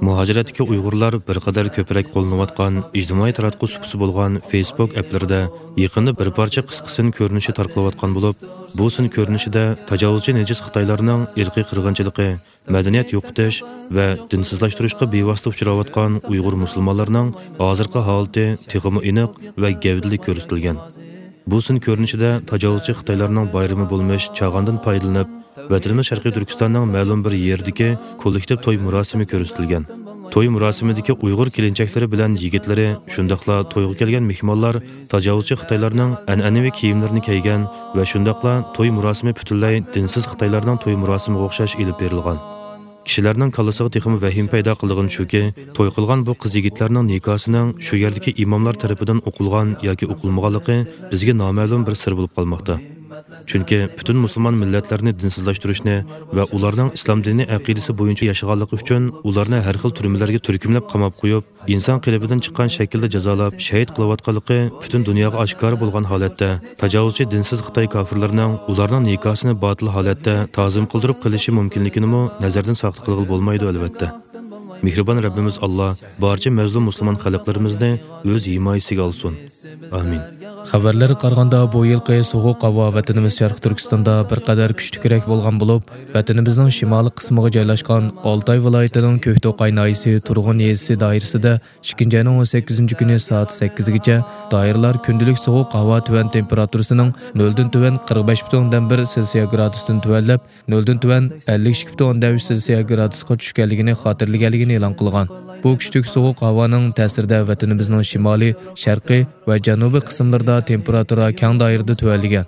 مۇھاجىرەتتىكى ئۇيغۇرلار بىر قەدەر كۆپرەك قوللىنىۋاتقان ئىجتىمائىي تاراتقۇ سۇپىسى بولغان فېيسبۇك ئەپلىرىدە يېقىندا بىر پارچە قىسقا سىن كۆرۈنۈشى تارقىلىۋاتقان بولۇپ، بۇ سىن كۆرۈنۈشىدە تاجاۋۇزچى نىجىس خىتايلارنىڭ ئىرقىي قىرغىنچىلىقى، مەدەنىيەت يوقىتىش ۋە دىنسىزلاشتۇرۇشقا بىۋاسىتە ئۇچراۋاتقان ئۇيغۇر مۇسۇلمانلىرىنىڭ ھازىرقى ھالىتى تېخىمۇ ئېنىق ۋە گەۋدىلىك كۆرسىتىلگەن. بۇ سىن كۆرۈنۈشىدە تاجاۋۇزچى خىتايلارنىڭ بايرىمى بولمىش چاغاندىن پايدىلىنىپ، ۋەتىنىمىز شەرقىي تۈركىستاننىڭ مەلۇم بىر يېرىدىكى كوللېكتىپ توي مۇراسىمى كۆرسىتىلگەن. توي مۇراسىمىدىكى ئۇيغۇر كېلىنچەكلىرى بىلەن يىگىتلىرى، شۇنداقلا تويغا كەلگەن مېھمانلار تاجاۋۇزچى خىتايلارنىڭ ئەنئەنىۋى كىيىملىرىنى كىيگەن ۋە شۇنداقلا توي مۇراسىمى پۈتۈنلەي دىنسىز خىتايلارنىڭ توي مۇراسىمىغا ئوخشاش ئېلىپ بېرىلغان. كىشىلەرنىڭ كاللىسىغا تېخىمۇ ۋەھىمە پەيدا قىلىدىغىنى شۇكى، توي قىلغان بۇ قىز-يىگىتلەرنىڭ نىكاسىنىڭ شۇ يەردىكى ئىماملار تەرىپىدىن ئوقۇلغان ياكى ئوقۇلمىغانلىقى بىزگە نامەلۇم بىر سىر بولۇپ قالماقتا. چۈنكى پۈتۈن مۇسۇلمان مىللەتلەرنى دىنسىزلاشتۇرۇشنى ۋە ئۇلارنىڭ ئىسلام دىنى ئەقىدىسى بويىچە ياشىغانلىقى ئۈچۈن ئۇلارنى ھەر خىل تۈرمىلەرگە تۈركۈملەپ قاماپ قويۇپ، ئىنسان قېلىپىدىن چىققان شەكىلدە جازالاپ، شەھىت قىلىۋاتقانلىقى پۈتۈن دۇنياغا ئاشكارا بولغان ھالەتتە، تاجاۋۇزچى دىنسىز خىتاي كافىرلىرىنىڭ ئۇلارنىڭ نىكاسىنى باتىل ھالەتتە تازىم قىلدۇرۇپ قېلىشى مۇمكىنلىكىنىمۇ نەزەردىن ساقىت قىلغىلى بولمايدۇ، ئەلۋەتتە. مېھرىبان رەببىمىز ئاللا بارچە مەزلۇم مۇسۇلمان خەلقلىرىمىزنى ئۆز ھىمايىسىگە ئالسۇن. ئامىن. خەۋەرلەرگە قارىغاندا، بۇ يىلقى سوغۇق ھاۋا ۋەتىنىمىز شەرقىي تۈركىستاندا بىر قەدەر كۈچلۈكرەك بولغان بولۇپ، ۋەتىنىمىزنىڭ شىمالىي قىسمىغا جايلاشقان ئالتاي ۋىلايىتىنىڭ كۆكتوقاي ناھىيەسى تۇرغۇن يېزىسى دائىرىسىدە ئىككىنچى ئاينىڭ ئون سەككىزىنچى كۈنى سائەت سەككىزگىچە دائىرىلەر كۈندىلىك سوغۇق ھاۋا تۆۋەن تېمپېراتۇرىسىنىڭ نۆلدىن تۆۋەن قىرىق بەش پۈتۈن ئوندىن بىر سېلسىيە گرادۇستىن تۆۋەنلەپ، نۆلدىن تۆۋەن ئەللىك ئىككى پۈتۈن ئوندىن ئۈچ سېلسىيە گرادۇسقا چۈشكەنلىكىنى خاتىرىلىگەنلىكىنى ئېلان قىلغان. بۇ كۈچلۈك سوغۇق ھاۋانىڭ تەسىرىدە ۋەتىنىمىزنىڭ شىمالىي، شەرقىي ۋە جەنۇبىي قىسىملىرىدا تېمپېراتۇرا كەڭ دائىرىدە تۆۋەنلىگەن.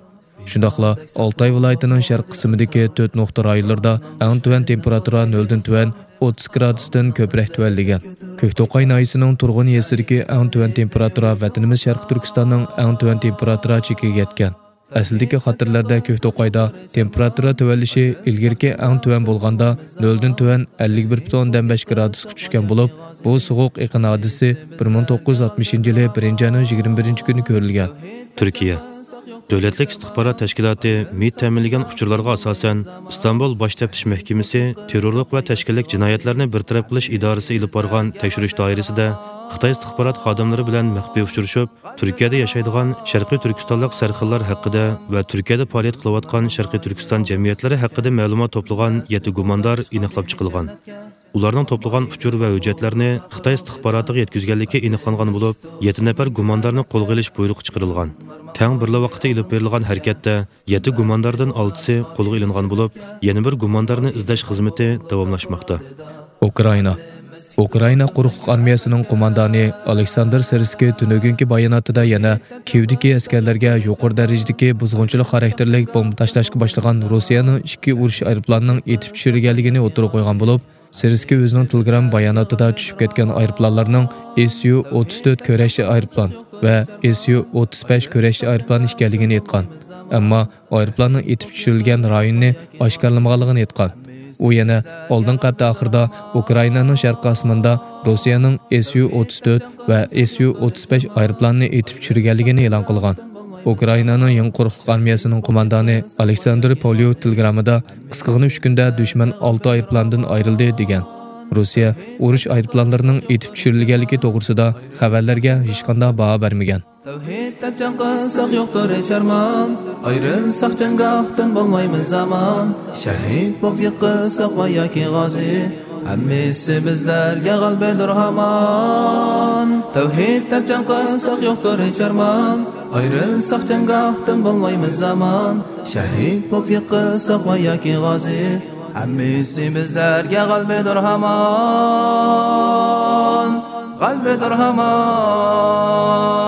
شۇنداقلا ئالتاي ۋىلايىتىنىڭ شەرقىي قىسمىدىكى تۆت نۇقتا رايونلىرىدا ئەڭ تۆۋەن تېمپېراتۇرا نۆلدىن تۆۋەن ئوتتۇز گرادۇستىن كۆپرەك تۆۋەنلىگەن. كۆكتوقاي ناھىيەسىنىڭ تۇرغۇن يېزىسىدىكى ئەڭ تۆۋەن تېمپېراتۇرا ۋەتىنىمىز شەرقىي تۈركىستاننىڭ ئەڭ تۆۋەن تېمپېراتۇرا چېكىگە يەتكەن. ئەسلىدىكى خاتىرىلەردە كۆكتوقايدا تېمپېراتۇرا تۆۋەنلىشى ئىلگىرىكى ئەڭ تۆۋەن بولغاندا نۆلدىن تۆۋەن ئەللىك بىر پۈتۈن ئوندىن بەش گرادۇسقا چۈشكەن بولۇپ، بۇ سوغۇق ئېقىن ھادىسىسى بىر مىڭ توققۇز يۈز ئاتمىشىنچى يىلى بىرىنچى ئاينىڭ يىگىرمە بىرىنچى كۈنى كۆرۈلگەن. تۈركىيە. دۆلەتلىك ئىستىخبارات تەشكىلاتى مىت تەمىنلىگەن ئۇچۇرلارغا ئاساسەن، ئىستانبۇل باش تەپتىش مەھكىمىسى تېررورلۇق ۋە تەشكىللىك جىنايەتلەرنى بىر تەرەپ قىلىش ئىدارىسى ئېلىپ بارغان تەكشۈرۈش دائىرىسىدە خىتاي ئىستىخبارات خادىملىرى بىلەن مەخپىي ئۇچرىشىپ، تۈركىيەدە ياشايدىغان شەرقىي تۈركىستانلىق سەرخىللار ھەققىدە ۋە تۈركىيەدە پائالىيەت قىلىۋاتقان شەرقىي تۈركىستان جەمئىيەتلىرى ھەققىدە مەلۇمات توپلىغان يەتتە گۇماندار ئېنىقلاپ چىقىلغان. ئۇلارنىڭ توپلىغان ئۇچۇر ۋە ھۆججەتلەرنى خىتاي ئىستىخباراتىغا يەتكۈزگەنلىكى ئېنىقلانغان بولۇپ، يەتتە نەپەر گۇماندارنى قولغا ئېلىش بۇيرۇقى چىقىرىلغان. تەڭ بىرلا ۋاقىتتا ئېلىپ بېرىلغان ھەرىكەتتە يەتتە گۇمانداردىن ئالتىسى قولغا ئېلىنغان بولۇپ، يەنە بىر گۇماندارنى ئىزدەش خىزمىتى داۋاملاشماقتا. ئۇكرائىنا. ئۇكرائىنا قۇرۇقلۇق ئارمىيەسىنىڭ قوماندانى ئالېكساندىر سىرسكىي تۈنۈگۈنكى باياناتىدا يەنە كىيېۋدىكى ئەسكەرلەرگە يۇقىرى دەرىجىدىكى بۇزغۇنچىلىق خاراكتېرلىك بومبا تاشلاشقا باشلىغان روسىيەنىڭ ئىككى ئۇرۇش ئايروپىلانىنىڭ ئېتىپ چۈشۈرۈلگەنلىكىنى ئوتتۇرىغا قويغان بولۇپ، سىرسكىي ئۆزىنىڭ تېلېگرام باياناتىدا چۈشۈپ كەتكەن ئايروپىلانلارنىڭ ئېس يۇ ئوتتۇز تۆت كۈرەشچى ئايروپىلان ۋە ئېس يۇ ئوتتۇز بەش كۈرەشچى ئايروپىلان ئىكەنلىكىنى ئېيتقان. ئەمما ئايروپىلاننىڭ ئېتىپ چۈشۈرۈلگەن رايونىنى ئاشكارىلىمىغانلىقىنى ئېيتقان. ئۇ يەنە ئالدىنقى ھەپتە ئاخىرىدا ئۇكرائىنانىڭ شەرقىي ئاسمىنىدا روسىيەنىڭ ئېس يۇ ئوتتۇز تۆت ۋە ئېس يۇ ئوتتۇز بەش ئايروپىلانىنى ئېتىپ چۈشۈرگەنلىكىنى ئېلان قىلغان. ئۇكرائىنانىڭ يېڭى قۇرۇقلۇق ئارمىيەسىنىڭ قوماندانى ئالېكساندر پوليو تېلېگراممىدا قىسقىغىنە ئۈچ كۈندە دۈشمەن ئالتە ئايروپىلاندىن ئايرىلدى، دېگەن. روسىيە ئۇرۇش ئايروپىلانلىرىنىڭ ئېتىپ چۈشۈرۈلگەنلىكى توغرىسىدا خەۋەرلەرگە ھېچقانداق باھا بەرمىگەن. تەۋھىد دەپ جەڭ قىلساق يوقتۇر ھېچ ئارمان، ئايرىلساق جەڭگاھتىن بولمايمىز ئامان، شەھىد بولۇپ يىقىلساق ۋە ياكى غازى، ھەممىسى بىزلەرگە غەلىبىدۇر ھامان. تەۋھىد دەپ جەڭ قىلساق يوقتۇر ھېچ ئارمان، ئايرىلساق جەڭگاھتىن بولمايمىز ئامان، شەھىد بولۇپ يىقىلساق ۋە ياكى غازى، ھەممىسى بىزلەرگە غەلىبىدۇر ھامان، غەلىبىدۇر ھامان.